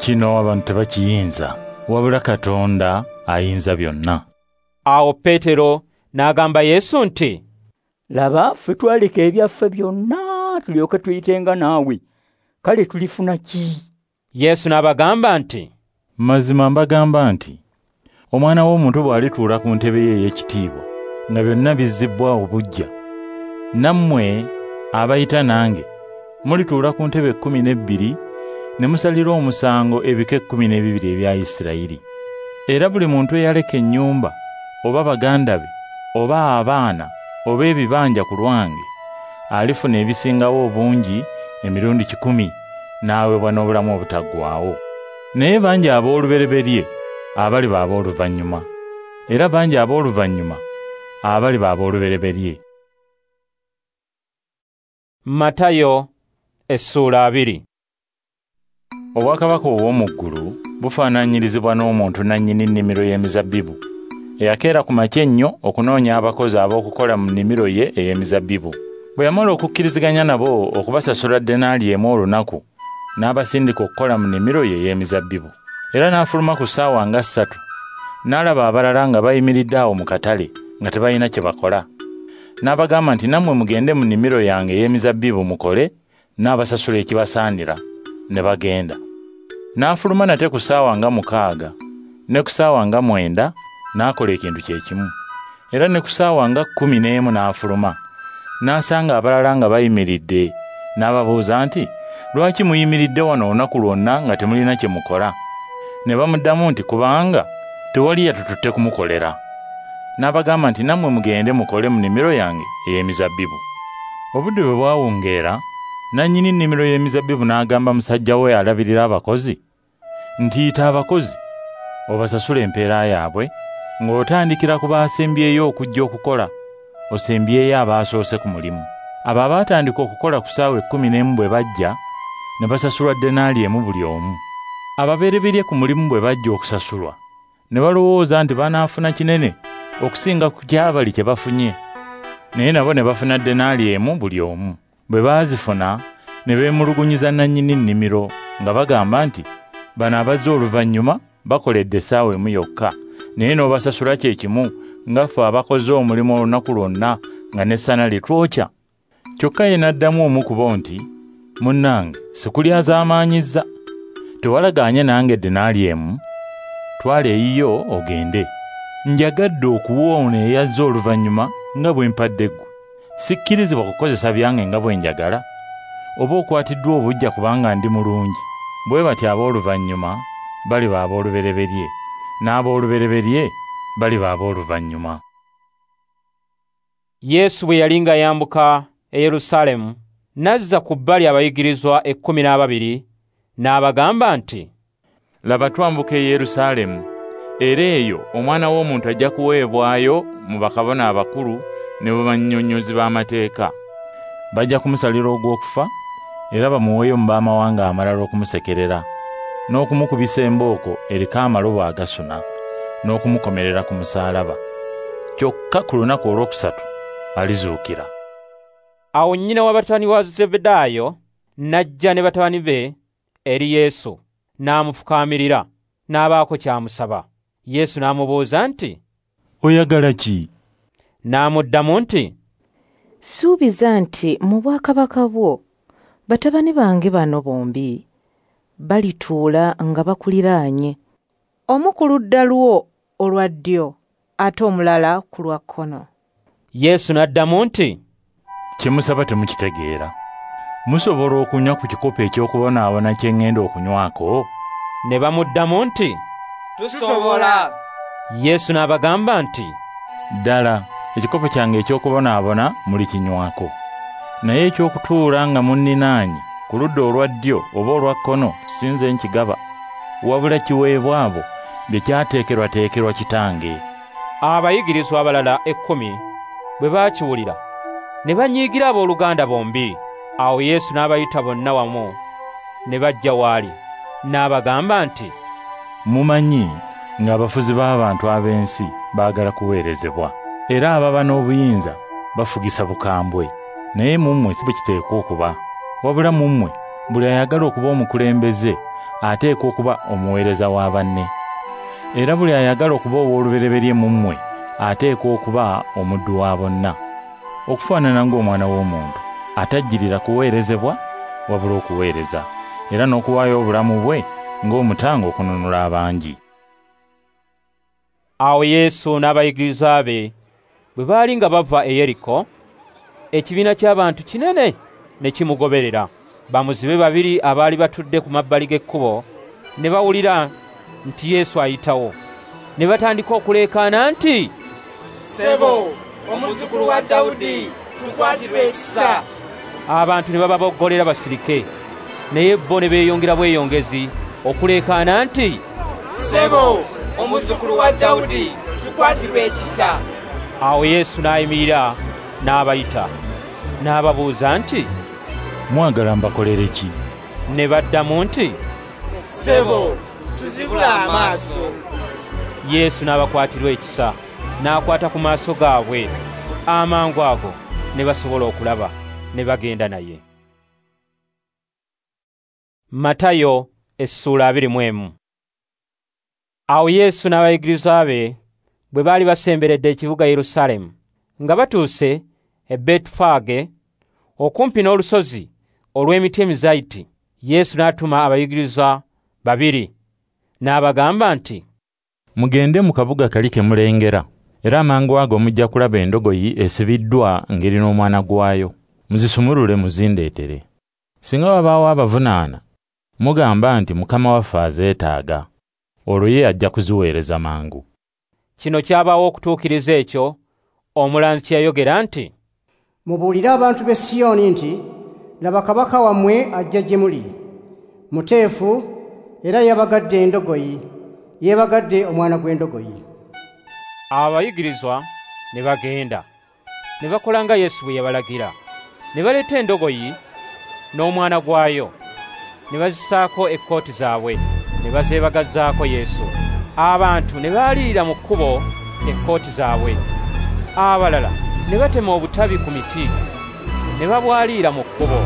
"Kino abantu tebakiyinza, wabula Katonda ayinza byonna." Awo Peetero n'agamba Yesu nti, "Laba, ffe twaleka ebyaffe byonna tulyoke tuyitenga naawe, kale tulifuna ki?" Yesu n'abagamba nti, "Mazima mbagamba nti Omwana w'omuntu bw'alituula ku ntebe ye ey'ekitiibwa nga byonna bizzibwa obuggya, nammwe abayita nange mulituula ku ntebe 12 ne musalira omusango ebika 12 ebya Isirayiri. Era buli muntu eyaleka ennyumba oba baganda be oba abaana oba ebibanja ku lwange alifuna ebisingawo obungi emirundi 100 n'aweebwa n'obulamu obutaggwaawo. Naye bangi ab'olubereberye abaliba ab'oluvannyuma, era bangi ab'oluvannyuma abaliba ab'olubereberye." Matayo essuula 2. Obwakabaka obw'omu ggulu bufaananyirizibwa n'omuntu nannyini nnimiro y'emizabbibu eyakeera ku makya ennyo okunoonya abakozi ab'okukola mu nnimiro ye ey'emizabbibu. Bwe yamala okukkiriziganya nabo okubasasula denaali 1 olunaku, n'abasindika okukola mu nnimiro ye ey'emizabbibu. Era n'afuluma ku ssaawa nga 3, n'alaba abalala nga bayimiridde awo mu katale nga tebalina kye bakola. N'abagamba nti, "Nammwe mugende mu nnimiro yange ey'emizabbibu mukole, n'abasasula ekibasaanira." Ne bagenda. N'afuluma nate ku ssaawa nga 6, ne ku ssaawa nga 9 n'akola ekintu kye kimu. Era ne ku ssaawa nga 11 n'afuluma, n'asanga abalala nga bayimiridde, n'ababuuza nti, "Lwaki muyimiridde wano olunaku lwonna nga temulina kye mukola?" Ne bamuddamu nti, "Kubanga tewali yatututte kumukolera." N'abagamba nti, "Nammwe mugende mukole mu nnimiro yange ey'emizabbibu." Obudde bwe bwawungeera, nannyini nnimiro y'emizabbibu n'agamba musajja we alabirira abakozi nti, "Yita abakozi obasasule empeera yaabwe, ng'otandikira ku baasembyeyo okujja okukola, osembyeyo abaasoose ku mulimu." Abo abaatandika okukola ku ssaawa 11 bwe bajja, ne basasulwa denaali 1 buli omu. Ababereberye ku mulimu bwe bajja okusasulwa, ne balowooza nti banaafuna kinene okusinga ku kyabali kye bafunye, naye nabo ne bafuna denaali 1 buli omu. Bwe baazifuna ne beemulugunyiza nannyini nnimiro nga bagamba nti, "Bano abazze oluvannyuma bakoledde essaawa 1 yokka, naye n'obasasula kye kimu nga ffe abakoze omulimu olunaku lwonna nga n'essana litwokya." Kyokka ye n'addamu omu ku bo nti, "Munnange, sikulyazaamaanyizza. Tewalagaanye nange denaali 1? Twala eyiyo ogende. Njagadde okuwa ono eyazze oluvannyuma nga bwe mpadde ggwe. Sikkirizibwa kukozesa byange nga bwe njagala? Oba okwatiddwa obuggya kubanga ndi mulungi?" Bwe batyo ab'oluvannyuma baliba ab'olubereberye, n'ab'olubereberye baliba ab'oluvannyuma. Yesu bwe yali ng'ayambuka e Yerusaalemu, n'azza ku bbali abayigirizwa 12 n'abagamba nti, "Laba, twambuka e Yerusaalemu, era eyo Omwana w'Omuntu ajja kuweebwayo mu bakabona abakulu ne mu bannyonnyozi b'amateeka. Bajja kumusalira ogw'okufa, era bamuweeyo mu b'amawanga amalala okumusekerera, n'okumukubisa embooko eriko amalobo agasuna, n'okumukomerera ku musaalaba. Kyokka ku lunaku olwokusatu alizuukira." Awo nnyina wa batabani wa Zebedaayo n'ajja ne batabani be eri Yesu, n'amufukaamirira, n'abaako ky'amusaba. Yesu n'amubuuza nti, "Oyagala ki?" N'amuddamu nti, "Suubiza nti mu bwakabaka bwo batabani bange bano bombi balituula nga bakuliraanye, omu ku ludda lwo olwa ddyo ate omulala ku lwa kkono. Yesu n'addamu nti, Kye musaba temukitegeera. Musobola okunywa ku kikopo eky'okubonaabona kye ŋŋenda okunywako? Ne bamuddamu nti, Tusobola. Yesu n'abagamba nti, Ddala ekikopo kyange eky'okubonaabona mulikinywako. Naye eky'okutuula nga munninaanye ku ludda olwa ddyo oba olwa kkono si nze nkigaba, wabula kiweebwa abo bye kyateekerwateekerwa Kitange. Abayigirizwa abalala 10 bwe baakiwulira ne banyiigira abooluganda bombi. Awo Yesu n'abayita bonna wamu ne bajja w'ali, n'abagamba nti, Mumanyi ng'abafuzi b'abantu ab'ensi baagala kuweerezebwa, era ababa n'obuyinza bafugisa bukambwe. Naye mu mmwe si bwe kiteekwa okuba. Wabula mu mmwe buli ayagala okuba omukulembeze ateekwa okuba omuweereza wa banne. Era buli ayagala okuba ow'olubereberye mu mmwe ateekwa okuba omuddu wa bonna, okufaanana ng'Omwana w'Omuntu atajjirira kuweerezebwa wabula okuweereza, era n'okuwaayo obulamu bwe ng'omutango okununula abangi. Awo Yesu n'abayigirizwa be bwe baali nga bava e Yeriko, ekibiina ky'abantu kinene ne kimugoberera. Bamuzibe babiri abaali batudde ku mabbali g'ekkubo ne bawulira nti Yesu ayitawo, ne batandika okuleekaana nti, Ssebo, omuzzukulu wa Dawudi, tukwatirwe ekisa. Abantu ne bababoggolera basirike, naye bo ne beeyongera bweyongezi okuleekaana nti, Ssebo, omuzzukulu wa Dawudi, tukwatirwe ekisa. Awo Yesu n'ayimirira n'abayita, n'ababuuza nti, Mwagala mbakolere ki? Ne baddamu nti, Ssebo, tuzibule amaaso. Yesu n'abakwatirwa ekisa, n'akwata ku maaso gaabwe. Amangu ago ne basobola okulaba, ne bagenda naye. Matayo essula 21. Awo Yesu n'abayigirizwa be bwe baali basemberedde ekibuga Yerusaalemu, nga batuuse e Betifage okumpi n'olusozi olw'emiti emizayiti, Yesu n'atuma abayigirizwa babiri n'abagamba nti, Mugende mu kabuga kali ke mulengera, era amangu ago mujja kulaba endogoyi esibiddwa ng'erina omwana gwayo. Muzisumulule muzindeetere. Singa wabaawo abavunaana, mugamba nti Mukama waffe azeetaaga, olwo ye ajja kuziweereza mangu. Kino kyabaawo okutuukiriza ekyo omulanzi kye yayogera nti, Mubuulire abantu b'e Siyoni nti, Laba kabaka wammwe ajja gye muli, muteefu era yeebagadde endogoyi, yeebagadde omwana gw'endogoyi. Abayigirizwa ne bagenda, ne bakola nga Yesu bwe yabalagira. Ne baleeta endogoyi n'omwana gwayo, ne bazisaako ekkooti zaabwe, ne bazeebagazaako Yesu. Abantu ne baalirira mu kkubo ekkooti zaabwe. Abalala ne batema obutabi ku miti, ne babwaliira mu kkubo.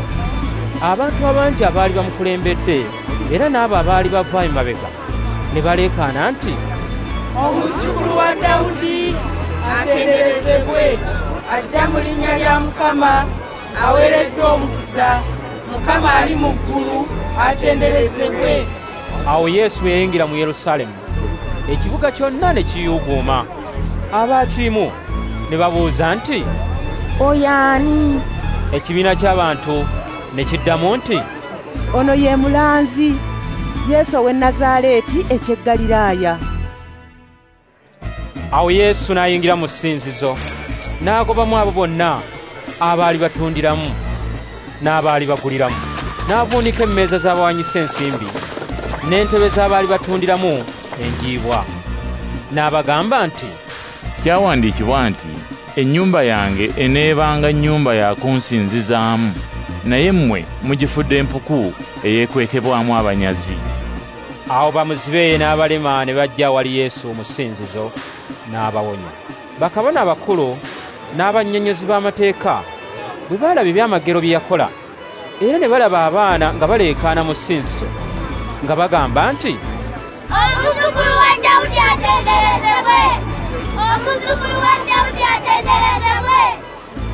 Abantu abangi abaali bamukulembedde era n'abo abaali bava emabega ne baleekaana nti, Omuzzukulu wa Dawudi atenderezebwe, ajja mu linnya lya Mukama, aweereddwa omukisa, Mukama ali mu ggulu atenderezebwe. Awo Yesu bwe yayingira mu Yerusaalemu, ekibuga kyonna ne kiyuuguuma. Abaakirimu ne babuuza nti, Oyo ani? Ekibiina ky'abantu ne kiddamu nti, Ono ye mulanzi Yesu ow'e Nazaaleeti eky'e Ggaliraaya. Awo Yesu n'ayingira mu ssinzizo, n'agobamu abo bonna abaali batundiramu n'abaali baguliramu. N'avuunika emmeeza z'abawanyisa ensimbi n'entebe z'abaali batundiramu enjiibwa. N'abagamba nti, Kyawandiikibwa nti, ennyumba yange eneebanga nnyumba ya kunsinzizaamu, naye mmwe mugifudde empuku eyeekwekebwamu abanyazi. Awo bamuzibe n'abalema ne bajja awali Yesu mu ssinzizo n'abawonya. Bakabona abakulu n'abannyonnyozi b'amateeka bwe baalaba ebyamagero bye yakola, era ne balaba abaana nga baleekaana mu ssinzizo nga bagamba nti, Omuzzukulu wa Dawudi atenderezebwe! Omuzzukulu wa Dawudi atenderezebwe!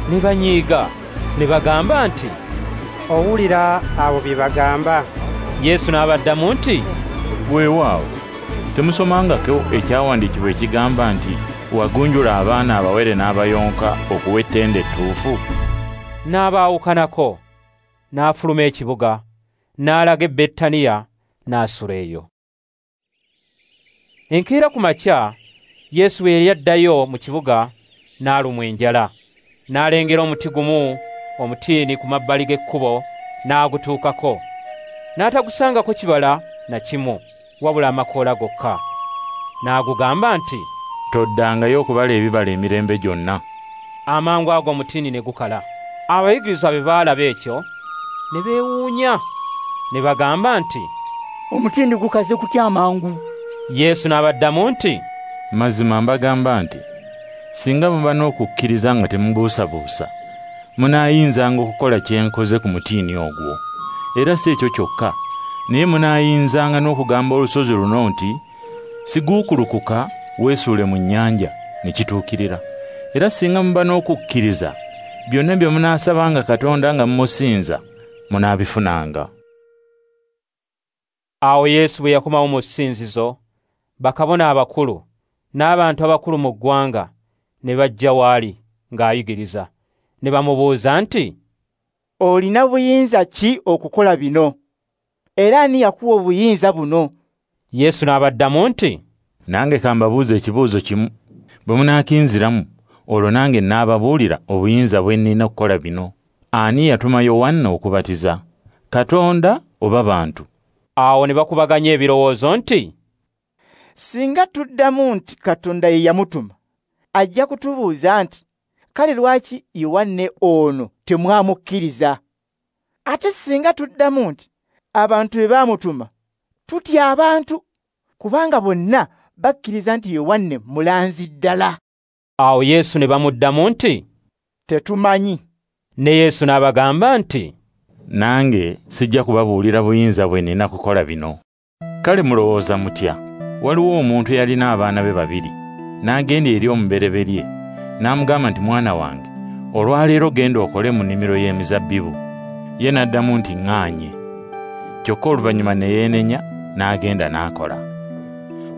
Ne banyiiga ne bagamba nti, Owulira abo bye bagamba? Yesu n'abaddamu nti, Weewaawo, temusomangako ekyawandiikibwa ekigamba nti wagunjula abaana abawere n'abayonka okuwa ettendo ettuufu? N'abaawukanako, n'afuluma ekibuga, n'alaga e Betaniya, n'asula eyo. Enkeera ku makya, Yesu bwe yali addayo mu kibuga, n'alumwa enjala. N'alengera omuti gumu omutiini ku mabbali g'ekkubo, n'agutuukako. N'atagusangako kibala na kimu, wabula amakoola gokka. N'agugamba nti, Toddangayo okubala ebibala emirembe gyonna. Amangu ago omutiini ne gukala. Abayigirizwa bwe baalaba ekyo, ne beewuunya, ne bagamba nti, Omutiini gukaze kutya amangu? Yesu n'abaddamu nti, Mazima mbagamba nti, singa muba n'okukkiriza nga temubuusabuusa, munaayinzanga okukola kye nkoze ku mutiini ogwo. Era si ekyo kyokka, naye munaayinzanga n'okugamba olusozi luno nti, Siguukulukuka weesuule mu nnyanja, ne kituukirira. Era singa muba n'okukkiriza, byonna bye munaasabanga Katonda nga mumusinza, munaabifunanga. Awo Yesu bwe yakomawo mu ssinzizo, bakabona abakulu n'abantu abakulu mu ggwanga ne bajja w'ali ng'ayigiriza, ne bamubuuza nti, Olina buyinza ki okukola bino? Era ani yakuwa obuyinza buno? Yesu n'abaddamu nti, Nange ka mbabuuze ekibuuzo kimu, bwe munaakinziramu, olwo nange nnaababuulira obuyinza bwe nnina okukola bino. Ani yatuma Yowanna okubatiza? Katonda oba bantu? Awo ne bakubaganya ebirowoozo nti, Singa tuddamu nti Katonda ye yamutuma, ajja kutubuuza nti, Kale lwaki Yowanne ono temwamukkiriza? Ate singa tuddamu nti abantu be baamutuma, tutya abantu, kubanga bonna bakkiriza nti Yowanne mulanzi ddala. Awo Yesu ne bamuddamu nti, Tetumanyi. Ne Yesu n'abagamba nti, Nange sijja kubabuulira buyinza bwe nnina kukola bino. Kale mulowooza mutya? Waliwo omuntu eyalina abaana be babiri, n'agenda eri omubereberye, n'amugamba nti, Mwana wange, olwaleero genda okole mu nnimiro y'emizabbibu. Ye n'addamu nti, ŋŋaanye. Kyokka oluvannyuma ne yeenenya, n'agenda n'akola.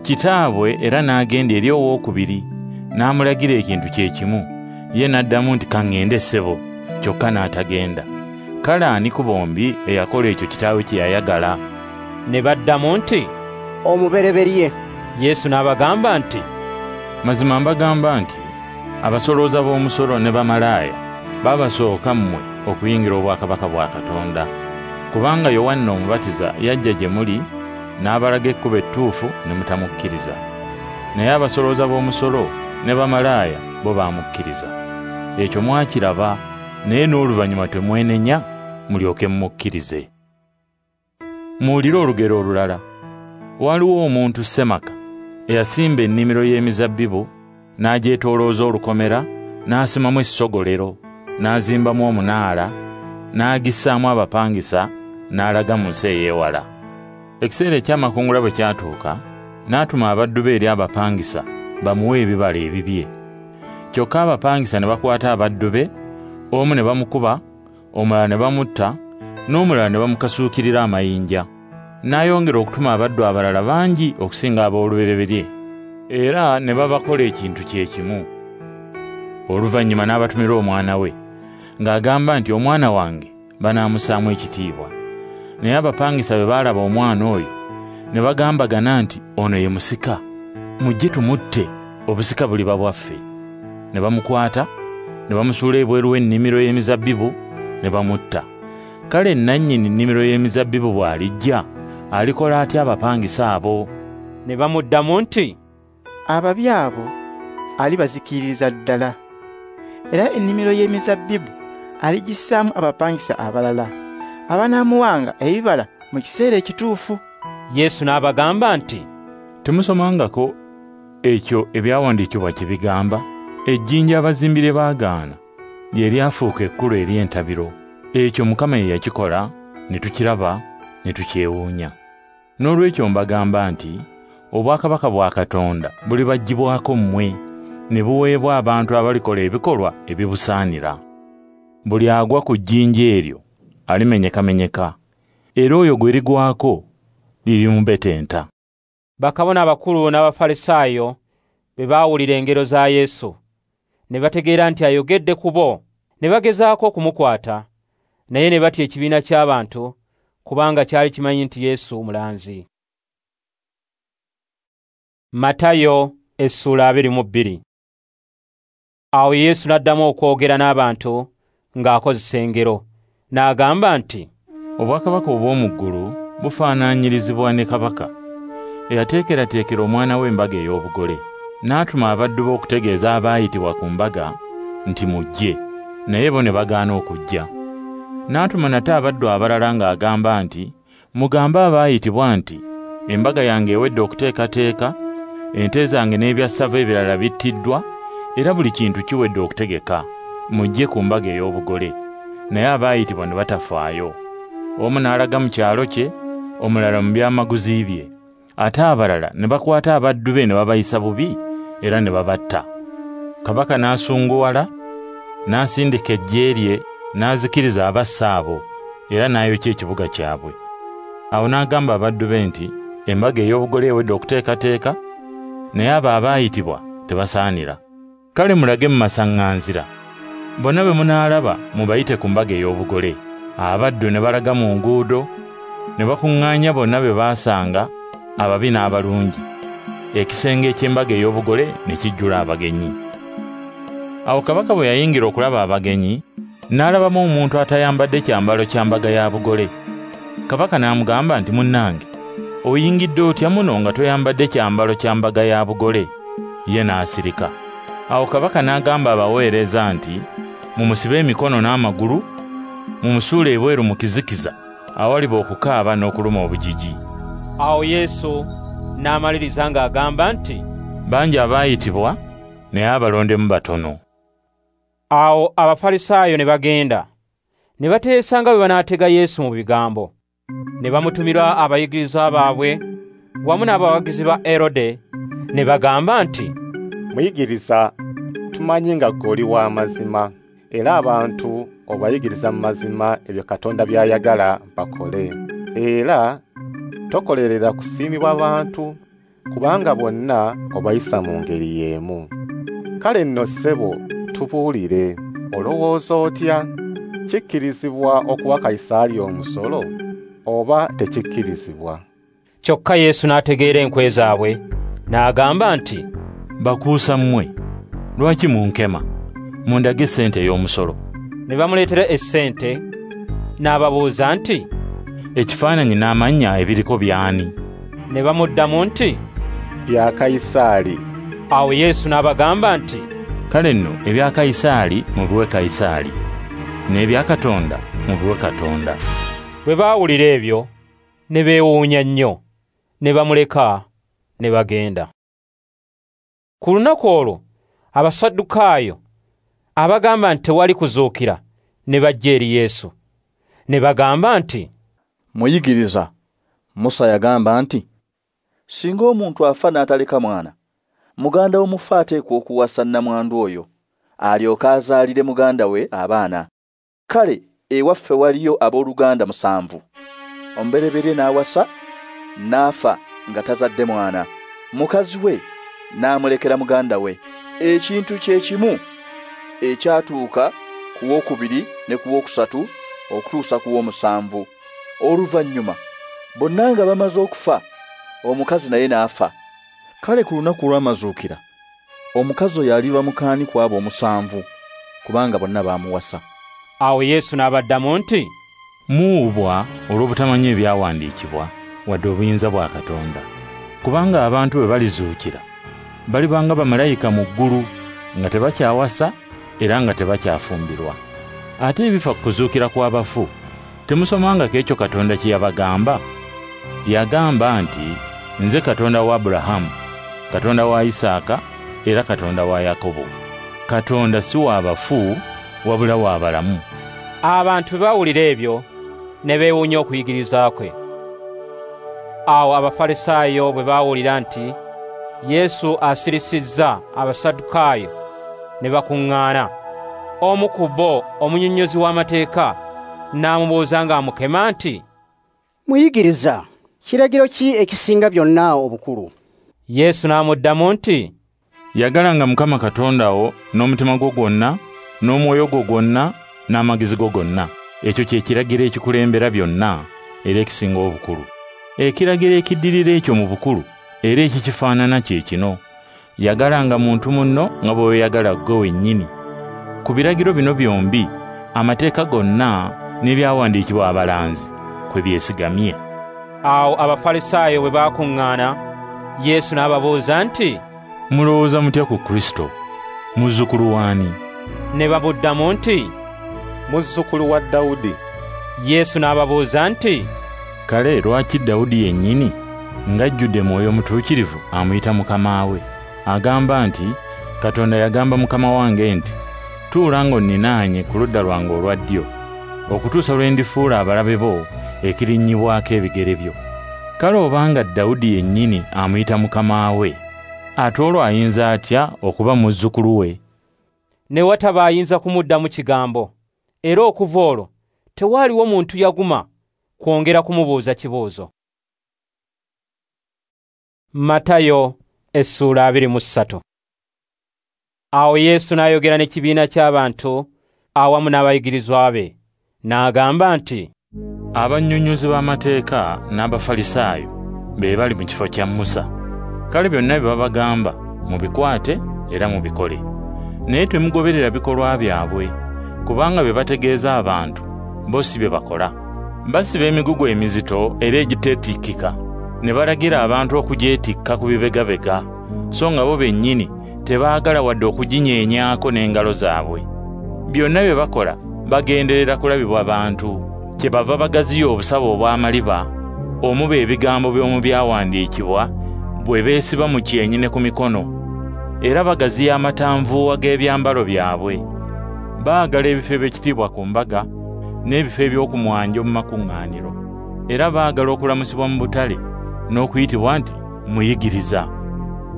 Kitaabwe era n'agenda eri owookubiri, n'amulagira ekintu kye kimu. Ye n'addamu nti, Ka ŋŋende ssebo, kyokka n'atagenda. Kale ani ku bombi eyakola ekyo kitaawe kye yayagala? Ne baddamu nti, Omubereberye. Yesu n'abagamba nti, Mazima mbagamba nti, abasolooza b'omusolo ne bamalaaya babasooka mmwe okuyingira obwakabaka bwa Katonda. Kubanga Yowanna Omubatiza yajja gye muli n'abalaga ekkubo ettuufu ne mutamukkiriza. Naye abasolooza b'omusolo ne bamalaaya bo baamukkiriza. Ekyo mwakiraba, naye n'oluvannyuma temwenenya mulyoke mumukkirize. Muwulire olugero olulala. Waliwo omuntu ssemaka eyasimba ennimiro y'emizabbibu, n'agyetoolooza olukomera, n'asimamu essogolero, n'azimbamu omunaala, n'agissaamu abapangisa, n'alaga mu nsi ey'ewala. Ekiseera eky'amakungula bwe kyatuuka, n'atuma abaddu be eri abapangisa bamuwe ebibala ebibye. Kyokka abapangisa ne bakwata abaddu be, omu ne bamukuba, omulala ne bamutta, n'omulala ne bamukasuukirira amayinja. N'ayongera okutuma abaddu abalala bangi okusinga ab'olubereberye, era ne babakola ekintu kye kimu. Oluvannyuma n'abatumira omwana we, ng'agamba nti, Omwana wange banaamussaamu ekitiibwa. Naye abapangisa bwe baalaba omwana oyo, ne bagambagana nti, Ono ye musika, mujje tumutte, obusika buliba bwaffe. Ne bamukwata, ne bamusuula ebweru w'ennimiro y'emizabbibu, ne bamutta. Kale nannyini nnimiro y'emizabbibu bw'alijja, alikola atya abapangisa abo? Ne bamuddamu nti, Ababi abo alibazikiririza ddala, era ennimiro y'emizabbibu aligissaamu abapangisa abalala, abanaamuwanga ebibala mu kiseera ekituufu. Yesu n'abagamba nti, Temusomangako ekyo ebyawandiikibwa kye bigamba? Ejjinja abazimbi lye baagaana lye lyafuuka ekkulu ery'entabiro. Ekyo Mukama ye yakikola, ne tukiraba, ne tukyewuunya. Noolwekyo mbagamba nti, obwakabaka bwa Katonda bulibaggyibwako mmwe, ne buweebwa abantu abalikola ebikolwa ebibusaanira. Buli agwa ku jjinja eryo alimenyekamenyeka, Era oyo gwe ligwako lirimubetenta. Bakabona abakulu n'Abafalisaayo bwe baawulira engero za Yesu, ne bategeera nti ayogedde ku bo, ne bagezaako okumukwata, naye ne batya ekibiina ky'abantu, kubanga kyali kimanyi nti Yesu mulanzi. Matayo essula 22. Awo Yesu n'addamu okwogera n'abantu ng'akozesa engero, n'agamba nti, Obwakabaka obw'omu ggulu bufaananyirizibwa ne kabaka eyateekerateekera omwana we embaga ey'obugole. N'atuma abaddu be okutegeeza abaayitibwa ku mbaga nti mujje, naye bo ne bagaana okujja. N'atuma nate abaddu abalala ng'agamba nti, mugambe abaayitibwa nti, embaga yange ewedde okuteekateeka, ente zange n'ebyassava ebirala bittiddwa, era buli kintu kiwedde okutegeka, mujje ku mbaga ey'obugole. Naye abaayitibwa ne batafaayo. Omu n'alaga mu kyalo kye, omulala mu byamaguzi bye. Ate abalala ne bakwata abaddu be ne babayisa bubi era ne babatta. Kabaka n'asunguwala, n'asindika eggye lye, n'azikiriza abassa abo, era n'ayokya ekibuga kyabwe. Awo n'agamba abaddu be nti, embaga ey'obugole ewedde okuteekateeka, naye abo abaayitibwa tebasaanira. Kale mulage mu masaŋŋanzira, bonna be munaalaba mubayite ku mbaga ey'obugole. Abaddu ne balaga mu nguudo, ne bakuŋŋaanya bonna be baasanga, ababi n'abalungi. Ekisenge eky'embaga ey'obugole ne kijjula abagenyi. Awo kabaka bwe yayingira okulaba abagenyi, n'alabamu omuntu atayambadde kyambalo kya mbaga ya bugole. Kabaka n'amugamba nti, munnange, oyingidde otya muno nga toyambadde kyambalo kya mbaga ya bugole? Ye n'asirika. Awo kabaka n'agamba abaweereza nti, mumusibe emikono n'amagulu, mumusuule ebweru mu kizikiza, awaliba okukaaba n'okuluma obujiji. Awo Yesu n'amaliriza ng'agamba nti, bangi abaayitibwa, naye abalondemu batono. Awo Abafalisaayo ne bagenda, ne bateesa nga bwe banaatega Yesu mu bigambo. Ne bamutumira abayigirizwa baabwe wamu n'abawagizi ba Erode, ne bagamba nti, Muyigiriza, tumanyi nga ggwe oli wa mazima, era abantu obayigiriza mu mazima ebyo Katonda by'ayagala bakole. Era tokolerera kusiimibwa bantu, kubanga bonna obayisa mu ngeri y'emu. Kale nno ssebo, tubuulire, olowooza otya? Kikkirizibwa okuwa Kayisaali omusolo oba tekikkirizibwa? Kyokka Yesu n'ategeera enkwe zaabwe, n'agamba nti, Bakuusa mmwe, lwaki munkema? Mundage essente ey'omusolo. Ne bamuleetera essente, n'ababuuza nti, Ekifaananyi n'amannya ebiriko by'ani? Ne bamuddamu nti, Bya Kayisaali. Awo Yesu n'abagamba nti, Kale nno ebya Kayisaali mubiwe Kayisaali, n'ebya Katonda mubiwe Katonda. Bwe baawulira ebyo, ne beewuunya nnyo, ne bamuleka ne bagenda. Ku lunaku olwo Abasaddukaayo abagamba nti tewali kuzuukira ne bajja eri Yesu, ne bagamba nti, Muyigiriza, Musa yagamba nti, singa omuntu afa n'ataleka mwana, muganda w'omufu ateekwa okuwasa nnamwandu oyo, alyoke azaalire muganda we abaana. Kale ewaffe waliyo abooluganda 7. Omubereberye n'awasa, n'afa nga tazadde mwana. Mukazi we n'amulekera muganda we. Ekintu kye kimu ekyatuuka ku wookubiri ne ku wookusatu okutuusa ku w'omusanvu. Oluvannyuma bonna nga bamaze okufa, omukazi naye n'afa. Kale ku lunaku lw'amazuukira, omukazi oyo aliba mukaani ku abo 7, kubanga bonna baamuwasa. Awo Yesu n'abaddamu nti, Muwubwa olw'obutamanya ebyawandiikibwa wadde obuyinza bwa Katonda. Kubanga abantu bwe balizuukira, balibanga bamalayika mu ggulu, nga tebakyawasa era nga tebakyafumbirwa. Ate ebifa ku kuzuukira kw'abafu, temusomangako ekyo Katonda kye yabagamba? Yagamba nti, nze Katonda wa Aburahamu, Katonda wa Isaaka, era Katonda wa Yakobo. Katonda si wa bafu, wabula wa balamu. Abantu bwe bawulira ebyo, ne beewuunya okuyigiriza kwe. Awo Abafalisaayo bwe baawulira nti Yesu asirisizza Abasaddukaayo, ne bakuŋŋaana. Omu ku bo, omunnyonnyozi w'amateeka, n'amubuuza ng'amukema nti, Muyigiriza, kiragiro ki ekisinga byonna obukulu? Yesu n'amuddamu nti, Yagalanga Mukama Katonda wo n'omutima gwo gwonna, n'omwoyo gwo gwonna, n'amagezi go gonna. Ekyo kye kiragiro ekikulembera byonna era ekisinga obukulu. Ekiragiro ekiddirira ekyo mu bukulu era ekikifaanana kye kino: yagalanga muntu munno nga bw'oyagala ggwe wennyini. Ku biragiro bino byombi amateeka gonna n'ebyawandiikibwa abalanzi kwe byesigamye. Awo Abafalisaayo bwe baakuŋŋaana, Yesu n'ababuuza nti, Mulowooza mutya ku Kristo? Muzzukulu w'ani? Ne bamuddamu nti, Muzzukulu wa Dawudi. Yesu n'ababuuza nti, Kale lwaki Dawudi yennyini ng'ajjudde Mwoyo Mutuukirivu amuyita Mukama we? Agamba nti, Katonda yagamba Mukama wange nti, tuula ng'onninaanye ku ludda lwange olwa ddyo, okutuusa lwe ndifuula abalabe bo ekirinnyibwako ebigere byo. Kale obanga Dawudi yennyini amuyita Mukama we, ate olwo ayinza atya okuba muzzukulu we? Ne wataba ayinza kumuddamu kigambo, era okuva olwo tewaaliwo muntu yaguma kwongera kumubuuza kibuuzo. Matayo essuula 23. Awo Yesu n'ayogera n'ekibiina ky'abantu awamu n'abayigirizwa be, n'agamba nti, Abannyonnyozi b'amateeka n'Abafalisaayo be bali mu kifo kya Musa. Kale byonna bye babagamba mubikwate era mubikole. Naye temugoberera bikolwa byabwe, kubanga bye bategeeza abantu bo si bye bakola. Basiba emigugu emizito era egiteetikkika, ne balagira abantu okugyetikka ku bibegabega, so nga bo bennyini tebaagala wadde okuginyeenyaako n'engalo zaabwe. Byonna bye bakola bagenderera kulabibwa bantu, kyebava bagaziya obusawo obw'amaliba omuba ebigambo by'omu byawandiikibwa bwe beesiba mu kyenyi ne ku mikono, era bagaziya amatanvuuwa g'ebyambalo byabwe. Baagala ebifo eby'ekitiibwa ku mbaga n'ebifo eby'okumwanjo mu makuŋŋaaniro, era baagala okulamusibwa mu butale n'okuyitibwa nti muyigiriza.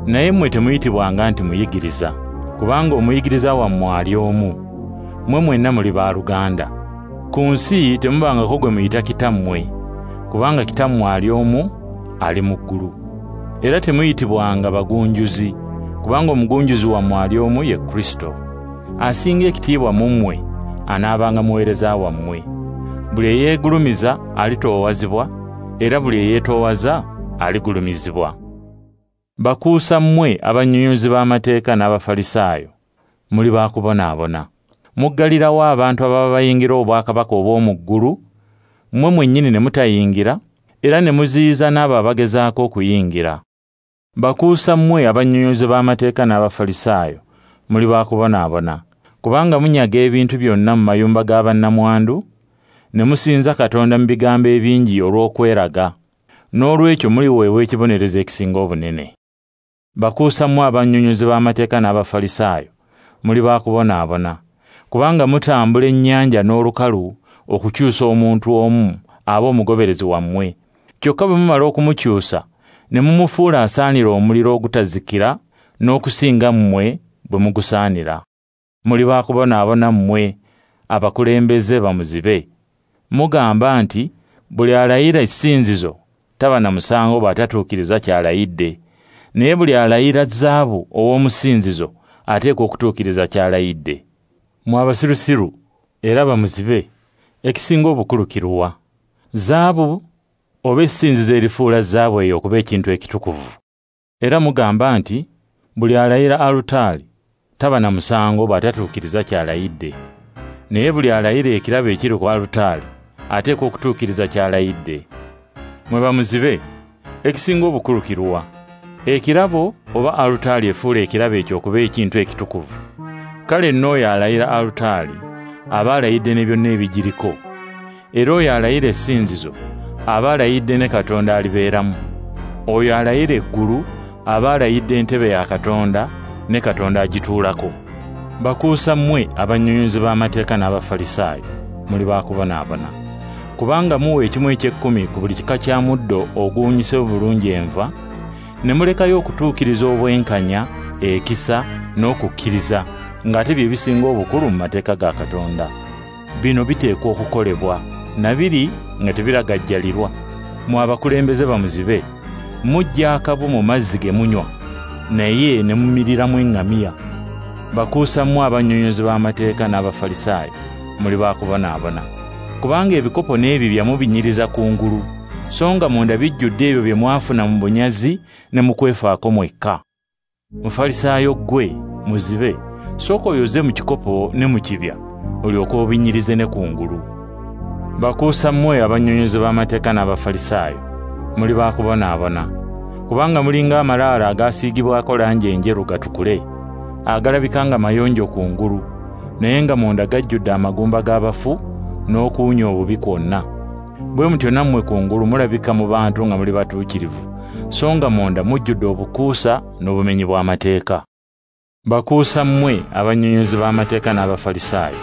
Naye mmwe temuyitibwanga nti muyigiriza, kubanga omuyigiriza wammwe ali omu, mmwe mwenna muli baaluganda. Ku nsi temubangako gwe muyita kitammwe, kubanga kitammwe ali omu, ali mu ggulu. Era temuyitibwanga bagunjuzi, kubanga omugunjuzi wammwe ali omu ye Kristo. Asinga ekitiibwa mu mmwe anaabanga muweereza wammwe. Buli eyeegulumiza alitoowazibwa, era buli eyeetoowaza aligulumizibwa. Bakuusa mmwe abannyonnyozi b'amateeka n'Abafalisaayo, muli baakubonaabona. Muggalirawo abantu ababa bayingira obwakabaka obw'omu ggulu, mmwe mwennyini ne mutayingira, era ne muziyiza n'abo abagezaako okuyingira. Bakuusa mmwe abannyonnyozi b'amateeka n'Abafalisaayo, muli baakubonaabona, kubanga munyaga ebintu byonna mu mayumba ga bannamwandu, ne musinza Katonda mu bigambo ebingi olw'okweraga. N'olwekyo muliweebwa ekibonerezo ekisinga obunene. Bakuusa mmwe abannyonnyozi b'amateeka n'Abafalisaayo, muli baakubonaabona, kubanga mutambula ennyanja n'olukalu okukyusa omuntu omu aba omugoberezi wammwe. Kyokka bwe mumala okumukyusa ne mumufuula asaanira omuliro ogutazikira n'okusinga mmwe bwe mugusaanira. Muli baakubonaabona mmwe abakulembeze bamuzibe. Mugamba nti buli alayira essinzizo taba na musango bw'atatuukiriza ky'alayidde, naye buli alayira zaabu ow'omusinzizo ateekwa okutuukiriza ky'alayidde. Mmwe abasirusiru era bamuzibe, ekisinga obukulu kiruwa? Zaabu oba essinzizo erifuula zaabu eyo okuba ekintu ekitukuvu? Era mugamba nti buli alayira alutaari taba na musango bw'atatuukiriza ky'alayidde, naye buli alayira ekirabo ekiri ku alutaari ateekwa okutuukiriza ky'alayidde. Mwe bamuzibe, ekisinga obukulu kiruwa? Ekirabo oba alutaari efuula ekirabo ekyo okuba ekintu ekitukuvu? Kale nno oyo alayira alutaari aba alayidde ne byonna ebigiriko, era oyo alayira essinzizo aba alayidde ne Katonda alibeeramu. Oyo alayira eggulu aba alayidde entebe ya Katonda ne Katonda agituulako. Bakuusa mmwe abannyonnyozi b'amateeka n'Abafalisaayo, muli baakubonaabona, kubanga muwa ekimu eky'ekkumi ku buli kika kya muddo oguwunyise obulungi enva, ne mulekayo okutuukiriza obwenkanya, ekisa n'okukkiriza, ng'ate bye bisinga obukulu mu mateeka ga Katonda. Bino biteekwa okukolebwa, na biri nga tebiragajjalirwa. Mmwe abakulembeze bamuzibe, muggya akabu mu mazzi ge munywa, naye ne mumiriramu eŋŋamiya. Bakuusa mmwe abannyonnyozi b'amateeka n'Abafalisaayo, muli bakubonaabona. Kubanga ebikopo n'ebibya mubinyiriza kungulu, so nga munda bijjudde ebyo bye mwafuna mu bunyazi ne mu kwefaako mwekka. Mufalisaayo ggwe, muzibe, sooka oyoze mu kikopo ne mu kibya, olyoke obinyirize ne kungulu. Bakuusa mmwe abannyonnyozi b'amateeka n'Abafalisaayo, muli bakubonaabona. Kubanga mulinga amalaalo agasiigibwako langi enjeru gatukule, agalabika nga mayonjo kungulu, naye nga munda gajjudde amagumba g'abafu n'okuwunya obubi kwonna. Bwe mutyo nammwe kungulu mulabika mu bantu nga muli batuukirivu, so nga munda mujjudde obukuusa n'obumenyi bw'amateeka. Bakuusa mmwe abannyonnyozi b'amateeka n'Abafalisaayo,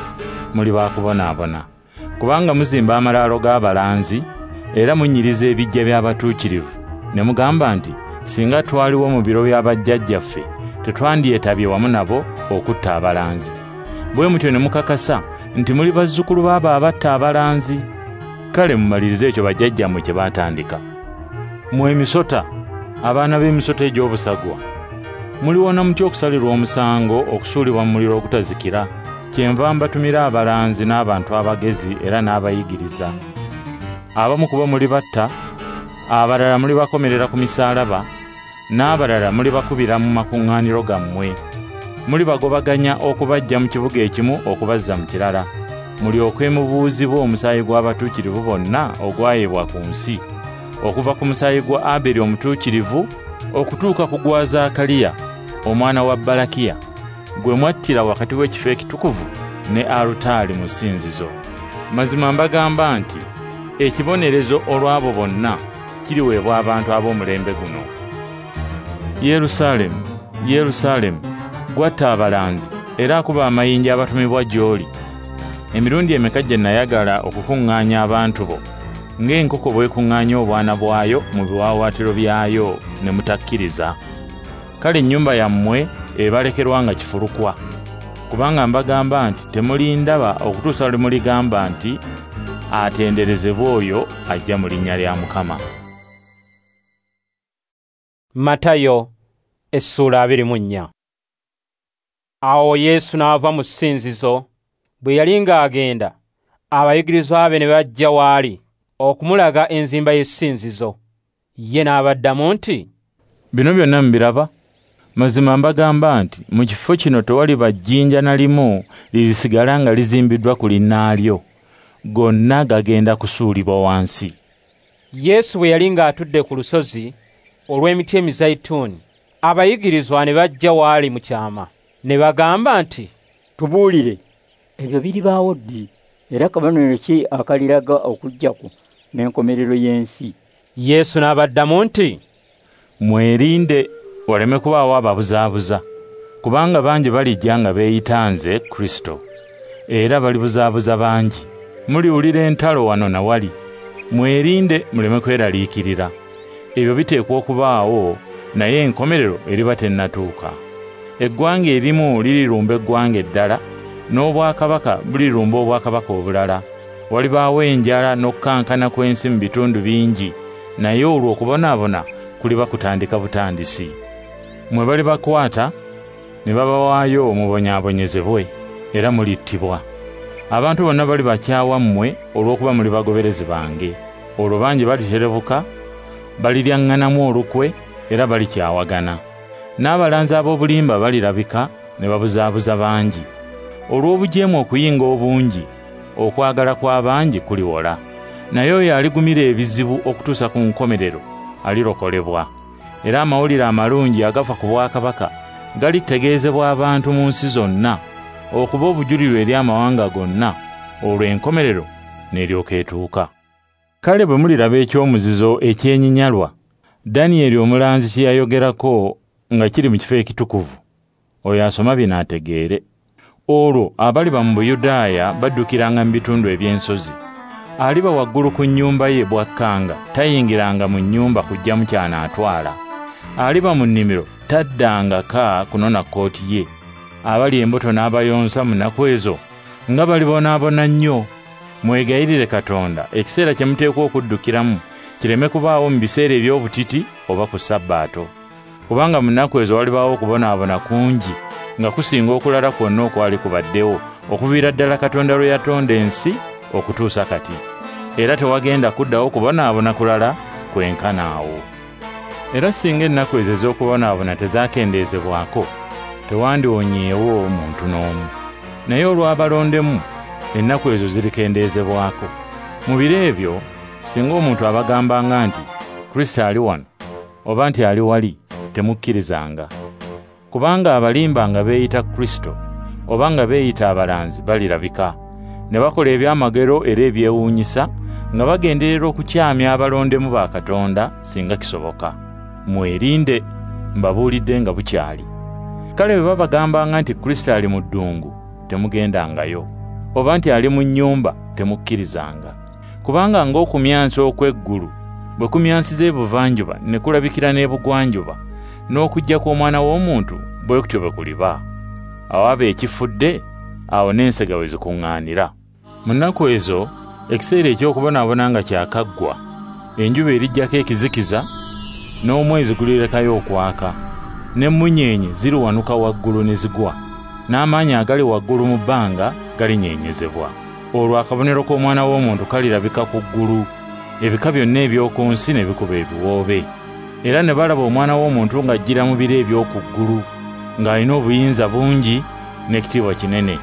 muli bakubonaabona. Kubanga muzimba amalaalo g'abalanzi, era munyiriza ebiggya by'abatuukirivu, ne mugamba nti, singa twaliwo mu biro bya bajjajjaffe, tetwandyetabye wamu nabo okutta abalanzi. Bwe mutyo ne mukakasa nti muli bazzukulu b'abo abatta abalanzi. Kale mumalirize ekyo bajjajjammwe kye baatandika. Mmwe emisota, abaana b'emisota egy'obusagwa, muliwona mutya okusalirwa omusango okusuulibwa mu muliro ogutazikira? Kyenva mbatumira abalanzi n'abantu abagezi era n'abayigiriza. Abamu ku bo mulibatta, abalala mulibakomerera ku misaalaba, n'abalala mulibakubira mu makuŋŋaaniro gammwe. Mulibagobaganya okubaggya mu kibuga ekimu okubazza mu kirala, mulyoke mubuuzibwe omusaayi gw'abatuukirivu bonna ogwayibwa ku nsi, okuva ku musaayi gwa Aberi omutuukirivu okutuuka ku gwa Zaakaliya omwana wa Balakiya, gwe mwattira wakati w'ekifo ekitukuvu ne alutaali mu ssinzizo. Mazima mbagamba nti ekibonerezo olw'abo bonna kiriweebwa abantu ab'omulembe guno. Yerusaalemu, Yerusaalemu, gwatta abalanzi era akuba amayinja abatumibwa gy'oli. Emirundi emeka gye nayagala okukuŋŋaanya abantu bo, ng'enkoko bw'ekuŋŋaanya obwana bwayo mu biwaawaatiro byayo, ne mutakkiriza. Kale ennyumba yammwe ebalekerwa nga kifulukwa. Kubanga mbagamba nti temulindaba okutuusa lwe muligamba nti, atenderezebwe oyo ajja mu linnya lya Mukama. Matayo essula 24. Awo Yesu n'ava mu ssinzizo. Bwe yali ng'agenda, abayigirizwa be ne bajja w'ali okumulaga enzimba y'essinzizo. Ye n'abaddamu nti, bino byonna mubiraba? Mazima mbagamba nti mu kifo kino tewaliba jjinja na limu lirisigala nga lizimbiddwa ku linnaalyo, gonna gagenda kusuulibwa wansi. Yesu bwe yali ng'atudde ku lusozi olw'emiti emizayituuni, abayigirizwa ne bajja w'ali mu kyama ne bagamba nti, tubuulire, ebyo biribaawo ddi, era kabonero ki akaliraga okujja kwo n'enkomerero y'ensi? Yesu n'abaddamu nti, mwerinde waleme kubaawo ababuzaabuza, kubanga bangi balijja nga beeyita nze Kristo, era balibuzaabuza bangi. Muliwulira entalo wano na wali, mwerinde muleme kweraliikirira. Ebyo biteekwa okubaawo, naye enkomerero eriba tennatuuka. Eggwanga erimu lirirumba eggwanga eddala, n'obwakabaka bulirumba obwakabaka obulala. Walibaawo enjala n'okukankana kw'ensi mu bitundu bingi, naye olwo okubonaabona kuliba kutandika butandisi. Mmwe balibakwata ne babawaayo mubonyaabonyezebwe, era mulittibwa. Abantu bonna balibakyawa mmwe olw'okuba muli bagoberezi bange. Olwo bangi baliterebuka, baliryaŋŋanamu olukwe, era balikyawagana. N'abalanzi ab'obulimba balirabika ne babuzaabuza bangi. Olw'obujeemu okuyinga obungi, okwagala kw'abangi kuliwola. Naye oyo aligumira ebizibu okutuusa ku nkomerero alirokolebwa. Era amawulire amalungi agafa ku bwakabaka galitegeezebwa abantu mu nsi zonna, okuba obujulirwa eri amawanga gonna, olwo enkomerero n'eryoka etuuka. Kale bwe muliraba ekyomuzizo ekyenyinyalwa Danyeri omulanzi kye yayogerako nga kiri mu kifo ekitukuvu, oyo asoma bino ategeere. Olwo abaliba mu Buyudaaya baddukiranga mu bitundu eby'ensozi. Aliba waggulu ku nnyumba ye bw'akkanga, tayingiranga mu nnyumba kuggyamu ky'anaatwala. Aliba mu nnimiro taddanga ka kunona kkooti ye. Abali embuto n'abayonsa mu nnaku ezo nga balibonaabona nnyo. Mwegayirire Katonda ekiseera kye muteekwa okuddukiramu Kireme kubaawo mu biseera eby'obutiti oba ku Sabbaato. Kubanga mu nnaku ezo walibaawo okubonaabona kungi nga kusinga okulala kwonna okwali kubaddewo okuviira ddala Katonda lwe yatonda ensi okutuusa kati. Era tewagenda kuddawo kubonaabona kulala kwenkana awo. Era singa ennaku ezo ez'okubonaabona tezaakendeezebwako, tewandiwonyeewo muntu n'omu. Naye olw'abalondemu, ennaku ezo zirikendeezebwako. Mu biro ebyo, singa omuntu abagambanga nti, Kristo ali wano, oba nti ali wali, temukkirizanga. Kubanga abalimba nga beeyita Kristo, oba nga beeyita abalanzi balirabika, ne bakola ebyamagero era ebyewuunyisa, nga bagenderera okukyamya abalondemu ba Katonda singa kisoboka. Mwerinde, mbabuulidde nga bukyali. Kale bwe babagambanga nti Kristo ali mu ddungu, temugendangayo, oba nti ali mu nnyumba, temukkirizanga. Kubanga ng'okumyansa okw'eggulu bwe kumyansiza ebuvanjuba ne kulabikira n'ebugwanjuba, n'okujja kw'Omwana w'Omuntu bwe kutyo bwe kuliba. Awaba ekifudde, awo n'ensega we zikuŋŋaanira. Mu nnaku ezo, ekiseera eky'okubonaabona nga kyakaggwa, enjuba erijjako ekizikiza, n'omwezi gulirekayo okwaka, n'emmunyeenye ziriwanuka waggulu ne zigwa, n'amaanyi agali waggulu mu bbanga galinyeenyezebwa. Olwo akabonero k'Omwana w'Omuntu kalirabika ku ggulu, ebika byonna eby'oku nsi ne bikuba ebiwoobe. Era ne balaba Omwana w'Omuntu ng'ajjira mu bire eby'oku ggulu, ng'alina obuyinza bungi n'ekitiibwa kinene.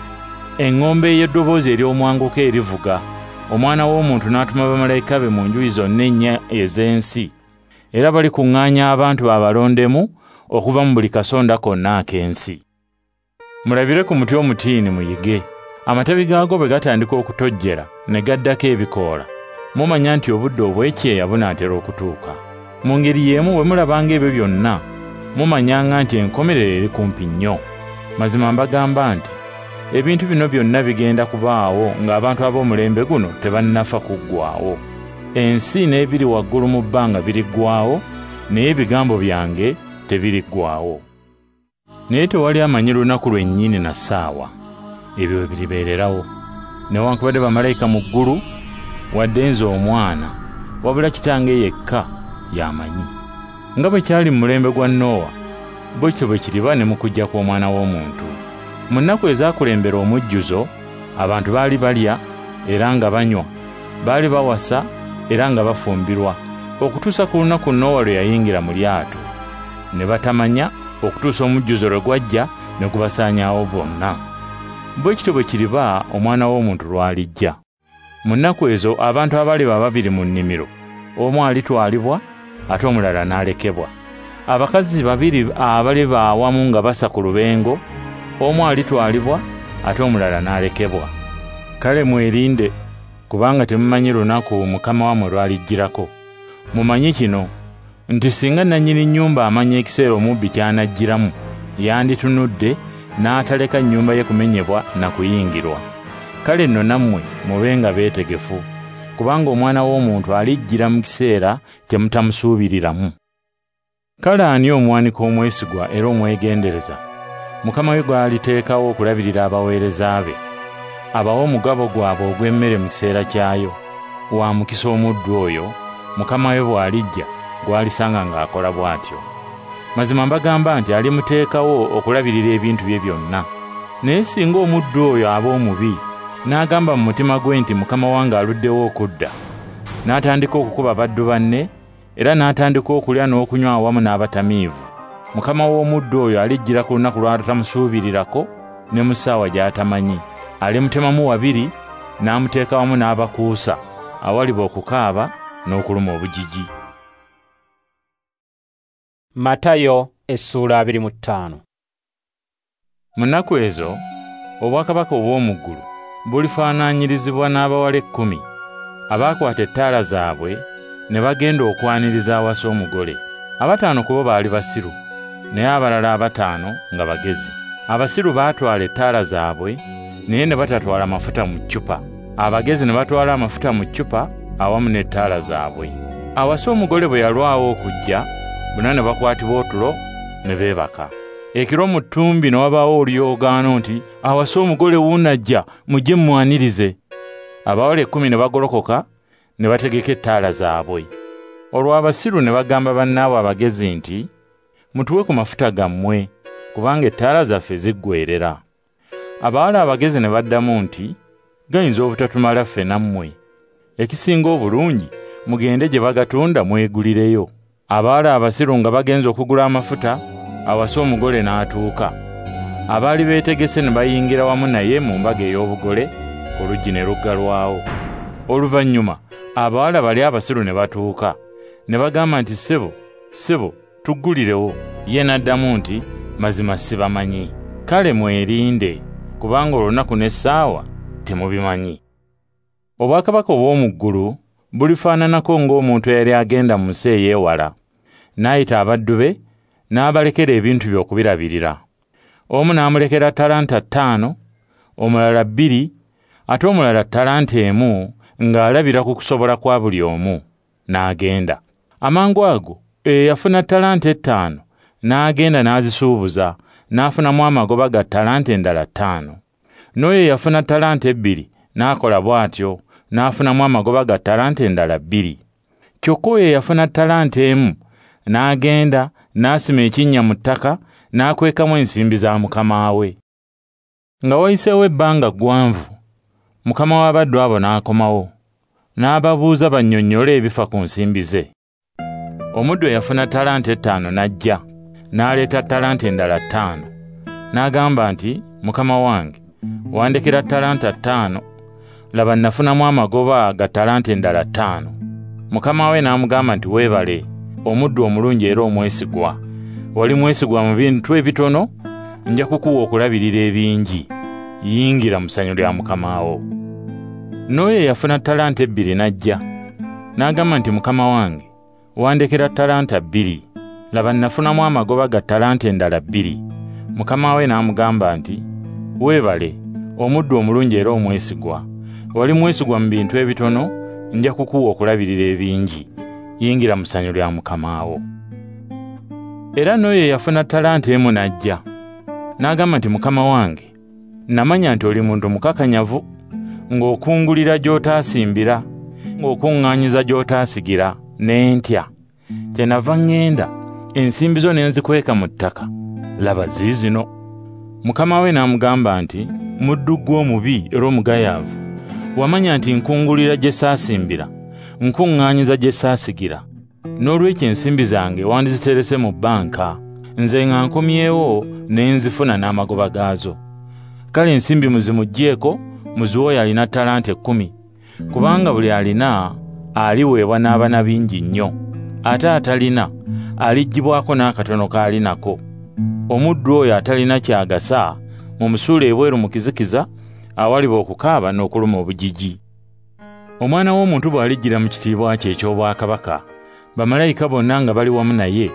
Eŋŋombe ey'eddoboozi ery'omwanguka erivuga, Omwana w'Omuntu n'atuma bamalayika be mu njuyi zonna ennya ez'ensi, era balikuŋŋaanya abantu babalondemu okuva mu buli kasonda konna ak'ensi. Mulabire ku muti omutiini muyige. Amatabi gaago bwe gatandika okutojjera ne gaddako ebikoola, mumanya nti obudde obw'ekyeya bunaatera okutuuka. Mu ngeri y'emu bwe mulabanga ebyo byonna, mumanyanga nti enkomerero eri kumpi nnyo. Mazima mbagamba nti ebintu bino byonna bigenda kubaawo ng'abantu ab'omulembe guno tebannafa kuggwaawo. Ensi n'ebiri waggulu mu bbanga biriggwaawo, naye ebigambo byange tebiriggwaawo. Naye tewali amanyi lunaku lwennyini na ssaawa ebyo biribeererawo, newankubadde bamalayika mu ggulu, wadde nze Omwana, wabula Kitange yekka y'amanyi. Nga bwe kyali mu mulembe gwa Nowa, bwe kityo bwe kiriba ne mu kujja kw'Omwana w'Omuntu. Mu nnaku ezaakulembera omujjuzo, abantu baali balya era nga banywa, baali bawasa era nga bafumbirwa, okutuusa ku lunaku Nowa lwe yayingira mu lyato, ne batamanya okutuusa omujjuzo lwe gwajja ne gubasaanyaawo bonna. Bwe kityo bwe kiriba Omwana w'Omuntu lw'alijja. Mu nnaku ezo abantu abaliba babiri mu nnimiro, omu alitwalibwa ate omulala n'alekebwa. Abakazi babiri abaliba awamu nga basa ku lubengo, omu alitwalibwa ate omulala n'alekebwa. Kale mwerinde, kubanga temumanyi lunaku Mukama wammwe lw'alijjirako. Mumanyi kino nti singa nannyini nnyumba amanya ekiseera omubbi ky'anajjiramu, yanditunudde n'ataleka nnyumba ye kumenyebwa na kuyingirwa. Kale nno nammwe mubenga beetegefu, kubanga Omwana w'Omuntu alijjira mu kiseera kye mutamusuubiriramu. Kale ani omuwanika omwesigwa era omwegendereza, Mukama we gw'aliteekawo okulabirira abaweereza be, abawe omugabo gwabwe ogw'emmere mu kiseera kyayo? Wa mukisa omuddu oyo, Mukama we bw'alijja gw'alisanga ng'akola bw'atyo. Mazima mbagamba nti alimuteekawo okulabirira ebintu bye byonna. Naye singa omuddu oyo aba omubi, n'agamba mu mutima gwe nti Mukama wange aluddewo okudda, n'atandika okukuba baddu banne, era n'atandika okulya n'okunywa awamu n'abatamiivu, Mukama w'omuddu oyo alijjira ku lunaku lw'atamusuubirirako ne mu ssaawa gy'atamanyi. Alimutemamu wabiri, n'amuteeka wamu n'abakuusa, awaliba okukaaba n'okuluma obujiji. Matayo essuula 25. Mu nnaku ezo, obwakabaka obw'omu ggulu bulifaanaanyirizibwa n'abawala 10 abaakwata ettaala zaabwe ne bagenda okwaniriza awasa omugole. 5 ku bo baali basiru, naye abalala 5 nga bagezi. Abasiru baatwala ettaala zaabwe, naye ne batatwala mafuta mu ccupa. Abagezi ne batwala amafuta mu ccupa awamu n'ettaala zaabwe. Awasa omugole bwe yalwawo okujja, bonna ne bakwatibwa otulo ne beebaka. Ekiro mu ttumbi ne wabaawo oluyoogaano nti, awasa omugole wuunajja, mujje mumwanirize. Abawala 10 ne bagolokoka ne bategeka ettaala zaabwe. Olwo abasiru ne bagamba bannaabwe abagezi nti, mutuwe ku mafuta gammwe, kubanga ettaala zaffe ziggweerera. Abawala abagezi ne baddamu nti, gayinza obutatumala ffe nammwe. Ekisinga obulungi, mugende gye bagatunda mwegulireyo. Abawala abasiru nga bagenze okugula amafuta, awasa omugole n'atuuka. Abaali beetegese ne bayingira wamu naye mu mbaga ey'obugole, oluggi ne luggalwawo. Oluvannyuma abawala bali abasiru ne batuuka, ne bagamba nti, ssebo, ssebo, tuggulirewo. Ye n'addamu nti, mazima sibamanyi. Kale mwerinde, kubanga olunaku n'essaawa temubimanyi. Obwakabaka obw'omu ggulu bulifaananako ng'omuntu eyali agenda mu nsi ey'ewala, n'ayita abaddu be, n'abalekera ebintu bye okubirabirira. Omu n'amulekera talanta 5, omulala 2, ate omulala talanta 1, ng'alabira ku kusobola kwa buli omu, n'agenda. Amangu ago eyafuna talanta 5 n'agenda n'azisuubuza, n'afunamu amagoba ga talanta endala 5. N'oyo eyafuna talanta 2 n'akola bw'atyo, n'afunamu amagoba ga talanta endala 2. Kyokka oyo eyafuna talanta 1 n'agenda n'asima ekinnya mu ttaka, n'akwekamu ensimbi za mukama we. Nga wayiseewo ebbanga ggwanvu, mukama w'abaddu abo n'akomawo, n'ababuuza bannyonnyole ebifa ku nsimbi ze. Omuddu eyafuna talanta 5 n'ajja, n'aleeta talanta endala 5. N'agamba nti, mukama wange, wandekera talanta 5, laba nafunamu amagoba ga talanta endala 5. Mukama we n'amugamba nti, weebale, omuddu omulungi era omwesigwa. Wali mwesigwa mu bintu ebitono, nja kukuwa okulabirira ebingi. Yingira mu ssanyu lya mukama wo. N'oyo eyafuna talanta 2 n'ajja, n'agamba nti, mukama wange, wandekera talanta 2, laba nafunamu amagoba ga talanta endala 2. Mukama we n'amugamba nti, weebale, omuddu omulungi era omwesigwa. Wali mwesigwa mu bintu ebitono, nja kukuwa okulabirira ebingi. Yingira mu ssanyu lya mukama wo. Era n'oyo eyafuna talanta 1 n'ajja, n'agamba nti, mukama wange, namanya nti oli muntu mukakanyavu, ng'okungulira gy'otaasimbira, ng'okuŋŋaanyiza gy'otaasigira, ne ntya. Kyenava ŋŋenda, ensimbi zo ne nzikweka mu ttaka, laba ziizino. Mukama we n'amugamba nti, muddu ggwe omubi era omugayaavu, wamanya nti nkungulira gye saasimbira, nkuŋŋaanyiza gye saasigira. N'olwekyo ensimbi zange wandiziterese mu bbanka, nze nga nkomyewo ne nzifuna n'amagoba gaazo. Kale ensimbi muzimuggyeeko, muziwe oyo alina talanta 10, kubanga buli alina aliweebwa n'aba na bingi nnyo, ate atalina aliggyibwako n'akatono k'alinako. Omuddu oyo atalina ky'agasa mumusuule ebweru mu kizikiza, awaliba okukaaba n'okuluma obujiji. Omwana w'omuntu bw'alijjira mu kitiibwa kye eky'obwakabaka, bamalayika bonna nga bali wamu naye,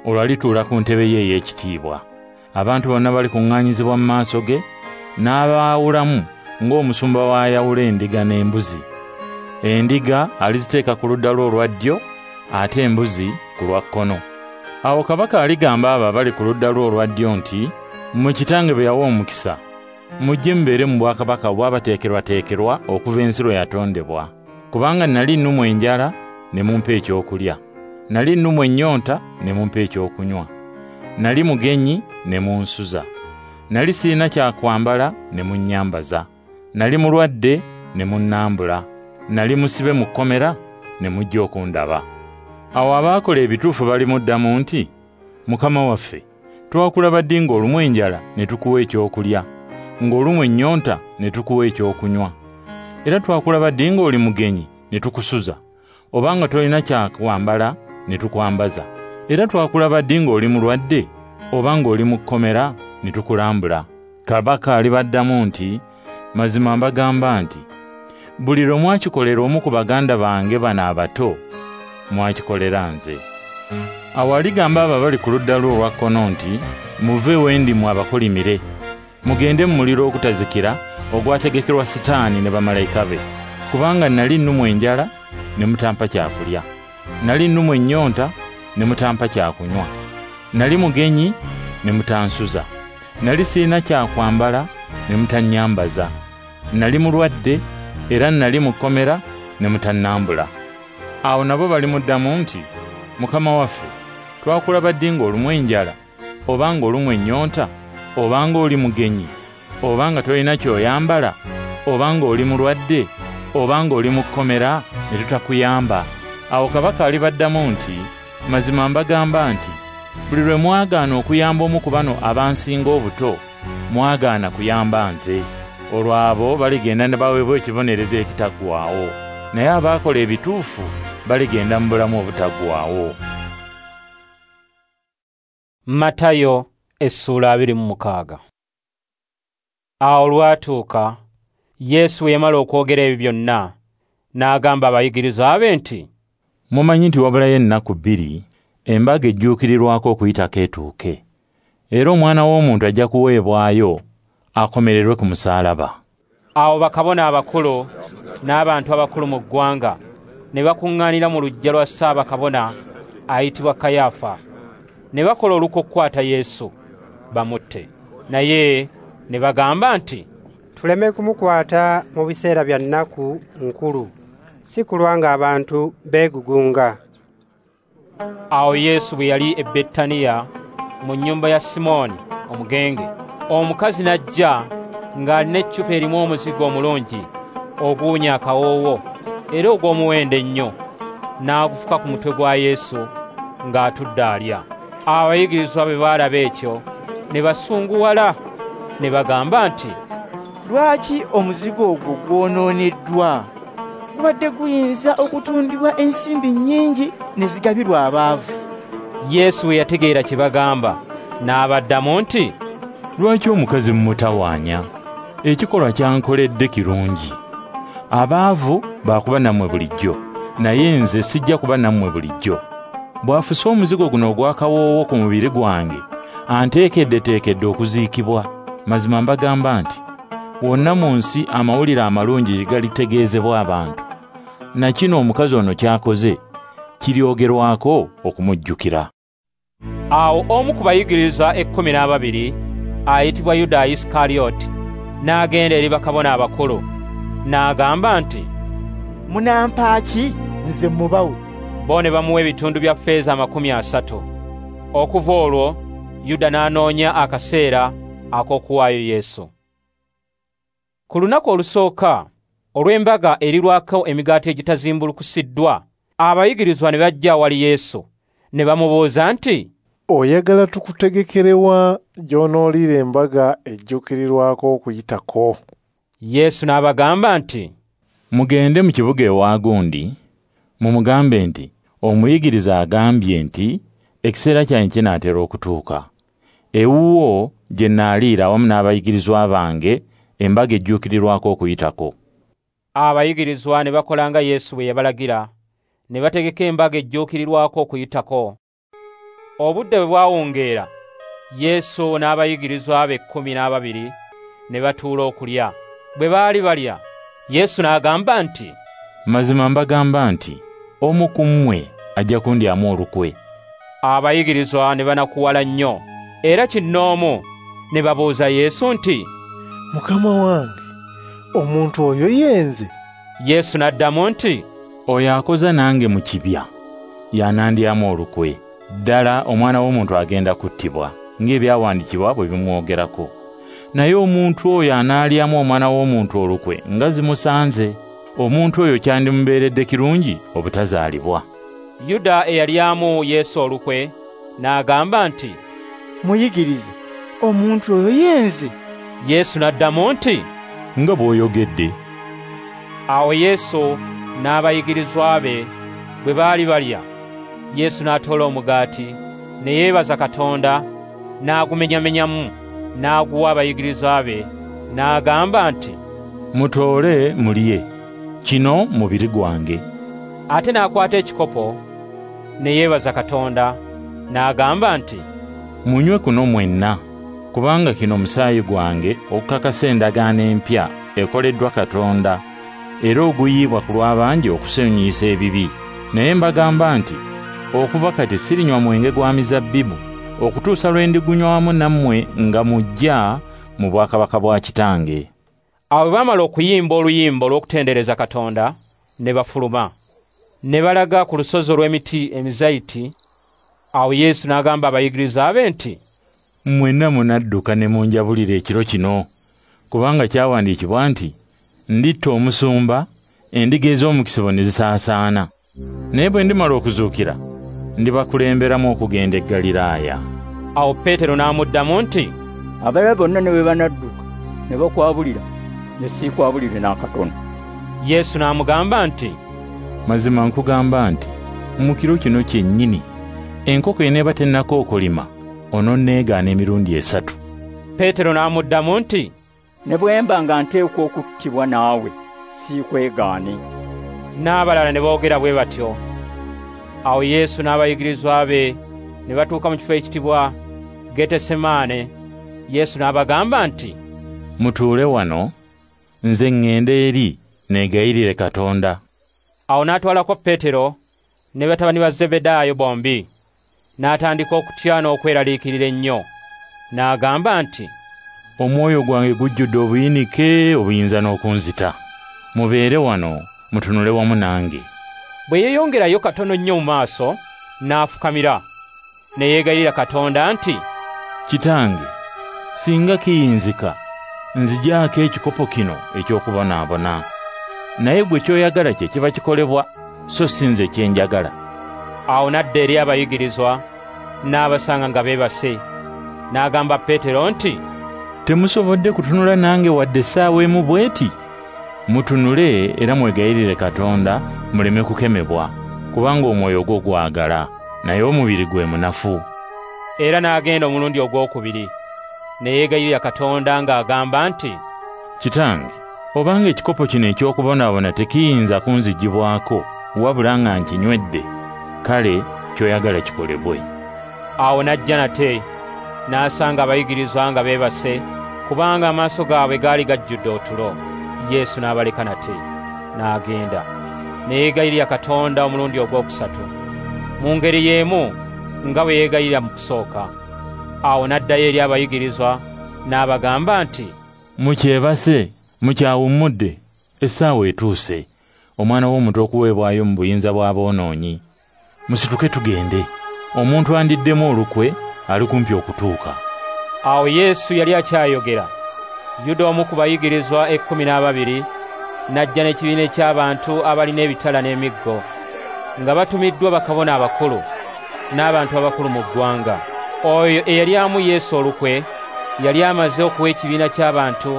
olwo alituula ku ntebe ye ey'ekitiibwa. Abantu bonna balikuŋŋaanyizibwa mu maaso ge, n'abaawulamu ng'omusumba w'ayawula endiga n'embuzi. Endiga aliziteeka ku ludda lwe olwa ddyo, ate embuzi ku lwa kkono. Awo kabaka aligamba abo abali ku ludda lwe olwa ddyo nti, mmwe kitange be yawa omukisa, mujje mubeere mu bwakabaka obwabateekerwateekerwa okuva ensi lwe yatondebwa. Kubanga nali nnumwa enjala, ne mumpa ekyokulya. Nali nnumwa ennyonta, ne mumpa ekyokunywa. Nali mugenyi, ne munsuza. Nali sirina kyakwambala, ne munnyambaza. Nali mulwadde, ne munnambula. Nali musibe mu kkomera, ne mujja okundaba. Awo abaakola ebituufu balimuddamu nti, Mukama waffe, twakulaba ddi ng'olumwa enjala ne tukuwa ekyokulya, ng'olumwa ennyonta ne tukuwa ekyokunywa? Era twakulaba ddi ng'oli mugenyi ne tukusuza, obanga tolina kyakwambala ne tukwambaza? Era twakulaba ddi ng'oli mulwadde, oba ng'oli mu kkomera ne tukulambula? Kabaka alibaddamu nti, mazima mbagamba nti, buli lwe mwakikolera omu ku baganda bange bano abato, mwakikolera nze. Awo aligamba abo abali ku ludda lwe olwa kkono nti, muve we ndi mmwe abakolimire, mugende mu muliro ogutazikira ogwategekerwa Sitaani ne bamalayika be. Kubanga nali nnumwa enjala, ne mutampa kyakulya. Nali nnumwa ennyonta, ne mutampa kyakunywa. Nali mugenyi, ne mutansuza. Nali sirina kyakwambala, ne mutannyambaza. Nali mulwadde, era nali mu kkomera, ne mutannambula. Awo nabo balimuddamu nti, Mukama waffe, twakulaba ddi ng'olumwa enjala, oba ng'olumwa ennyonta, oba ng'oli mugenyi, oba nga tolina ky'oyambala, oba ng'oli mulwadde, oba ng'oli mu kkomera ne tutakuyamba? Awo kabaka alibaddamu nti, Mazima mbagamba nti, buli lwe mwagaana okuyamba omu ku bano abansinga obuto, mwagaana kuyamba nze. Olwo abo baligenda ne baweebwa ekibonerezo ekitaggwaawo, naye abaakola ebituufu baligenda mu bulamu obutaggwaawo. Matayo essuula 26. Awo olwatuuka, Yesu bwe yamala okwogera ebyo byonna, n'agamba abayigirizwa be nti, Mumanyi nti wabulayo ennaku 2 embaga ejjuukirirwako okuyitako etuuke, era Omwana w'Omuntu ajja kuweebwayo akomererwe ku musaalaba. Awo bakabona abakulu n'abantu abakulu mu ggwanga ne bakuŋŋaanira mu luggya lwa Ssaabakabona ayitibwa Kayaafa, ne bakola olukwe okukwata Yesu bamutte. Naye ne bagamba nti, Tuleme kumukwata mu biseera bya nnaku nkulu, si kulwa ng'abantu beegugunga. Awo Yesu bwe yali e Betaniya mu nnyumba ya Simooni omugenge, omukazi n'ajja ng'alina eccupa erimu omuzigo omulungi oguwunya akawoowo era ogw'omuwendo ennyo, n'agufuka ku mutwe gwa Yesu ng'atudde alya. Abayigirizwa bwe baalaba ekyo ne basunguwala, ne bagamba nti, Lwaki omuzigo ogwo gwonooneddwa? Gubadde guyinza okutundibwa ensimbi nnyingi ne zigabirwa abaavu. Yesu bwe yategeera kye bagamba, n'abaddamu nti, Lwaki omukazi mumutawaanya? Ekikolwa kyankoledde kirungi. Abaavu baakuba nammwe bulijjo, naye nze sijja kuba nammwe bulijjo. Bw'afuse omuzigo guno ogw'akawoowo ku mubiri gwange, anteekeddeteekedde okuziikibwa. Mazima mbagamba nti, wonna mu nsi amawulire amalungi galitegeezebwa abantu, na kino omukazi ono ky'akoze kiryogerwako okumujjukira. Awo omu ku bayigirizwa 12 ayitibwa Yuda Isikarioti n'agenda eri bakabona abakulu n'agamba nti, Munampa ki nze mubawe? Bo ne bamuwa ebitundu bya ffeeza 30. Okuva olwo Yuda n'anoonya akaseera ak'okuwaayo Yesu. Ku lunaku olusooka olw'embaga erirwako emigaati egitazimbulukusiddwa, abayigirizwa ne bajja awali Yesu ne bamubuuza nti, Oyagala tukutegekerewa gy'onooliira embaga ejjuukirirwako okuyitako? Yesu n'abagamba nti, Mugende mu kibuga ewa gundi, mumugambe nti, Omuyigiriza agambye nti, ekiseera kyange kinaatera okutuuka. Ewuwo gye nnaaliira awamu n'abayigirizwa bange embaga ejjuukirirwako okuyitako. Abayigirizwa ne bakola nga Yesu bwe yabalagira, ne bategeka embaga ejjuukirirwako okuyitako. Obudde bwe bwawungeera, Yesu n'abayigirizwa be 12 ne batuula okulya. Bwe baali balya, Yesu n'agamba nti, Mazima mbagamba nti, omu ku mmwe ajja kundyamu olukwe. Abayigirizwa ne banakuwala nnyo, era kinnoomu ne babuuza Yesu nti, Mukama wange, omuntu oyo ye nze? Yesu n'addamu nti, Oyo akoza nange mu kibya y'anandyamu olukwe. Ddala Omwana w'Omuntu agenda kuttibwa ng'ebyawandiikibwa bwe bimwogerako. Naye omuntu oyo anaalyamu Omwana w'Omuntu olukwe nga zimusanze. Omuntu oyo kyandimubeeredde kirungi obutazaalibwa. Yuda eyalyamu Yesu olukwe n'agamba nti, Muyigirize, omuntu oyo ye nze? Yesu n'addamu nti, Nga bw'oyogedde. Awo Yesu n'abayigirizwa be bwe baali balya, Yesu n'atoola omugaati, ne yeebaza Katonda, n'agumenyamenyamu, n'aguwa abayigirizwa be, n'agamba nti, Mutoole mulye, kino mubiri gwange. Ate n'akwata ekikopo, ne yeebaza Katonda, n'agamba nti, Munywe kuno mwenna, kubanga kino musaayi gwange okukakasa endagaano empya ekoleddwa Katonda, era oguyiibwa ku lw'abangi okusonyiyisa ebibi. Naye mbagamba nti, okuva kati sirinywa mwenge gwa mizabbibu okutuusa lwe ndigunywa wamu nammwe nga mujja mu bwakabaka bwa Kitange. Awo bwe baamala okuyimba oluyimba olw'okutendereza Katonda, ne bafuluma, Ne balaga ku lusozi olw'emiti emizayiti. Awo Yesu n'agamba abayigiriza be nti, "Mwenna munadduka ne munjabulira ekiro kino, kubanga kyawandiikibwa nti, nditta omusumba, endiga ez'omukisibo ne zisaasaana. Naye bwe ndimala okuzuukira, ndibakulemberamu okugenda e Ggaliraaya." Awo Peetero n'amuddamu nti, "Abalala bonna ne bwe banadduka ne bakwabulira, ne siikwabulire n'akatono." Yesu n'amugamba nti, "Mazima nkugamba nti mu kiro kino kyennyini enkoko eneeba tennakookolima ononneegaana emirundi 3. Peetero n'amuddamu nti, "Ne bwe mba nga nteekwa okuttibwa naawe, siikwegaane." N'abalala ne boogera bwe batyo. Awo Yesu n'abayigirizwa be ne batuuka mu kifo ekiyitibwa Getesemaane. Yesu n'abagamba nti, "Mutuule wano, nze ŋŋende eri neegayirire Katonda." Awo n'atwalako Peetero ne batabani ba Zebedaayo bombi, n'atandika okutya n'okweraliikirira ennyo. N'agamba nti, "Omwoyo gwange gujjudde obuyinike obuyinza n'okunzita. Mubeere wano, mutunule wamu nange." Bwe yeeyongerayo katono nnyo mu maaso, n'afukamira, ne yeegayirira Katonda nti, "Kitange, singa kiyinzika, nzigyako ekikopo kino eky'okubonaabona. Naye gwe ky'oyagala kye kiba kikolebwa, so si nze kye njagala." Awo n'adda eri abayigirizwa, n'abasanga nga beebase. N'agamba Peetero nti, "Temusobodde kutunula nange wadde essaawa emu bw'eti? Mutunule era mwegayirire Katonda muleme kukemebwa, kubanga omwoyo gwo gwagala, naye omubiri gwe munafu." Era n'agenda omulundi ogwokubiri, ne yeegayirira Katonda ng'agamba nti, "Kitange, obanga ekikopo kino eky'okubonaabona tekiyinza kunzigibwako, wabula nga nkinywedde, kale ky'oyagala kikolebwe." Awo n'ajja nate, n'asanga abayigirizwa nga beebase, kubanga amaaso gaabwe gaali gajjudde otulo. Yesu n'abaleka nate, n'agenda. Ne yeegayirira Katonda omulundi ogwokusatu, mu ngeri y'emu nga bwe yeegayirira mu kusooka. Awo n'addayo eri abayigirizwa, n'abagamba nti, "Mukyebase, mukyawummudde, essaawa etuuse, Omwana w'Omuntu okuweebwayo mu buyinza bw'aboonoonyi. Musituke tugende, omuntu andiddemu olukwe ali kumpi okutuuka." Awo Yesu yali akyayogera, Yuda omu ku bayigirizwa 12 n'ajja n'ekibiina eky'abantu abalina ebitala n'emiggo, nga batumiddwa bakabona abakulu n'abantu abakulu mu ggwanga. Oyo eyalyamu Yesu olukwe yali amaze okuwa ekibiina ky'abantu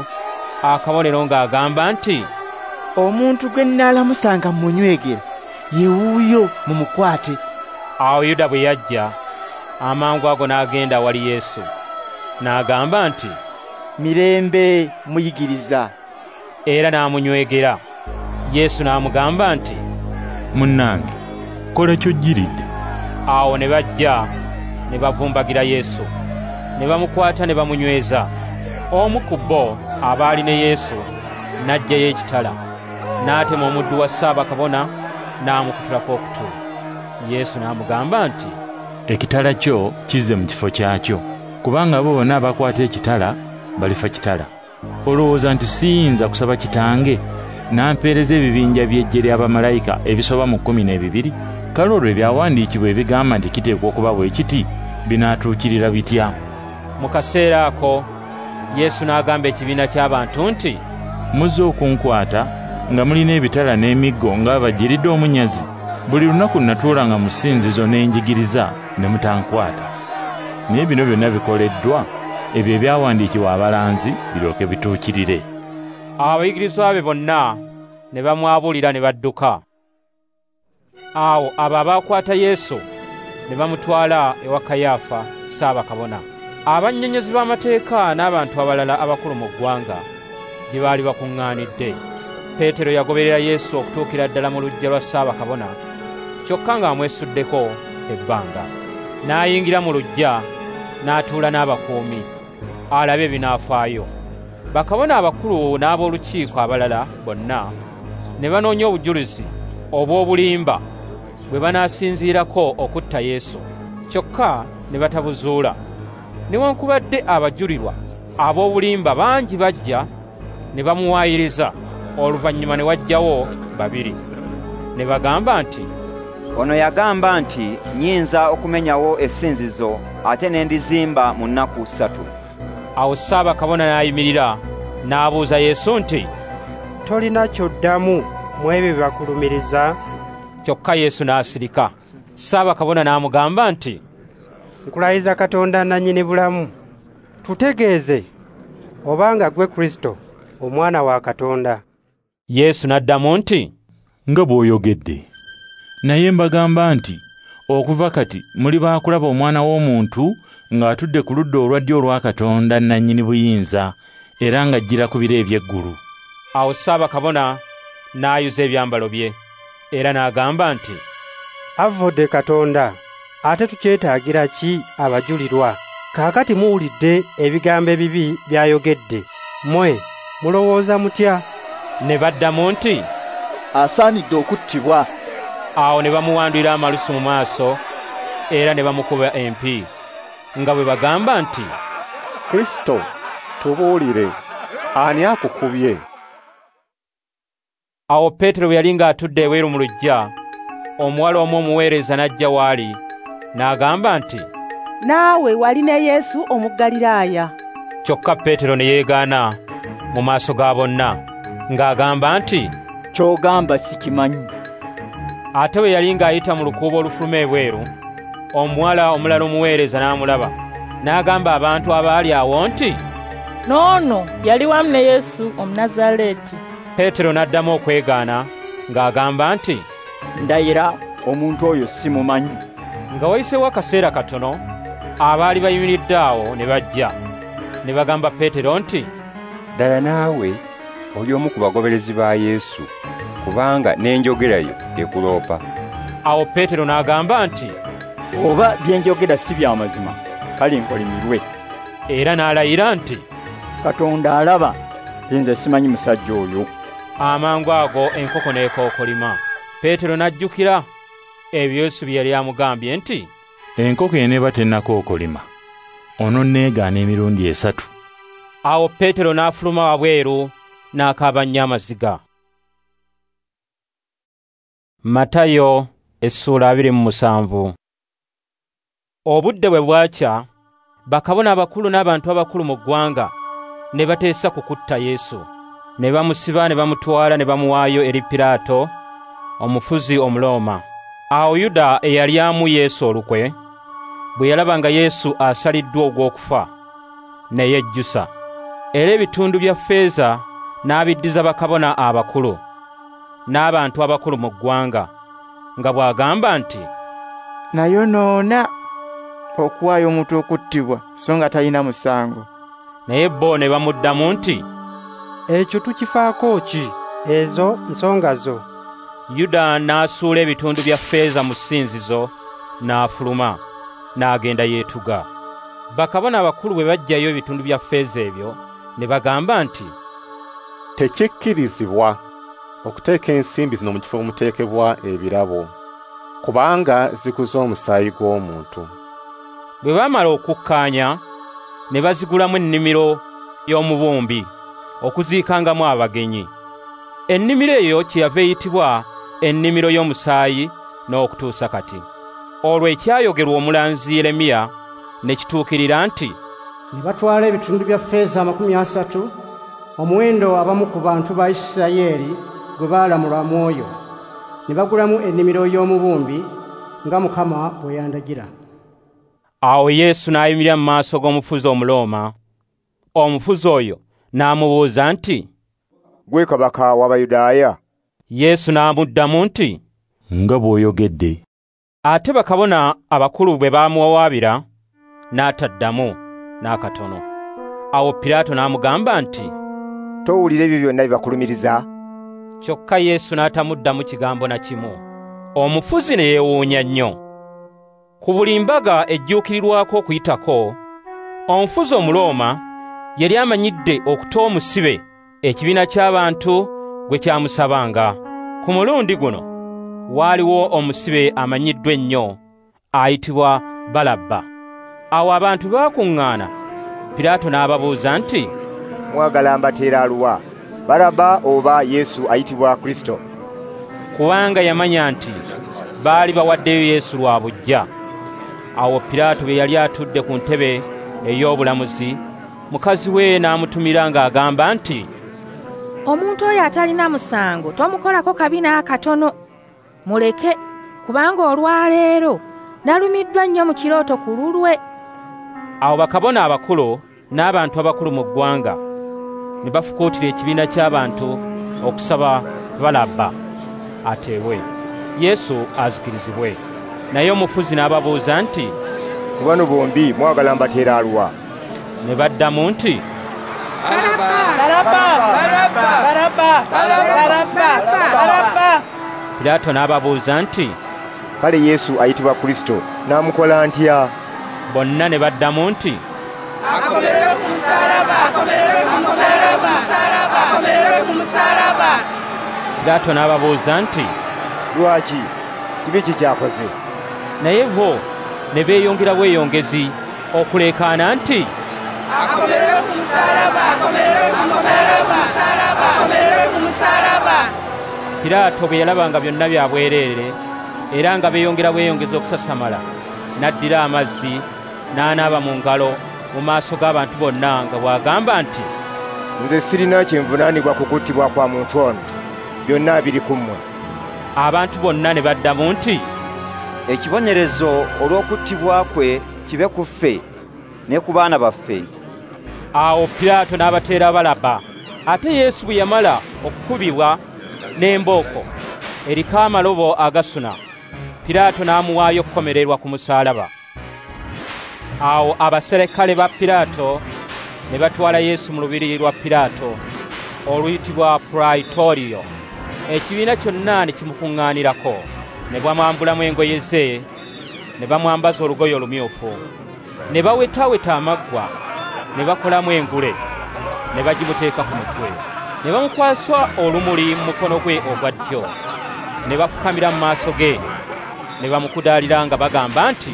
akabonero ng'agamba nti, "Omuntu gwe nnaalamusanga munywegera, ye wuuyo, mumukwate." Awo Yuda bwe yajja, amangu ago n'agenda awali Yesu, n'agamba nti, "Mirembe, muyigiriza." Era n'amunywegera. Yesu n'amugamba nti, "Munnange, kola ky'ojjiridde." Awo ne bajja ne bavumbagira Yesu, ne bamukwata ne bamunyweza. Omu ku bo abaali ne Yesu n'aggyayo ekitala, n'atema omuddu wa Ssaabakabona n'amukutulako okutu. Yesu n'amugamba nti, "Ekitala kyo kizze mu kifo kyakyo, kubanga abo bonna abakwata ekitala balifa kitala. Olowooza nti siyinza kusaba Kitange n'ampeereza ebibinja by'eggye ly'abamalayika ebisoba mu 12? Kale olwo ebyawandiikibwa ebigamba nti kiteekwa okuba bwe kiti binaatuukirira bitya?" Mu kaseera ako Yesu n'agamba ekibiina ky'abantu nti, "Muzze okunkwata nga mulina ebitala n'emiggo ng'abajiridde omunyazi. Buli lunaku natuulanga mu ssinzizo ne njigiriza ne mutankwata. Naye bino byonna bikoleddwa ebyo ebyawandiikibwa abalanzi biryoke bituukirire." Abayigirizwa be bonna ne bamwabulira ne badduka. Awo abo abaakwata Yesu ne bamutwala ewa Kayaafa Ssaabakabona. Abannyonnyozi b'amateeka n'abantu abalala abakulu mu ggwanga gye baali bakuŋŋaanidde. Peetero yagoberera Yesu okutuukira ddala mu luggya lwa Ssaabakabona, kyokka ng'amwesuddeko ebbanga. N'ayingira mu luggya n'atuula n'abakuumi, alabe ebinaafaayo. Bakabona abakulu n'ab'olukiiko abalala bonna ne banoonya obujulizi obw'obulimba bwe banaasinziirako okutta Yesu, kyokka ne batabuzuula. Newankubadde abajulirwa ab'obulimba bangi bajja ne bamuwaayiriza, oluvannyuma ne wajjawo babiri. Ne Ne bagamba nti, "Ono yagamba nti nnyinza okumenyawo essinzizo ate ne ndizimba mu nnaku 3." Awo Ssaabakabona n'ayimirira n'abuuza Yesu nti, "Tolina ky'oddamu mu ebyo bye bakulumiriza?" Kyokka Yesu n'asirika. Ssaabakabona n'amugamba nti, "Nkulayiza Katonda nannyini bulamu, tutegeeze obanga ggwe Kristo, Omwana wa Katonda." Yesu n'addamu nti, "Nga bw'oyogedde. Naye mbagamba nti okuva kati muli baakulaba Omwana w'Omuntu ng'atudde ku ludda olwa ddyo olwa Katonda nannyini buyinza, era ng'ajjira ku bire eby'eggulu." Awo Ssaabakabona n'ayuza ebyambalo bye era n'agamba nti, "Avvodde Katonda, ate tukyetaagira ki abajulirwa? Kaakati muwulidde ebigambo ebibi by'ayogedde. Mmwe mulowooza mutya?" Ne baddamu nti, "Asaanidde okuttibwa." Awo ne bamuwandulira amalusu mu maaso era ne bamukuba empi, nga bwe bagamba nti, "Kristo, tubuulire, ani akukubye?" Awo Peetero bwe yali ng'atudde ebweru mu luggya, omuwala omu omuweereza n'ajja w'ali, n'agamba nti, "Naawe wali ne Yesu Omugaliraaya." Kyokka Peetero ne yeegaana mu maaso ga bonna, ng'agamba nti, "Ky'ogamba sikimanyi." Ate bwe yali ng'ayita mu lukuubo olufuluma ebweru, omuwala omulala omuweereza n'amulaba, n'agamba abantu abaali awo nti, "N'ono yali wamu ne Yesu Omunnazaaleeti." Peetero n'addamu okwegaana ng'agamba nti, "Ndayira omuntu oyo simumanyi." Nga wayiseewo akaseera katono, abaali bayimiridde awo ne bajja, ne bagamba Peetero nti, "Ddala naawe oli omu ku bagoberezi ba Yesu, kubanga n'enjogera yo ekuloopa." Awo Peetero n'agamba nti, "Oba bye njogera si bya mazima, kale nkolimirwe." Era n'alayira nti, "Katonda alaba, nze simanyi musajja oyo." Amangu ago enkoko n'ekookolima. Peetero n'ajjukira ebyo Yesu bye yali amugambye nti, "Enkoko eneeba tennakookolima, ononneegaana emirundi 3. Awo Peetero n'afuluma wabweru n'akaaba nnyo amaziga. Matayo essula 27. Obudde bwe bwakya, bakabona abakulu n'abantu abakulu mu ggwanga ne bateesa ku kutta Yesu. Ne bamusiba ne bamutwala ne bamuwaayo eri Piraato, omufuzi Omulooma. Awo Yuda eyalyamu Yesu olukwe, bwe yalaba nga Yesu asaliddwa ogw'okufa, ne yejjusa. Era ebitundu bya ffeeza n'abiddiza bakabona abakulu n'abantu abakulu mu ggwanga, nga bw'agamba nti, "Nayonoona okuwaayo omuntu okuttibwa so nga talina musango." Naye bo ne bamuddamu nti, "Ekyo tukifaako ki? Ezo nsonga zo." Yuda n'asuula ebitundu bya ffeeza mu ssinzizo n'afuluma, n'agenda yeetuga. Bakabona abakulu bwe baggyayo ebitundu bya ffeeza ebyo, ne bagamba nti, "Tekikkirizibwa okuteeka ensimbi zino mu kifo omuteekebwa ebirabo, kubanga ziguze omusaayi gw'omuntu." Bwe baamala okukkaanya, ne bazigulamu ennimiro y'omubumbi okuziikangamu abagenyi. Ennimiro eyo kyeyava eyitibwa ennimiro y'omusaayi n'okutuusa kati. Olwo ekyayogerwa omulanzi Yeremiya ne kituukirira nti, "Ne batwala ebitundu bya ffeeza 30, omuwendo abamu ku bantu ba Isirayiri gwe baalamulwa mwoyo, ne bagulamu ennimiro y'omubumbi nga Mukama bwe yandagira." Awo Yesu n'ayimirira mu maaso g'omufuzi Omulooma. Omufuzi oyo n'amubuuza nti, "Ggwe kabaka w'Abayudaaya?" Yesu n'amuddamu nti, "Nga bw'oyogedde." Ate bakabona abakulu bwe baamuwawaabira, n'ataddamu n'akatono. Awo Piraato n'amugamba nti, "Towulira ebyo byonna bye bakulumiriza?" Kyokka Yesu n'atamuddamu kigambo na kimu. Omufuzi ne yeewuunya nnyo. Ku buli mbaga ejjuukirirwako Okuyitako, omufuzi Omulooma yali amanyidde okuta omusibe ekibiina ky'abantu gwe kyamusabanga. Ku mulundi guno waaliwo omusibe amanyiddwa ennyo ayitibwa Balabba. Awo abantu baakuŋŋaana, Piraato n'ababuuza nti, "Mwagala mbateera aluwa, Balabba oba Yesu ayitibwa Kristo?" Kubanga yamanya nti baali bawaddeyo Yesu lwa buggya. Awo Piraato bwe yali atudde ku ntebe ey'obulamuzi, mukazi we n'amutumira ng'agamba nti, "Omuntu oyo atalina musango tomukolako kabi n'akatono, muleke, kubanga olwaleero nalumiddwa nnyo mu kirooto ku lulwe." Awo bakabona abakulu n'abantu abakulu mu ggwanga ne bafukuutira ekibiina ky'abantu okusaba Balabba ateebwe, Yesu azikirizibwe. Naye omufuzi n'ababuuza nti, "Ku bano bombi mwagala mbateera aluwa?" Ne baddamu nti, "Balabba, Balabba, Balabba, Balabba." Piraato n'ababuuza nti, "Kale Yesu ayitibwa Kristo n'amukola ntya?" Bonna ne baddamu nti, "Akomererwe ku musaalaba, akomererwe ku musaalaba, akomererwe ku musaalaba." Piraato n'ababuuza nti, "Lwaki? Kibi ki ky'akoze?" Naye bo ne beeyongera bweyongezi okuleekaana nti, "Akomererwe ku musaalaba, akomererwe ku musaalaba, akomererwe ku musaalaba." Piraato bwe yalaba nga byonna bya bwereere era nga beeyongera bweyongezi okusasamala, n'addira amazzi n'anaaba mu ngalo mu maaso g'abantu bonna nga bw'agamba nti, "Nze sirina kye nvunaanibwa ku kuttibwa kwa muntu ono, byonna biri ku mmwe." Abantu bonna ne baddamu nti, "Ekibonerezo olw'okuttibwa kwe kibe ku ffe ne ku baana baffe." Awo Piraato n'abateera Balabba. Ate Yesu bwe yamala okukubibwa n'embooko eriko amalobo agasuna, Piraato n'amuwaayo okukomererwa ku musaalaba. Awo abaserikale ba Piraato ne batwala Yesu mu lubiri lwa Piraato oluyitibwa Praitorio. Ekibiina kyonna ne kimukuŋŋaanirako, ne bamwambulamu engoye ze, ne bamwambaza olugoye olumyufu, ne bawetaaweta amaggwa, ne bakolamu engule, ne bagimuteeka ku mutwe, ne bamukwasa olumuli mu mukono gwe ogwa ddyo, ne bafukamira mu maaso ge, ne bamukudaalira nga bagamba nti,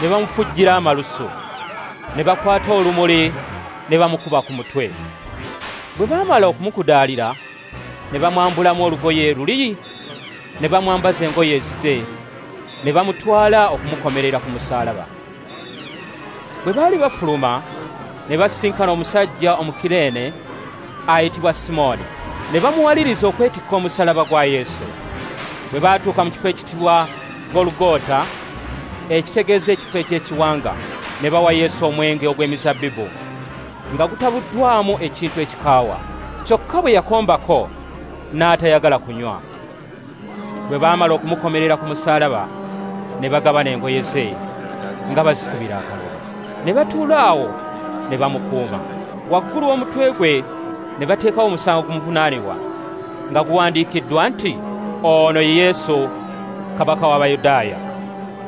Ne bamufujjira amalusu, ne bakwata olumuli ne bamukuba ku mutwe. Bwe baamala okumukudaalira, ne bamwambulamu olugoye luli, ne bamwambaza engoye ezize, ne bamutwala okumukomerera ku musaalaba. Bwe baali bafuluma, ne basisinkana omusajja Omukireene ayitibwa Simooni, ne bamuwaliriza okwetikka omusaalaba gwa Yesu. Bwe baatuuka mu kifo ekiyitibwa Golugota, ekitegeeza ekifo eky'ekiwanga, ne bawa Yesu omwenge ogw'emizabbibu nga gutabuddwamu ekintu ekikaawa. Kyokka bwe yakombako n'atayagala kunywa. Bwe baamala okumukomerera ku musaalaba, ne bagabana engoye ze nga bazikubira akalulu. Ne batuula awo ne bamukuuma. Waggulu w'omutwe gwe ne bateekawo omusango gumuvunaanibwa nga guwandiikiddwa nti, "Ono ye Yesu, Kabaka w'Abayudaaya."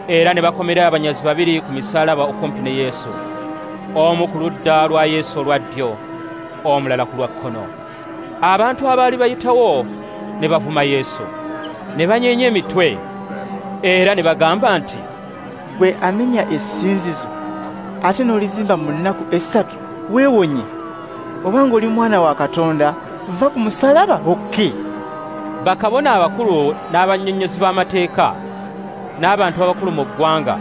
Era ne bakomerera abanyazi babiri ku misaalaba okumpi ne Yesu, omu ku ludda lwa Yesu olwa ddyo, omulala ku lwa kkono. Abantu abaali bayitawo ne bavuma Yesu, ne banyeenya emitwe, era ne bagamba nti, "Gwe amenya essinzizo ate n'olizimba mu nnaku 3, weewonye! Obanga oli mwana wa Katonda, va ku musaalaba okke." Bakabona abakulu n'abannyonnyozi b'amateeka n'abantu abakulu mu ggwanga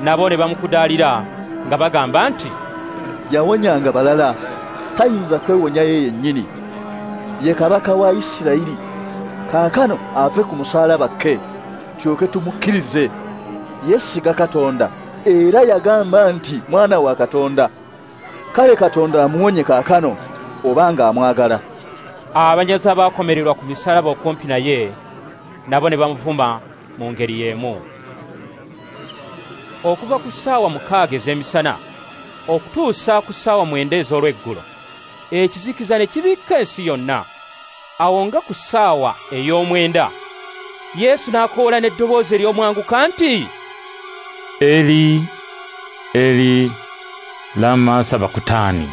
nabo ne bamukudaalira nga bagamba nti, "Yawonyanga balala, tayinza kwewonya ye yennyini. Ye kabaka wa Isirayiri, kaakano ave ku musaalaba ke, tulyoke tumukkirize. Yeesiga Katonda, era yagamba nti mwana wa Katonda. Kale Katonda amuwonye kaakano, obanga amwagala." Abanyazi abaakomererwa ku misaalaba okumpi naye nabo ne bamuvuma mu ngeri y'emu. Okuva ku ssaawa 6 ez'emisana okutuusa ku ssaawa 9 ez'olweggulo, ekizikiza ne kibikka ensi yonna. Awo nga ku ssaawa ey'omwenda, Yesu n'akoola n'eddoboozi ery'omwanguka nti, "Eli, Eli, lama sabakutani,"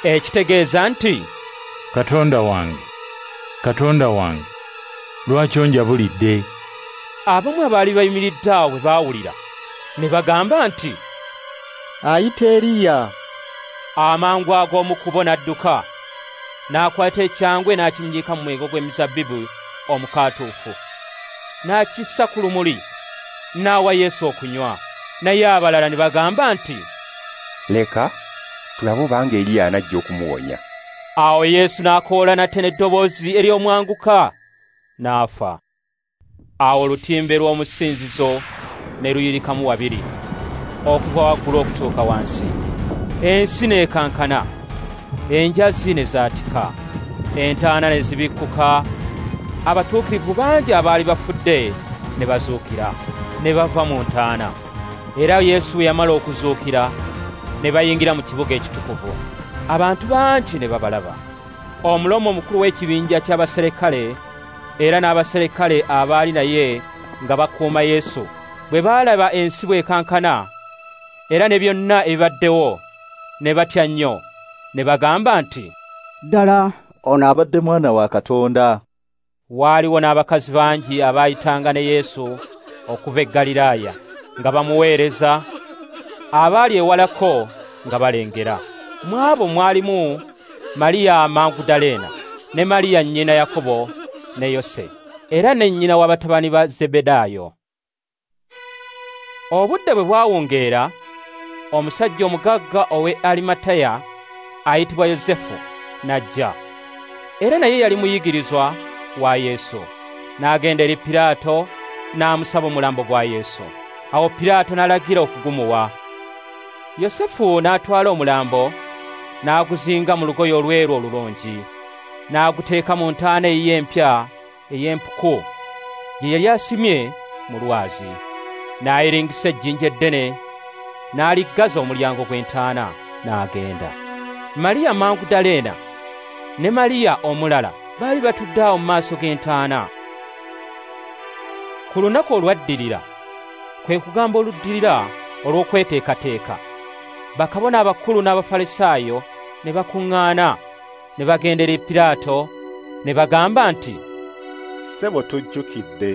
ekitegeeza nti, "Katonda wange, Katonda wange, lwaki onjabulidde?" Abamu abaali bayimiridde awo bwe baawulira ne bagamba nti, Ayita Eriya. Amangu ago omu ku bo n'adduka, n'akwata ekyangwe n'akinyiika mu mwenge gw'emizabbibu omukaatuufu, n'akissa ku lumuli, n'awa Yesu okunywa. Naye abalala ne bagamba nti, "Leka tulabe obanga Eriya anajja okumuwonya." Awo Yesu n'akoola nate n'eddoboozi ery'omwanguka, n'afa. Awo olutimbe lw'omusinzizo ne luyirikamu wabiri, okuva waggulu okutuuka wansi. Ensi n'ekankana, enjazi ne zaatika, entaana ne zibikkuka, abatuukirivu bangi abaali bafudde ne bazuukira, ne bava mu ntaana. Era Yesu bwe yamala okuzuukira, ne bayingira mu kibuga ekitukuvu. Abantu bangi ne babalaba. Omulomo omukulu w'ekibinja ky'abaserikale era n'abaserikale abaali naye nga bakuuma Yesu, bwe baalaba ensi bw'ekankana era ne byonna ebibaddewo, ne batya nnyo, ne bagamba nti, "Ddala ono abadde mwana wa Katonda." Waaliwo n'abakazi bangi abaayitanga ne Yesu okuva e Ggaliraaya nga bamuweereza, abaali ewalako nga balengera. Mu abo mwalimu Mariya Magudaleena ne Mariya nnyina Yakobo ne Yose, era ne nnyina w'abatabani ba Zebedaayo. Obudde bwe bwawungeera, omusajja omugagga ow'e Arimataya ayitibwa Yosefu n'ajja. Era naye yali muyigirizwa wa Yesu. N'agenda eri Piraato n'amusaba omulambo gwa Yesu. Awo Piraato n'alagira okugumuwa. Yosefu n'atwala omulambo n'aguzinga mu lugoye olweru olulungi, n'aguteeka mu ntaana eyiye empya ey'empuku gye yali asimye mu lwazi. N'ayiringisa ejjinja eddene n'aliggaza omulyango gw'entaana n'agenda. Mariya Magudaleena ne Mariya omulala baali batudde awo mu maaso g'entaana. Ku lunaku olwaddirira, kwe kugamba oluddirira olw'okweteekateeka, bakabona abakulu n'Abafalisaayo ne bakuŋŋaana, ne bagenda eri Piraato ne bagamba nti, "Ssebo, tujjukidde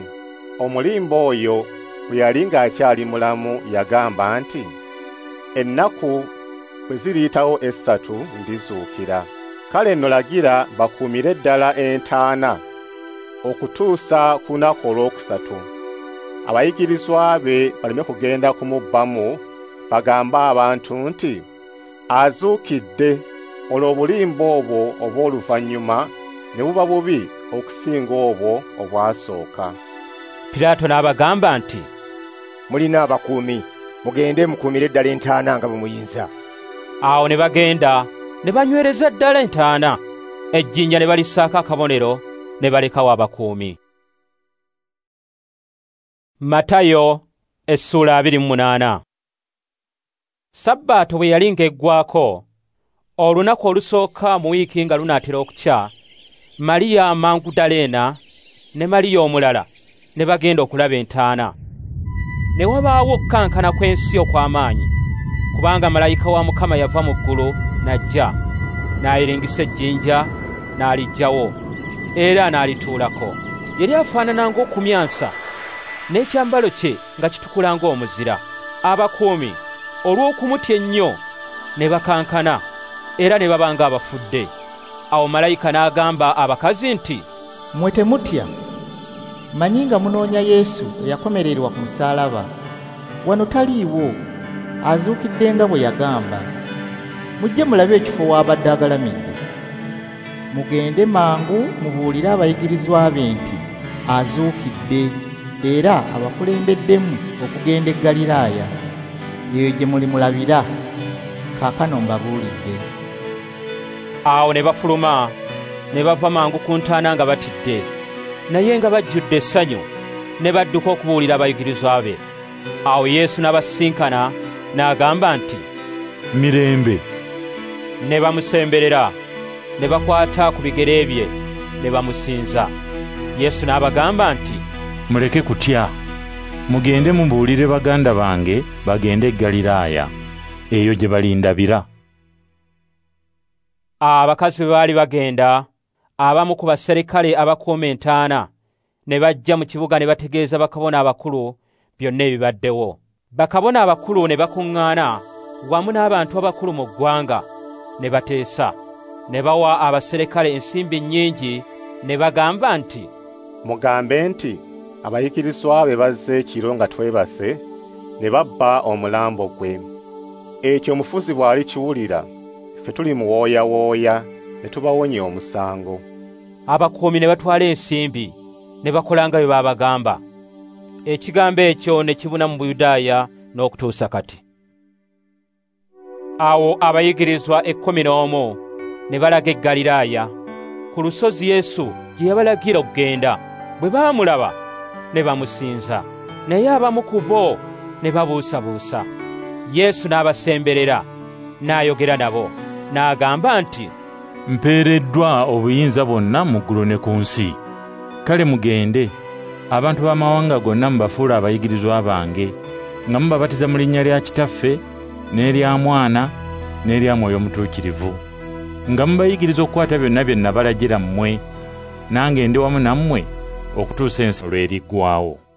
omulimba oyo bwe yali ng'akyali mulamu yagamba nti, 'Ennaku bwe ziriyitawo 3 ndizuukira.' Kale nno lagira bakuumire ddala entaana okutuusa ku lunaku olwokusatu, abayigirizwa be baleme kugenda kumubbamu bagambe abantu nti, 'Azuukidde,' olwo obulimba obwo obw'oluvannyuma ne buba bubi okusinga obwo obwasooka." Piraato n'abagamba nti, "Mulina abakuumi, mugende mukuumire ddala entaana nga bwe muyinza." Awo ne bagenda ne banywereza ddala entaana, ejjinja ne balissaako akabonero, ne balekawo abakuumi. Matayo essula 28. Sabbaato bwe yali ng'eggwaako, olunaku olusooka mu wiiki nga lunaatera okukya, Mariya Magudaleena ne Mariya omulala ne bagenda okulaba entaana. Ne wabaawo okukankana kw'ensi okw'amaanyi, kubanga malayika wa Mukama yava mu ggulu n'ajja, n'ayiringisa ejjinja n'aliggyawo, era n'alituulako. Yali afaanana ng'okumyansa, n'ekyambalo kye nga kitukula ng'omuzira. Abakuumi olw'okumutya ennyo ne bakankana, era ne baba ng'abafudde. Awo malayika n'agamba abakazi nti, "Mmwe temutya, mmanyi nga munoonya Yesu eyakomererwa ku musaalaba. Wano taliiwo, azuukidde nga bwe yagamba. Mujje mulabe ekifo w'abadde agalamidde. Mugende mangu mubuulire abayigirizwa be nti azuukidde, era abakulembeddemu okugenda e Ggaliraaya, eyo gye mulimulabira. Kaakano mbabuulidde." Awo ne bafuluma ne bava mangu ku ntaana nga batidde, naye nga bajjudde essanyu, ne badduka okubuulira abayigirizwa be. Awo Yesu n'abasisinkana n'agamba nti, "Mirembe." Ne bamusemberera, ne bakwata ku bigere bye, ne bamusinza. Yesu n'abagamba nti, "Muleke kutya, mugende mubuulire baganda bange bagende e Ggaliraaya, eyo gye balindabira." Abakazi bwe baali bagenda, abamu ku baserikale abakuuma entaana ne bajja mu kibuga ne bategeeza bakabona abakulu byonna ebibaddewo. Bakabona abakulu ne bakuŋŋaana wamu n'abantu abakulu mu ggwanga ne bateesa, ne bawa abaserikale ensimbi nnyingi ne bagamba nti, "Mugambe nti abayigirizwa be bazze ekiro nga twebase ne babba omulambo gwe. Ekyo omufuzi bw'alikiwulira, ffe tulimuwooyawooya ne tubawonya omusango." Abakuumi ne batwala ensimbi ne bakola nga bwe baabagamba. Ekigambo ekyo ne kibuna mu Buyudaaya n'okutuusa kati. Awo abayigirizwa 11 ne balaga e Ggaliraaya ku lusozi Yesu gye yabalagira okugenda. Bwe baamulaba ne bamusinza, naye abamu ku bo ne babuusabuusa. Yesu n'abasemberera n'ayogera nabo n'agamba nti, "Mpeereddwa obuyinza bwonna mu ggulu ne ku nsi. Kale mugende, abantu b'amawanga gonna mubafuule abayigirizwa bange, nga mubabatiza mu linnya lya Kitaffe n'erya Mwana n'erya Mwoyo Mutuukirivu, nga mubayigiriza okukwata byonna bye nabalagira mmwe, nange ndi wamu nammwe okutuusa ensi lw'eriggwaawo."